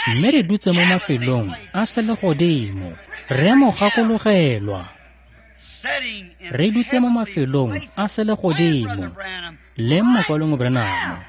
mme re dutse mo mafelong a selegodimo. Re mo gakologelwa. Re dutse mo mafelong a selegodimo le Mokwalong Branham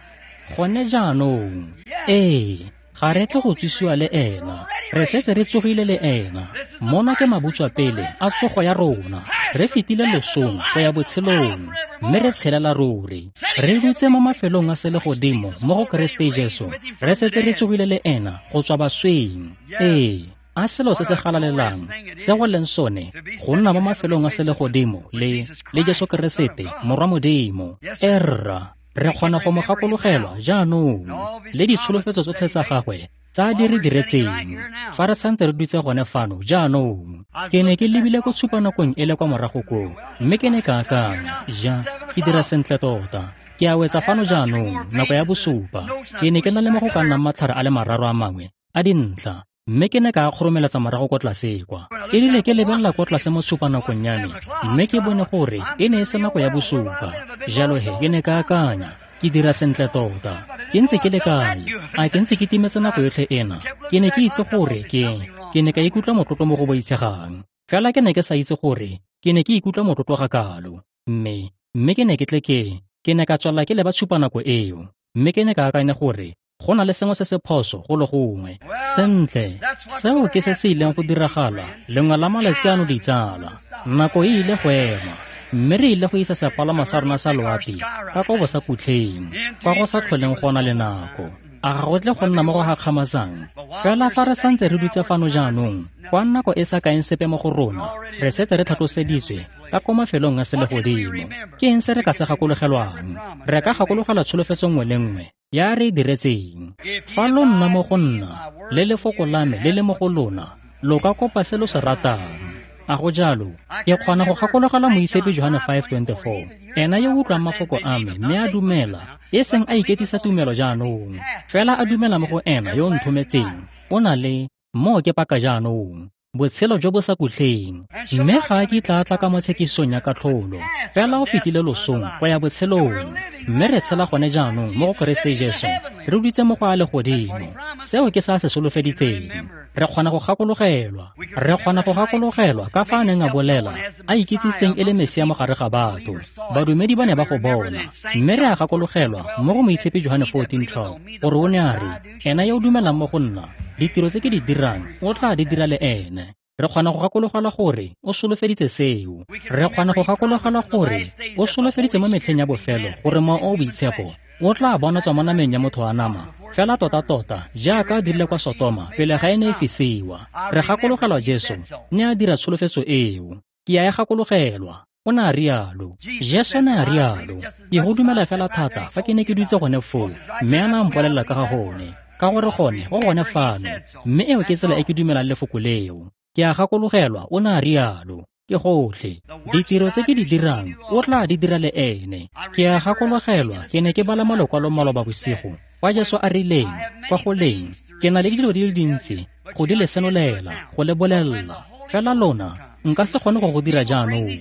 gone jaanong. Ee, ga re tle go tsosiwa le ena, re setse re tsogile le ena. Mona ke mabutswapele a tsogo ya rona. Re fetile losong go ya botshelong, mme re tshelela ruri. Re dutse mo mafelong a selegodimo mo go Keresete Jesu. Re setse re tsogile le ena go tswa basweng. Ee, a selo se se galalelang se go leng sone go nna mo mafelong a selegodimo le le Jesu Keresete Morwa Modimo. Erra, re kgona go mo gakologelwa jaanong le ditsholofetso tsotlhe tsa gagwe tsa di re diretseng fa re santse re dutse gone fano jaanong. Ke ne ke lebile ko tshupanakong e le kwa morago koo, mme ke ne ka akanya, ja, ke dira sentle tota. Ke a wetsa fano jaanong, nako ya bosupa. Ke ne ke na le mo go ka nnang matlhare a le mararo a mangwe a dintlha, mme ke ne ka kgoromeletsa morago kwa tlase kwa. E rile ke lebelela kwa tlase mo tshupanakong ya me, mme ke bone gore e ne e se nako ya bosupa. Jalo he ke ne ka akanya, ke dira sentle tota. Ke ntse ke le kae? A ke ntse ke timetse nako yotlhe ena? Ke ne ke itse gore ke ke ne ka ikutlwa motlotlo mo go boitshegang. Fela ke ne ke sa itse gore ke ne ke ikutlwa motlotlo ga kalo. Mme mme ke ne ke tle ke ke ne ka tswelela ke leba tshupanako eo, mme ke ne ka akanya gore go na le sengwe se se phoso go le gongwe. Sentle, seo ke se se ileng go diragala lengwe la malatsi ano ditsala. Nako e ile go ema, mme re ile go isa sepalamo sa rona sa loapi ka kwa bosakutleng, kwa go sa tlholeng go na le nako. A ga go tle go nna mo go gakgamatsang? Fela fa re santse re dutse fano jaanong, kwa nako e sa kaeng sepe mo go rona, re setse re tlhatloseditswe ka ko mafelong a selegodimo. Ke eng se re ka se gakologelwang? Re ka gakologelwa tsholofetso nngwe le nngwe ya re e diretseng. Fa lo nna mo go nna, le lefoko la me le le mo go lona, lo ka kopa se lo se ratang. A go jalo? Ke kgona go gakologelwa Moitshepi Johane five twenty-four. Ena yo utlwang mafoko a me mme a dumela, e seng a iketisa tumelo jaanong, fela a dumela mo go ena yo o nthometseng, o na le moo ke paka jaanong botshelo jo bo sa kutleng, mme ga a kitla a tla ka mo tshekisong ya katlholo, fela o fetile losong go ya botshelong. Mme re tshela gone jaanong mo go Keresete Jesu, re dutse mo go a legodimo. Seo ke sa se solofeditseng. Re kgona go gakologelwa, re kgona go gakologelwa ka fa a neng a bolela a ikitsitseng e le Mesia mo gare ga batho. Badumedi ba ne ba go bona, mme re a gakologelwa mo go Moitshepi Johane fourteen twelve gore o ne a re, ena yo o dumelang mo go nna, ditiro tse ke di dirang o tla di dira le ene. Re kgona go gakologelwa gore o solofeditse seo. Re kgona go gakologelwa gore o solofeditse mo metlheng ya bofelo gore Mowa o o Boitshepo o tla bonatswa mo nameng ya motho wa nama, fela tota-tota jaaka a dirile kwa Sotoma pele ga e ne e fisiwa. Re gakologelwa Jesu ne a dira tsholofetso eo. Ke a e gakologelwa. O ne a rialo. Jesu ne a rialo. Ke go dumela fela thata fa ke ne ke dutse gone foo, mme a ne a mpolelela ka ga gone, ka gore gone go gone fano, mme eo ke tsela e ke dumelang lefoko leo. Ke a gakologelwa o ne a rialo. Ke gotlhe. Ditiro tse ke di dirang, o tla di dira le ene. Ke a gakologelwa, ke ne ke bala mo Lekwalong maloba bosigo, kwa Jesu a rileng, kwa go leng, ke na le dilo di le dintsi, go di le senolela, go le bolelela. Fela lona, nka se kgone go go dira jaanong.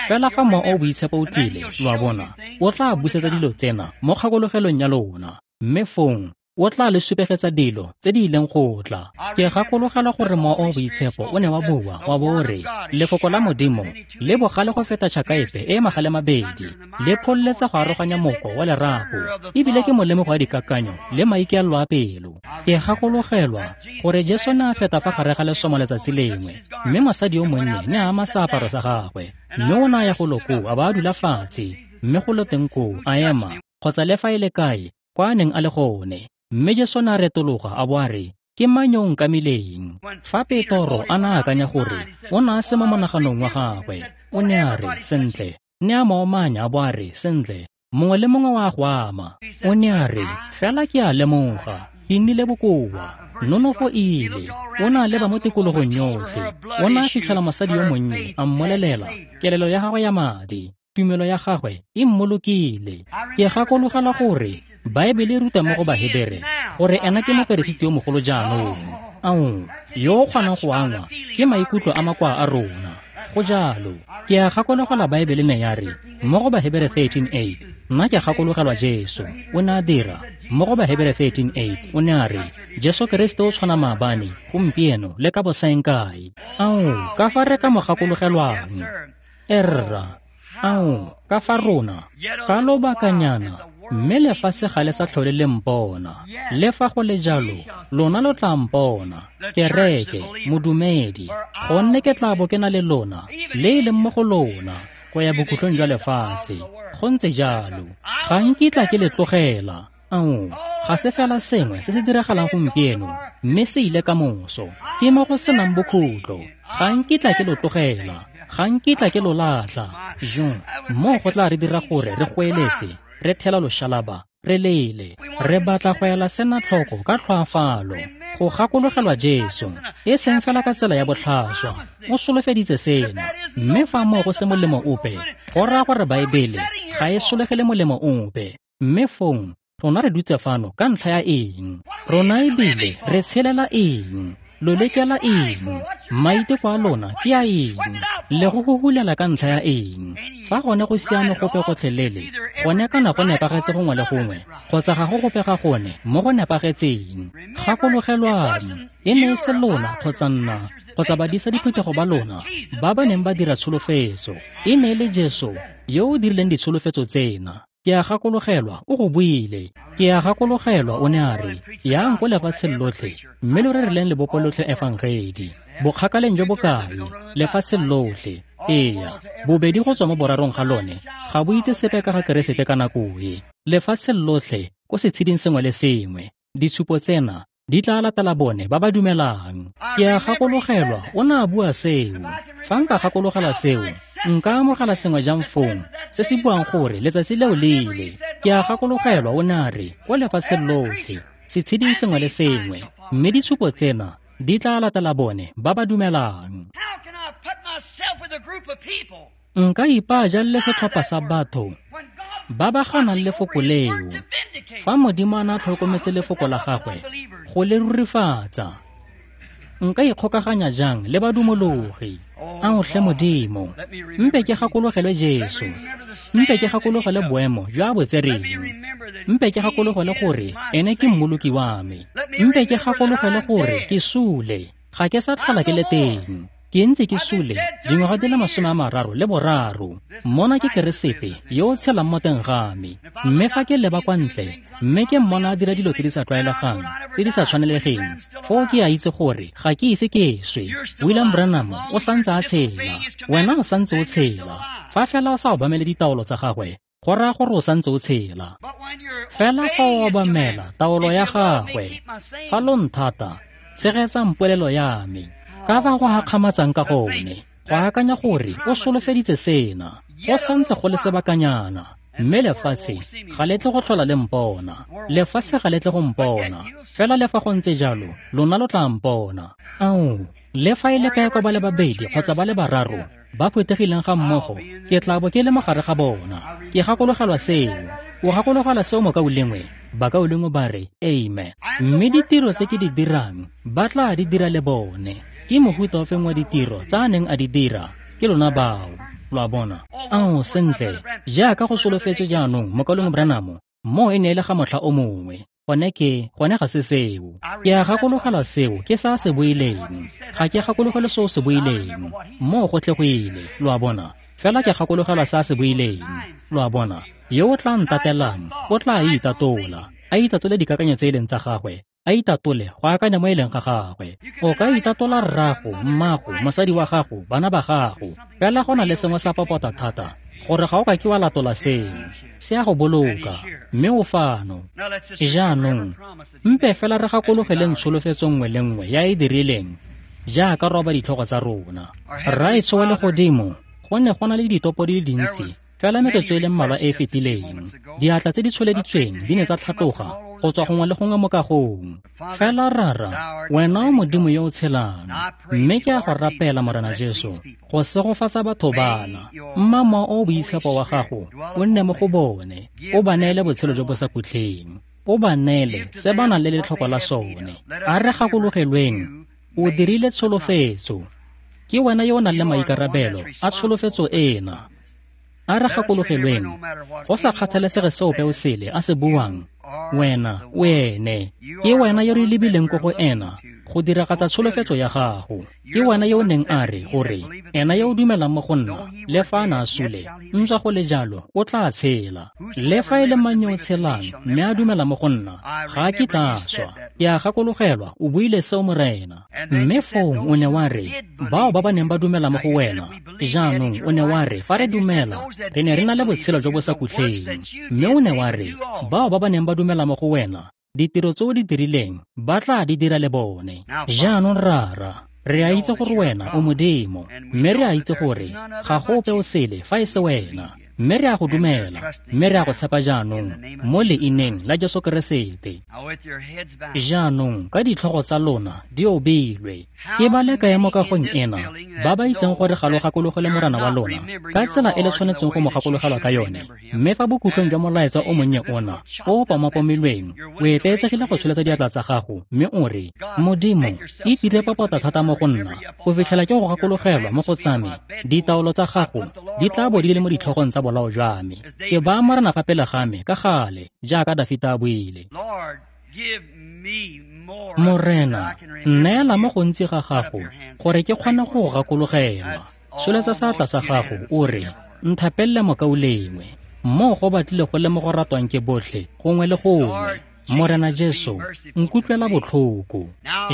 Fela fa Mowa o o Boitshepo o tlile, lo a bona, o tla busetsa dilo tsena mo kgakologelong ya lona. Mme fong, o tla le supegetsa dilo tse di ileng go tla. Ke gakologelwa gore Mowa o o Boitshepo o ne wa bua, wa bo re, Lefoko la Modimo le bogale go feta tšhaka epe e e magale mabedi, le phololetsa go aroganya moko wa lerapo, ebile ke molemogo wa dikakanyo le maikaelelo a pelo. Ke gakologelwa gore Jesu ne a feta fa gare ga lesomo letsatsi lengwe, mme mosadi yo monnye ne a ama seaparo sa gagwe, mme o ne a ya golo koo a ba a dula fatshe, mme golo teng koo a ema, kgotsa le fa e le kae kwa a neng a le gone. Mme Jesu ne a retologa a bo a re, ke mang yo o nkamileng? Fa Petoro a ne a akanya gore o ne a se mo monaganong wa gagwe, o ne a re, sentle, ne a mo omanya a bo a re, sentle, mongwe le mongwe wa go ama. O ne a re, fela ke a lemoga, ke nnile bokoa, nonofo e ile. O ne a leba mo tikologong yotlhe. O ne a fitlhela mosadi yo monnye, a mmolelela, kelelo ya gagwe ya madi, tumelo ya gagwe e mmolokile. Ke gakologelwa gore Baebele e ruta mo go Bahebere gore ena ke moperesiti yo mogolo jaanong, ao, yo o kgonang go angwa ke maikutlo a makoa a rona. Go jalo. Ke a gakologelwa Baebele ne ya re mo go Bahebere thirteen eight, nna ke gakologelwa Jesu o ne a dira. Mo go Bahebere thirteen eight o ne a re Jesu Kriste o tshwana maabane, gompieno le ka bosaengkae. Ao, ka fa re ka mo gakologelwang. Erra, ao, ka fa rona, ka lobakanyana, mme lefatshe ga le sa tlhole le mpona. Le fa go le jalo, lona lo tla mpona, kereke, modumedi, gonne ke tla bo ke na le lona, le e leng mo go lona, go ya bokhutlong jwa lefatshe. Go ntse jalo. Ga nkitla ke le tlogela. Ao, ga se fela sengwe se se diragalang gompieno, mme se ile ka moso. Ke mo go senang bokhutlo. Ga nkitla ke lo tlogela. Ga nkitla ke lo latlha. Jo, moo go tla re dira gore re goeletse, re thela loshalaba, re lele. Re batla go ela sena tlhoko ka tlhoafalo, go gakologelwa Jesu, e seng fela ka tsela ya botlhaswa. O solofeditse sena, mme fa moo go se molemo ope, go raya gore Baebele ga e solegele molemo ope. Mme fong, rona re dutse fano ka ntlha ya eng? Rona ebile re tshelela eng? Lo lekela eng? Maiteko a lona ke a eng? Le go huhulela ka ntlha ya eng? Fa gone go siame gope gotlhelele, gone kana go nepagetse gongwe le gongwe, kgotsa ga go gope ga gone mo go nepagetseng. Gakologelwang, e ne e se lona kgotsa nna, kgotsa badisa diphuthego ba lona ba ba neng ba dira tsholofetso. E ne e le Jesu yo o dirileng ditsholofetso tsena. Ke a gakologelwa o go buile. Ke a gakologelwa o ne a re, yang ko lefatsheng lotlhe, mme lo rerileng lebopo lotlhe efangedi. Bokgakaleng jo bokae, lefatsheng lotlhe. Eya, bobedi go tswa mo borarong ga lone, ga bo itse sepe ka ga Keresete ka nako e. Lefatsheng lotlhe, ko setsheding sengwe le sengwe, ditshupo tsena di tla latela bone ba ba dumelang. Ke a gakologelwa o ne a bua seo. Fa nka gakologelwa seo, nka amogela sengwe jang fong se se buang gore letsatsi leo le ile. Ke a gakologelwa o ne a re ko lefatsheng lotlhe, setsheding sengwe le sengwe, mme ditshupo tsena di tla latela bone ba ba dumelang. Nka ipaa jang le setlhopha sa batho ba ba ganang lefoko leo, fa Modimo a ne a tlhokometse lefoko la gagwe go le rurifatsa? Nka ikgokaganya jang le badumologi? Ao tlhe Modimo, mpe ke gakologelwe Jesu, mpe ke gakologelwe boemo jo a bo tsereng, mpe ke gakologelwe gore ene ke mmoloki wa me, mpe ke gakologelwe gore ke sule, ga ke sa tlhola ke le teng. Ke ntse ke sule dingwaga di le masome a mararo le boraro. Mona ke Keresete yo o tshelang mo teng ga me. Mme fa ke leba kwa ntle, mme ke mmona a dira dilo tse di sa tlwaelegang, tse di sa tshwanelegeng, foo ke a itse gore ga ke ise ke swe. William Branham o santse a tshela, wena o santse o tshela. Fa fela o sa obamele ditaolo tsa gagwe, go raya gore o santse o tshela. Fela fa o obamela taolo ya gagwe, fa lo nthata, tshegetsang polelo ya me. Ka fa go hakgamatsang ka gone, go akanya gore o solofeditse sena, go santse go le sebakanyana, Mme lefatshe ga le tle go tlhola le mpona. Lefatshe ga le tle go mpona. Fela le fa go ntse jalo, lona lo tla mpona. Ao, le fa e le kae kwa ba le babedi kgotsa ba le bararo ba phuthegileng ga mmogo, ke tla bo ke le mo gare ga bona. Ke gakologelwa seo. O gakologelwa seo mokaulengwe? Bakaulengwe ba re, amen. Mme ditiro tse ke di dirang, ba tla di dira le bone. Ke mohuta ofeng wa ditiro tsa a neng a di dira? Ke lona bao. Lo a bona? Ao, sentle, jaaka go solofetswe jaanong, mokaulengwe Branham, moo e ne e le ga motlha o mongwe. Gone ke, gone ga se seo. Ke a gakologelwa seo ke sa se buileng. Ga ke gakologelwe seo se buileng. Moo go tle go ile, lo a bona. Fela ke gakologelwa sa se buileng. Lo a bona? Yo o tla ntatelang, o tla itatola. A itatole dikakanyo tse e leng tsa gagwe. A itatole go akanya mo e leng ga gagwe. O ka itatola rrago, mmago, mosadi wa gago, bana ba gago. Fela go na le sengwe sa popota thata gore ga o ka ke wa latola seo. Se a go boloka, mme o fano. Jaanong, mpe fela re gakologeleng tsholofetso nngwe le nngwe ya e dirileng, jaaka roba ditlhogo tsa rona. Rraetsho wa legodimo, go ne go na le ditopo di le dintsi, fela metsotso e le mmalwa e e fetileng. Diatla tse di tsholeditsweng di ne tsa tlhatloga go tswa gongwe le gongwe mo kagong. Fela Rara, wena o Modimo yo o tshelang, mme ke a go rapela, Morena Jesu, go segofatsa batho bana. Mma Mowa o o Boitshepo wa gago o nne mo go bone, o ba neele botshelo jo bo sa khutleng, o ba neele se ba nang le letlhoko la sone. A re gakologelweng, o dirile tsholofetso. Ke wena yo o nang le maikarabelo a tsholofetso ena. A re gakologelweng, go sa kgathalesege se ope o sele a se buang, wena o ene. Ke wena yo re lebileng ko go ena go diragatsa tsholofetso ya gago. Ke wena yo o neng a re gore ena yo o dumelang mo go nna, le fa a na a sule, ntswa go le jalo o tla tshela. Le fa e le mang yo o tshelang mme a dumela mo go nna, ga a kitla a swa. Ke a gakologelwa o buile seo, Morena. Mme foo o ne wa re, bao ba ba neng ba dumela mo go wena, jaanong o ne wa re fa re dumela, re ne re na le botshelo jo bo sa khutleng. Mme o ne wa re, bao ba ba neng ba dumela mo go wena, ditiro tse o di dirileng ba tla di dira le bone. Jaanong Rara, re a itse gore wena o Modimo, mme re a itse gore ga go ope o sele fa e se wena. Mme re a go dumela, mme re a go tshepa jaanong mo leineng la Jesu Keresete. Jaanong ka ditlhogo tsa lona di obilwe, ke ba le kae mo kagong ena ba ba itseng gore ga lo gakologele Morena wa lona ka tsela e le tshwanetseng go mo gakologelwa ka yone? Mme fa bokhutlong jwa molaetsa o monnye ona o o pamapomilweng, o etleetsegile go tsholetsa diatla tsa gago mme o re, Modimo, itire popota thata mo go nna go fitlhela ke go gakologelwa mo go tsa me. Ditaolo tsa gago di tla bo di le mo ditlhogong tsa bolao jwa me. Ke ba Morena fa pele ga me ka gale, jaaka Dafita a buile. Morena, nneela mo gontsi ga gago gore ke kgone go go gakologelwa. Tsholetsa seatla sa gago o re, nthapelele mokaulengwe. Moo go batlile go le mo go ratwang ke botlhe gongwe le gongwe. Morena Jesu, nkutlwela botlhoko.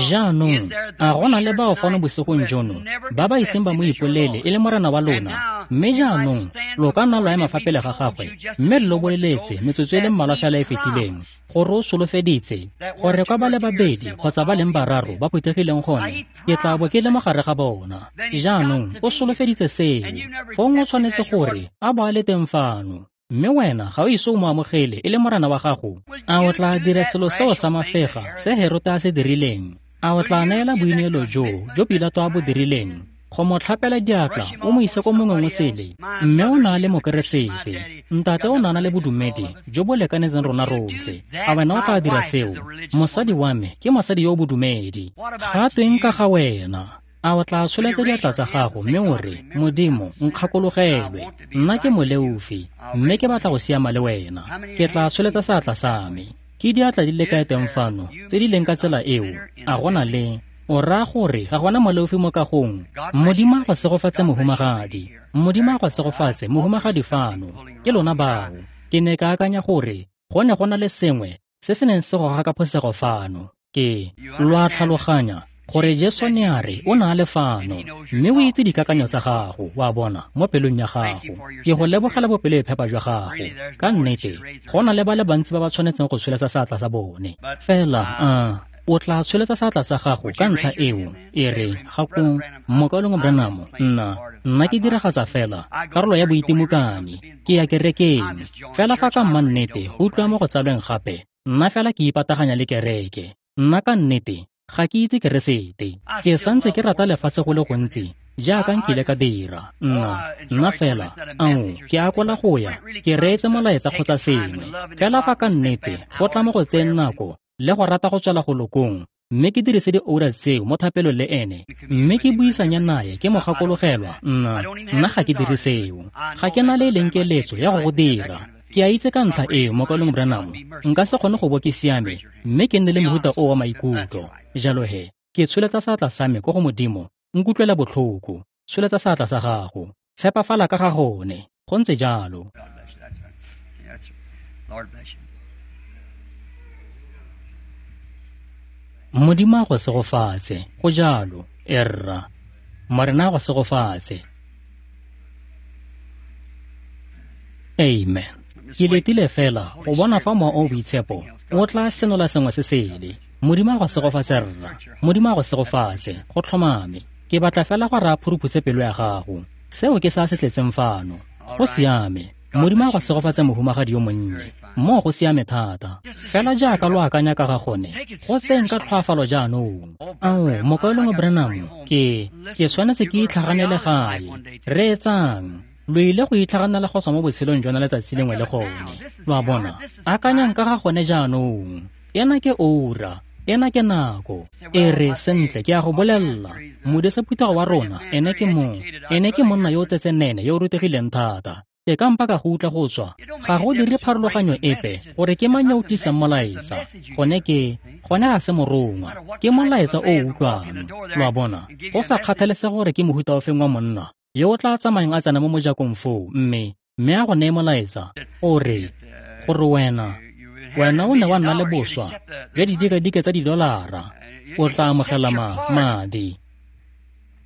Jaanong, a go na le bao fano bosigong jono ba ba iseng ba mo ipolele e le Morena wa lona? Mme jaanong lo ka nna lwa ema fa pele ga gagwe mme lo boleletse metsotso e le mmalwa fela e fetileng gore o solofeditse gore kwa ba le babedi kgotsa ba leng bararo ba phuthegileng gone, ke tla bo ke le mo gare ga bona. Jaanong o solofeditse seo, fong o tshwanetse gore a bo a le teng fano. Mme wena ga o ise o mo amogele e le Morena wa gago. A o tla dira selo seo sa mafega se Herote a se dirileng? A o tla neela boineelo joo jo Pilato a bo dirileng go mo tlhapela diatla o mo ise ko mongweng o sele? Mme o na le Mokeresete, ntate o na na le bodumedi jo bo lekanetseng rona rotlhe. A wena o tla dira seo? Mosadi wa me ke mosadi yo o bodumedi. Ga tweng ka ga wena? A o tla tsholetsa diatla tsa gago mme o re, Modimo, nkgakologelwe, nna ke moleofi, mme ke batla go siama le wena. Ke tla tsholetsa seatla sa me. Ke diatla di le kae teng fano tse di leng ka tsela eo? A go na le? O raya gore ga gona moleofi mo kagong? Modimo a go segofatse, mohumagadi. Modimo a go segofatse, mohumagadi fano. Ke lona bao. Ke ne ka akanya gore go ne go na le sengwe se se neng se goga ka phosego fano. Ke lo a tlhaloganya gore Jesu ne a re o na le fano, mme o itse dikakanyo tsa gago, wa bona, mo pelong ya gago. Ke go lebogela bopelo e phepa jwa gago. Ka nnete, go na le ba le bantsi ba ba tshwanetseng go tsholetsa seatla sa bone. Fela, uh, O tla tsholetsa seatla sa gago ka ntlha eo, e re, ga ko Mokaulengwe Branham, nna, nna ke diragatsa fela karolo ya boitimokani, ke ya kerekeng. Fela fa ka mannete go utlwa mo go tsalweng gape, nna fela ke ipataganya le kereke. Nna ka nnete ga ke itse Keresete. Ke santse ke rata lefatshe go le gontsi jaaka nkile ka dira. Nna, nna fela, ao, ke akola go ya, ke reetse molaetsa kgotsa sengwe. Fela fa ka nnete go tla mo go tseyeng nako le go rata go tswela go lokong, mme ke dirise dioura tseo mo thapelong le ene, mme ke buisanya naye ke mo gakologelwa, nna, nna ga ke dire seo. Ga ke na le e leng keletso ya go go dira. Ke a itse ka ntlha eo, Mokaulengwe Branham, nka se kgone go bo ke siame, mme ke nne le mohuta o wa maikutlo. Jalo he, ke tsholetsa seatla sa me ko go Modimo, nkutlwela botlhoko. Tsholetsa seatla sa gago. Tshepafala ka ga gone. Go ntse jalo. Modimo a go segofatse. Go jalo. Erra. Morena a go segofatse. Amen. Ke letile fela go bona fa Mowa o o Boitshepo o tla senola sengwe se sele. Modimo a go segofatse rra. Modimo a go segofatse. Go tlhomame. Ke batla fela gore a phuruphutse pelo ya gago. Seo ke sa se tletseng fano. Go siame. Modimo a go segofatse mohumagadi yo monnye. Moo go siame thata. Fela jaaka lo akanya ka ga gone, go tseng ka tlhoafalo jaanong. Ao, Mokaulengwe Branham, ke, ke tshwanetse ke itlhaganele gae. Reetsang. Lo ile go itlhaganela go tswa mo botshelong jona letsatsi lengwe le gone. Lo a bona? Akanyang ka ga gone jaanong. Ena ke oura. Ena ke nako. E re, sentle, ke a go bolella. Modisa phuthego wa rona, ene ke mo, ene ke monna yo o tsetsenene, yo o rutegileng thata. Ke ka mpa ka go utlwa go tswa. Ga go dire pharologanyo epe gore ke mang yo o tlisang molaetsa. Gone ke, gone ga se morongwa. Ke molaetsa o o utlwang. Lo a bona? Go sa kgathalesege gore ke mohuta ofeng wa monna yo o tla tsamayang a tsena mo mojakong foo, mme, mme a go neye molaetsa, o re, gore wena, wena o ne wa nna le boswa jwa didikadike tsa didolara, o tla amogela ma, madi.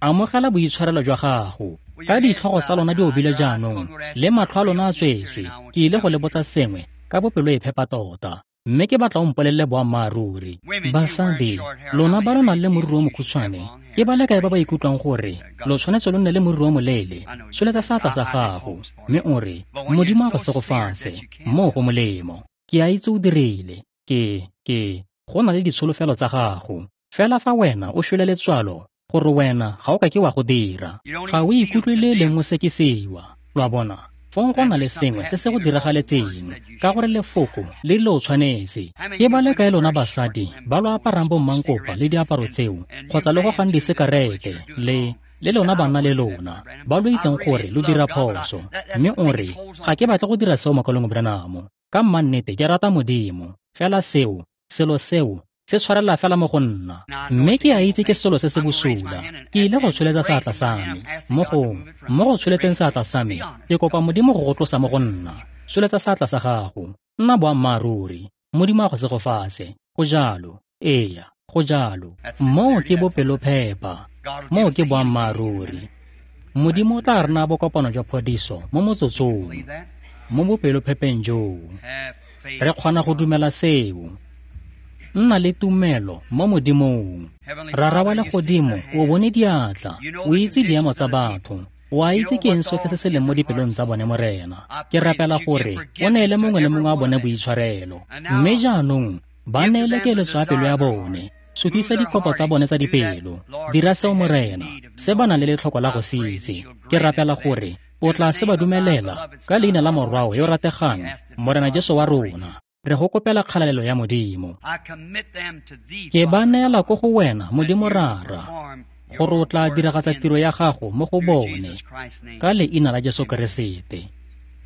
Amogela boitshwarelo jwa gago. Ka ditlhogo tsa lona di obile jaanong, le matlho a lona a tswetswe, ke ile go le botsa sengwe ka bopelo e phepa tota, mme ke batla o mpolelele boammaaruri. Basadi, lona ba lo nang le moriri o mokhutshwane, ke ba le kae ba ba ikutlwang gore lo tshwanetse lo nne le moriri o moleele? Tsholetsa seatla sa gago, mme o re, Modimo a go segofatse, moo go molemo. Ke a itse o dirile. Ke, ke, go na le ditsholofelo tsa gago. Fela fa wena o shwele letswalo, gore wena ga o ka ke wa go dira, ga o ikutlwe le leng o sekisiwa. Lo a bona? Fong go na le sengwe se se go diragaletseng, ka gore lefoko le le o tshwanetse. Ke ba le kae lona basadi ba lo aparang bommankopa le diaparo tseo, kgotsa le gogang disekarete, le, le lona banna le lona, ba lo itseng gore lo dira phoso, mme o re, ga ke batle go dira seo Mokaulengwe Branham. Ka mmannete ke rata Modimo, fela seo, selo seo, se tshwarela fela mo go nna. Mme ke a itse ke selo se se bosula. Ke ile go tsholetsa seatla sa me. Mo go, mo go tsholetseng seatla sa me, ke kopa Modimo go go tlosa mo go nna. Tsholetsa seatla sa gago. Nna boammaaruri. Modimo a go segofatse. Go jalo. Eya, go jalo. Moo ke bopelophepa. Moo ke boammaaruri. Modimo o tla re naya bokopano jwa phodiso mo motsotsong. Mo bopelophepeng joo. Re kgona go dumela seo. Nna le tumelo mo Modimong. Rara wa legodimo, o bone diatla, o itse diemo tsa batho, o a itse ke eng sotlhe se se leng mo dipelong tsa bone, Morena. Ke rapela gore o neele mongwe le mongwe wa bone boitshwarelo. Mme jaanong ba neele keletso ya pelo ya bone. Sutisa dikopo tsa bone tsa dipelo. Dira seo, Morena, se ba nang le letlhoko la go se itse. Ke rapela gore o tla se ba dumelela ka leina la Morwao yo rategang, Morena Jesu wa rona. Re go kopela kgalalelo ya Modimo. Ke ba neela ko go wena, Modimo Rara, gore o tla diragatsa tiro ya gago mo go bone, ka leina la Jesu Keresete.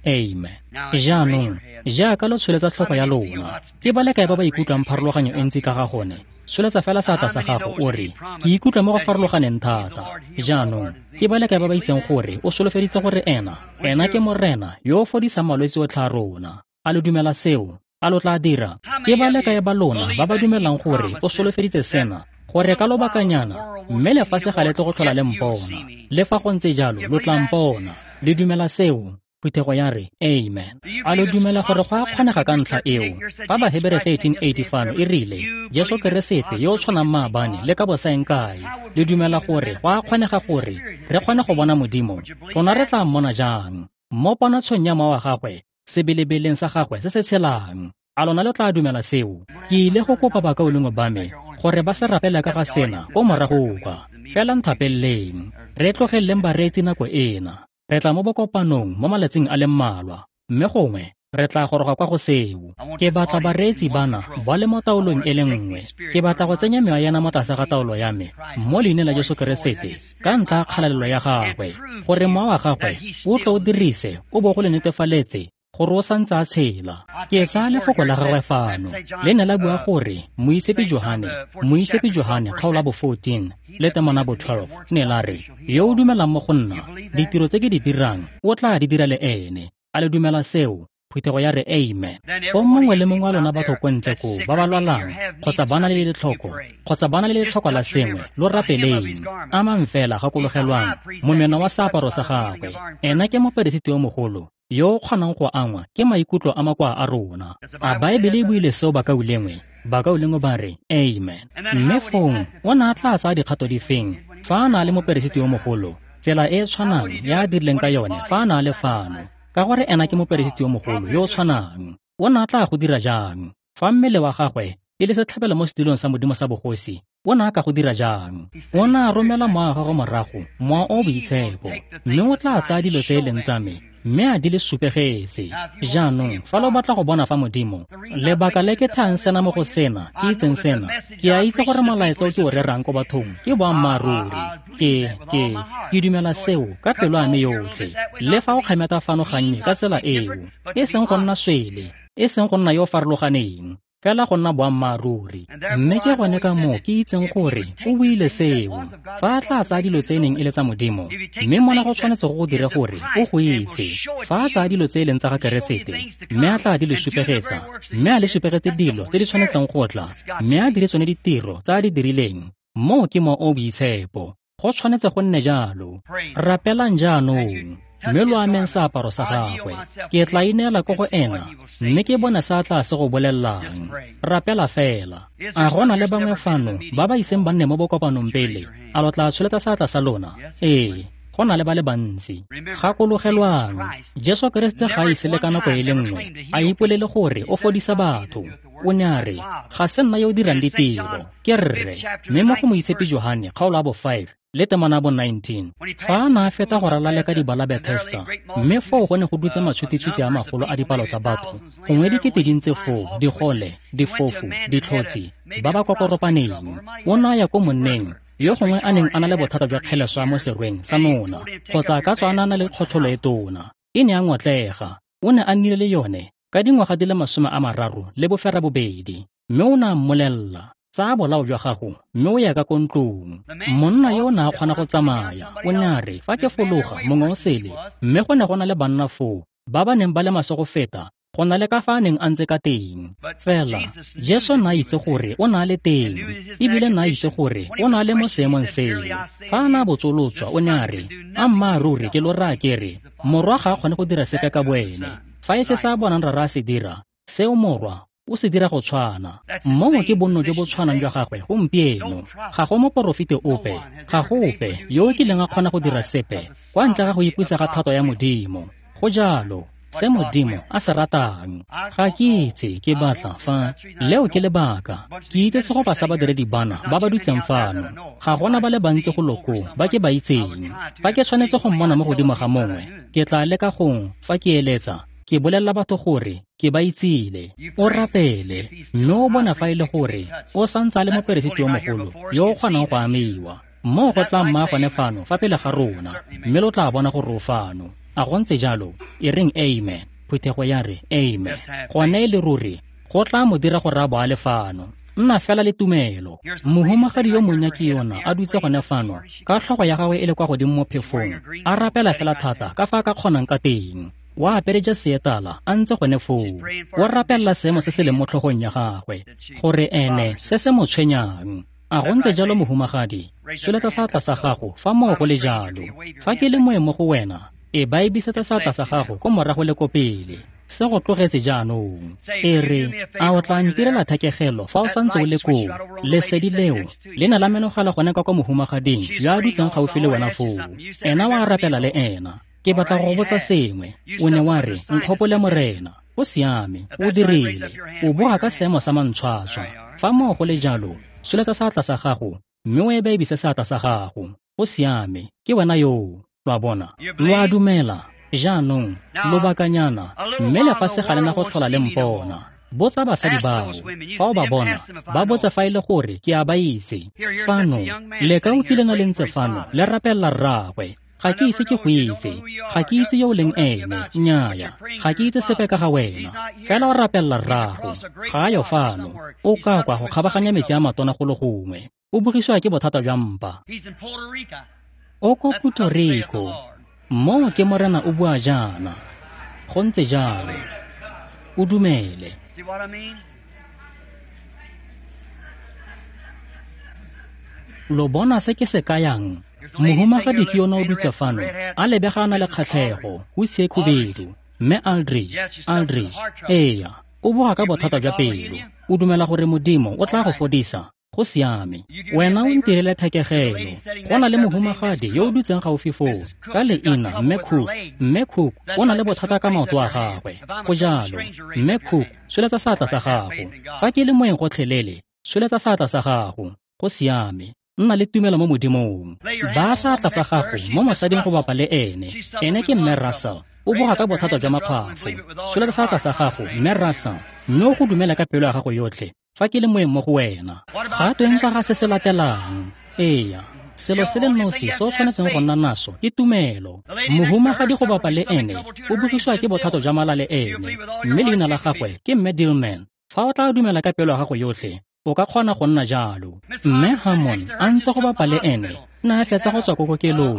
Amen. Jaanong, jaaka lo tsholetsa tlhogo ya lona, ke ba le kae ba ba ikutlwang pharologanyo e ntsi ka ga gone? Tsholetsa fela seatla sa gago o re, ke ikutlwa mo go farologaneng thata. Jaanong, ke ba le kae ba ba itseng gore o solofeditse gore ena, ena ke Morena yo o fodisang malwetse otlhe a rona. A lo dumela seo? A lo tla dira? Ke ba le kae ba lona ba ba dumelang gore o solofeditse sena, gore ka lobakanyana, mme lefatshe ga le tle go tlhola le mpona. Le fa go ntse jalo, lo tla mpona. Le dumela seo? Phuthego ya re amen. A lo dumela gore go a kgonega ka ntlha eo? Fa Bahebere thirteen eight fano e rile Jesu Keresete yo o tshwanang maabane le ka bosaeng kae, le dumela gore go a kgonega gore re kgone go bona Modimo? Rona re tla mmona jang? Mo ponatshong ya mowa wa gagwe, sebelebeleng sa gagwe se se tshelang. A lona lo tla dumela seo? Ke ile go kopa bakaulengwe ba me gore ba se rapele ka ga sena ko morago kwa. Fela nthapeleleng, re tlogeleng bareetsi nako ena. Re tla mo bokopanong mo malatsing a le mmalwa, mme gongwe re tla goroga kwa go seo. Ke batla bareetsi bana ba le mo taolong e le nngwe. Ke batla go tsenya mewa yana mo tlase ga taolo ya me mo leineng la Jesu Keresete, ka ntlha ya kgalalelo ya gagwe, gore mowa wa gagwe o tlo o dirise o bo go le netefaletse gore o santse a tshela. Ke tsaya lefoko la gagwe fano, le ne la bua gore Moitshepi Johane, Moitshepi Johane kgaolo ya bo fourteen le temana bo twelve, ne la re, yo o dumelang mo go nna, ditiro tse ke di dirang o tla di dira le ene. A le dumela seo? Phuthego ya re amen. Fo mongwe le mongwe wa lona batho ko ntle koo ba ba lwalang kgotsa ba na le letlhoko kgotsa ba na le letlhoko la sengwe, lo rapeleng. Amang fela, gakologelwang momeno wa seaparo sa gagwe. Ena ke moperesiti yo mogolo yo o kgonang go angwa ke maikutlo a makoa a rona. A Baebele e buile seo, bakaulengwe? Bakaulengwe ba re amen. Mme fong o ne a tla tsaya dikgato difeng fa a na le moperesiti yo mogolo? Tsela e e tshwanang ya a dirileng ka yone fa a na le fano, ka gore ena ke moperesiti yo mogolo yo o tshwanang. O ne a tla go dira jang fa mmele wa gagwe e le setlhabelo mo setilong sa Modimo sa bogosi? O ne a ka go dira jang? O ne a romela mowa wa gagwe morago, mowa o boitshepo, mme o tla tsaya dilo tse e leng tsa me mme a di le supegetse. Jaanong fa lo batla go bona fa Modimo, lebaka le ke thang sena mo go sena, ke itseng sena, ke a itse gore molaetsa o ke o rerang ko bathong ke boammaaruri. Ke ke ke dumela seo ka pelo ya me yotlhe. Le fa o kgemeta fano gannye ka tsela eo, e seng go nna swele, e seng go nna yo o farologaneng, fela go nna boammaaruri. Mme ke gone ka moo ke itseng gore o buile seo. Fa a tla tsaya dilo tse e neng e le tsa Modimo, mme mona go tshwanetse go go dire gore o go itse. Fa a tsaya dilo tse e leng tsa ga Keresete, mme a tla di le supegetsa, mme a le supegetse dilo tse di tshwanetseng go tla, mme a dire tsone ditiro tse a di dirileng, moo ke mowa o boitshepo. Go tshwanetse go nne jalo. Rapelang jaanong, mme lo ameng seaparo sa gagwe. Ke tla ineela ko go ena, mme ke bone se a tla se go bolellang. Rapela fela. A go na le bangwe fano ba ba iseng ba nne mo bokopanong pele? A lo tla tsholetsa seatla sa lona? Ee, go na le ba le bantsi. Gakologelwang, Jesu Keresete ga a ise le ka nako e le nngwe a ipolele gore o fodisa batho. O ne a re, ga se nna yo o dirang ditiro, ke Rre. Mme mo go Moitshepi Johane kgaolo ya bo five le temana bo nineteen, fa a ne a feta go ralala ka dibala Bethesda, mme foo go ne go dutse matshutitshuti a magolo a dipalo tsa batho, gongwe dikete di ntse foo, digole, difofu, ditlhotsi, ba ba kokoropaneng. O ne a ya ko monneng yo gongwe a neng a na le bothata jwa kgeleswa mo serweng sa nona, kgotsa a ka tswa a na le kgotlholo e tona. E ne a ngotlega. O ne a nnile le yone ka dingwaga di le masome a mararo le boferabobedi, mme o ne a mmolelela, tsaya bolao jwa gago mme o ya ka ko ntlong. Monna yo o ne a kgona go tsamaya. O ne a re, fa ke fologa mongwe o sele, mme go ne go na le banna foo ba ba neng ba le maswe go feta go na le ka fa a neng a ntse ka teng. Fela Jesu ne a itse gore o ne a le teng, ebile ne a itse gore o ne a le mo seemong seo. Fa a ne a botsolotswa, o ne a re, ammaaruri ke lo raya ke re, morwa ga a kgone go dira sepe ka boene. Fa e se sa bonang rara a se dira, seo morwa o se dira go tshwana. Moo ke bonno jo bo tshwanang jwa gagwe gompieno. Ga go moporofeti ope, ga go ope yo o kileng a kgona go dira sepe kwa ntle ga go ipusa ga thato ya Modimo. Go jalo, se Modimo a se ratang. Ga ke itse ke batla fa, leo ke lebaka. Ke itse segopa sa badiredi bana ba ba dutseng fano. Ga gona ba le bantsi go loko ba ke ba itseng. Fa ke tshwanetse go mmona mo godimo ga mongwe, ke tla leka gong fa ke eletsa, ke bolelela batho gore ke ba itsile. O rapele, mme o bona fa e le gore o santse a le moperesiti yo mogolo yo o kgonang go amiwa. Moo go tla mma gone fano fa pele ga rona, mme lo tla bona gore o fano. A go ntse jalo? E reng amen. Phuthego ya re amen. Gone e le ruri go tla mo dira gore a bo a le fano. Nna fela le tumelo. Mohumagadi yo monnya ke yona a dutse gone fano, ka tlhogo ya gagwe e le kwa godimo mo phefong, a rapela fela thata ka fa a ka kgonang ka teng. Wa apere jase e tala a ntse gone foo, o rapelela seemo se se leng mo tlhogong ya gagwe, gore ene se se mo tshwenyang. A go ntse jalo, mohumagadi? Tsholetsa seatla sa gago fa moo go le jalo. Fa ke le moeng mo go wena, E baebisetsa seatla sa gago ko morago le ko pele. Se go tlogetse jaanong. E re, a o tla ntirela thekegelo fa o santse o le koo? Lesedi leo le ne la menogela gone ka kwa mohumagading yo a dutseng gaufi le wena foo. Ena wa rapela le ena. Ke batla go go botsa sengwe. O ne wa re, nkgopole Morena. O siame, o dirile. O boga ka seemo sa mantshwatshwa. Fa moo go le jalo, tsholetsa seatla sa gago mme o ebaebise seatla sa gago. O siame, ke wena yoo. Lo a bona? Lo a dumela. Jaanong, lobakanyana, mme lefatshe ga le na go tlhola le mpona. Botsa basadi bao, fa o ba bona, ba botse fa e le gore ke a ba itse. Fano, leka o kile na le ntse fano, le rapelela rraagwe. Ga ke ise ke go itse, ga ke itse yo o leng ene, nnyaya, ga ke itse sepe ka ga wena. Fela o rapelela rraago, ga a yo fano, o ka kwa go kgabaganya metsi a matona go le gongwe. O bogisiwa ke bothata jwa mpa. O ko Puerto Rico. Moo ke Morena o bua jaana. Go ntse jalo. O dumele. Lo bona se ke se kayang? Mohumagadi ke yona o dutse fano, a lebega a na le kgatlhego, o sie khubedu. Mme Aldridge, Aldridge, eya, o boga ka bothata jwa pelo. O dumela gore Modimo o tla go fodisa. Go siame. Wena o ntirele thekegelo. Go na le mohumagadi yo o dutseng gaufi foo, ka leina Mme Cook. Mme Cook o na le bothata ka maoto a gagwe. Go jalo. Mme Cook, tsholetsa seatla sa gago. Fa ke le moeng gotlhelele, tsholetsa seatla sa gago. Go siame. Nna le tumelo mo Modimong. Baya seatla sa gago mo mosading go bapa le ene. Ene ke Mme Russell. O boga ka bothata jwa makgwafo. Tsholetsa seatla sa gago, Mme Russell, mme o go dumela ka pelo ya gago yotlhe. Fa ke le moeng mo go wena. Ga tweng ka ga se se latelang? Eya, selo se le nosi se o tshwanetseng go nna naso ke tumelo. Mohumagadi go bapa le ene o bogisiwa ke bothata jwa mala le ene, mme leina la gagwe ke Mme Dillman. Fa o tla dumela ka pelo ya gago yotlhe, o ka kgona go nna jalo. Mme Harmon a ntse go bapa le ene, ne a fetsa go tswa ko kokelong.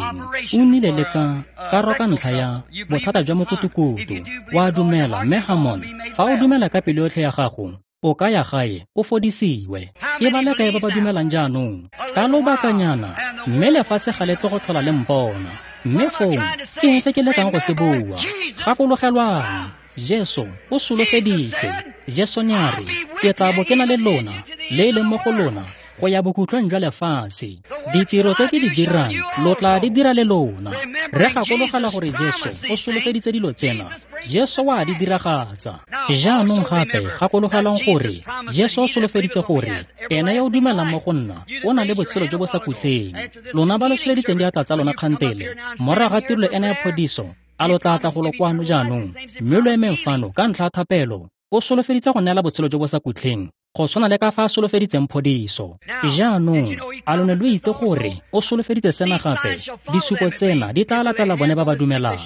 O nnile le ka karo ka ntlha ya bothata jwa mokutukutu. Wa dumela, Mme Harmon, fa o dumela ka pelo yotlhe ya gago, o ka ya gae, o fodisiwe. Ke ba le kae ba ba dumelang jaanong? Ka lobakanyana, mme lefatshe ga le tle go tlhola le mpona. Mme foo, ke eng se ke lekang go se bua? Gakologelwang, Jesu o solofeditse. Jesu ne a re, ke tla bo ke na le lona, le e leng mo go lona, go ya bokhutlong jwa lefatshe. Ditiro tse ke di dirang, lo tla di dira le lona. Re gakologela gore Jesu o solofeditse dilo tsena. Jesu wa di diragatsa. Jaanong gape gakologelang gore Jesu o solofeditse gore ene yo o dumelang mo go nna o na le botshelo jo bo sa khutleng. Lona ba lo tsholeditseng diatla tsa lona kgantele, morago ga tirelo ena ya phodiso, a lo tla tla golo kwano jaanong, mme lo emeng fano ka ntlha ya thapelo. O solofeditse go neela botshelo jo bo sa khutleng, go tshwana le ka fa a solofeditseng phodiso. Jaanong, a lo ne lo itse gore o solofeditse sena gape? Disupo tsena di tla latela bone ba ba dumelang.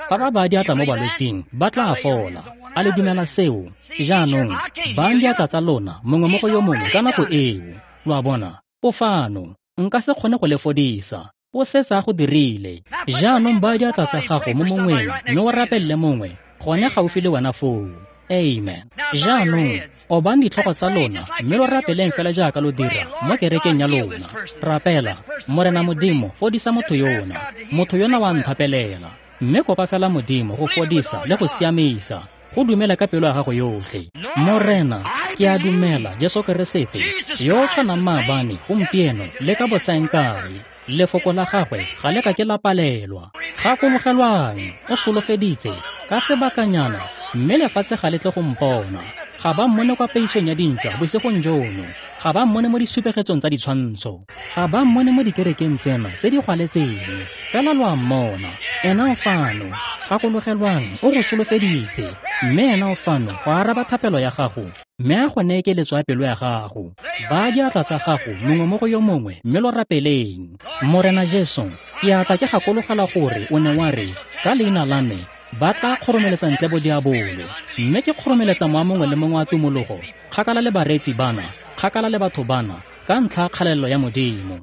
Fa ba baya diatla mo balwetsing, ba tla fola. A le dumela seo? Jaanong, bayang diatla tsa lona mongwe mo go yo mongwe ka nako eo. Lo a bona? O fano. Nka se kgone go le fodisa. O setse a go dirile. Jaanong baya diatla tsa gago mo mongweng mme o rapelele mongwe gone gaufi le wena foo. Amen. Jaanong, obang ditlhogo tsa lona mme lo rapeleng fela jaaka lo dira mo kerekeng ya lona. Rapela, Morena Modimo, fodisa motho yona. Motho yona wa nthapelela. Mme kopa fela Modimo go fodisa le go siamisa. Go dumela ka pelo ya gago yotlhe. Morena, ke a dumela Jesu Keresete, yo o tshwanang maabane, gompieno le ka bosaengkae. Lefoko la gagwe ga le ka ke la palelwa. Gakologelwang, o solofeditse ka sebakanyana, mme lefatshe ga le tle go mpona. Ga ba mmone kwa peisong ya dintšwa bosigong jono. Ga ba mmone mo disupegetsong tsa ditshwantsho. Ga ba mmone mo dikerekeng tsena tse di gwaletseng. Fela lo a mmona. Ena o fano. Gakologelwang, o go solofeditse. Mme ena o fano go araba thapelo ya gago, mme a go neye keletso ya pelo ya gago. Baya diatla tsa gago mongwe mo go yo mongwe mme lo rapeleng. Morena Jesu, ke a tla ke gakologela gore o ne wa re, ka leina la me ba tla kgoromeletsa ntle bodiabolo. Mme ke kgoromeletsa mowa mongwe le mongwe wa tumologo, kgakala le bareetsi bana, kgakala le batho bana, ka ntlha ya kgalelelo ya Modimo.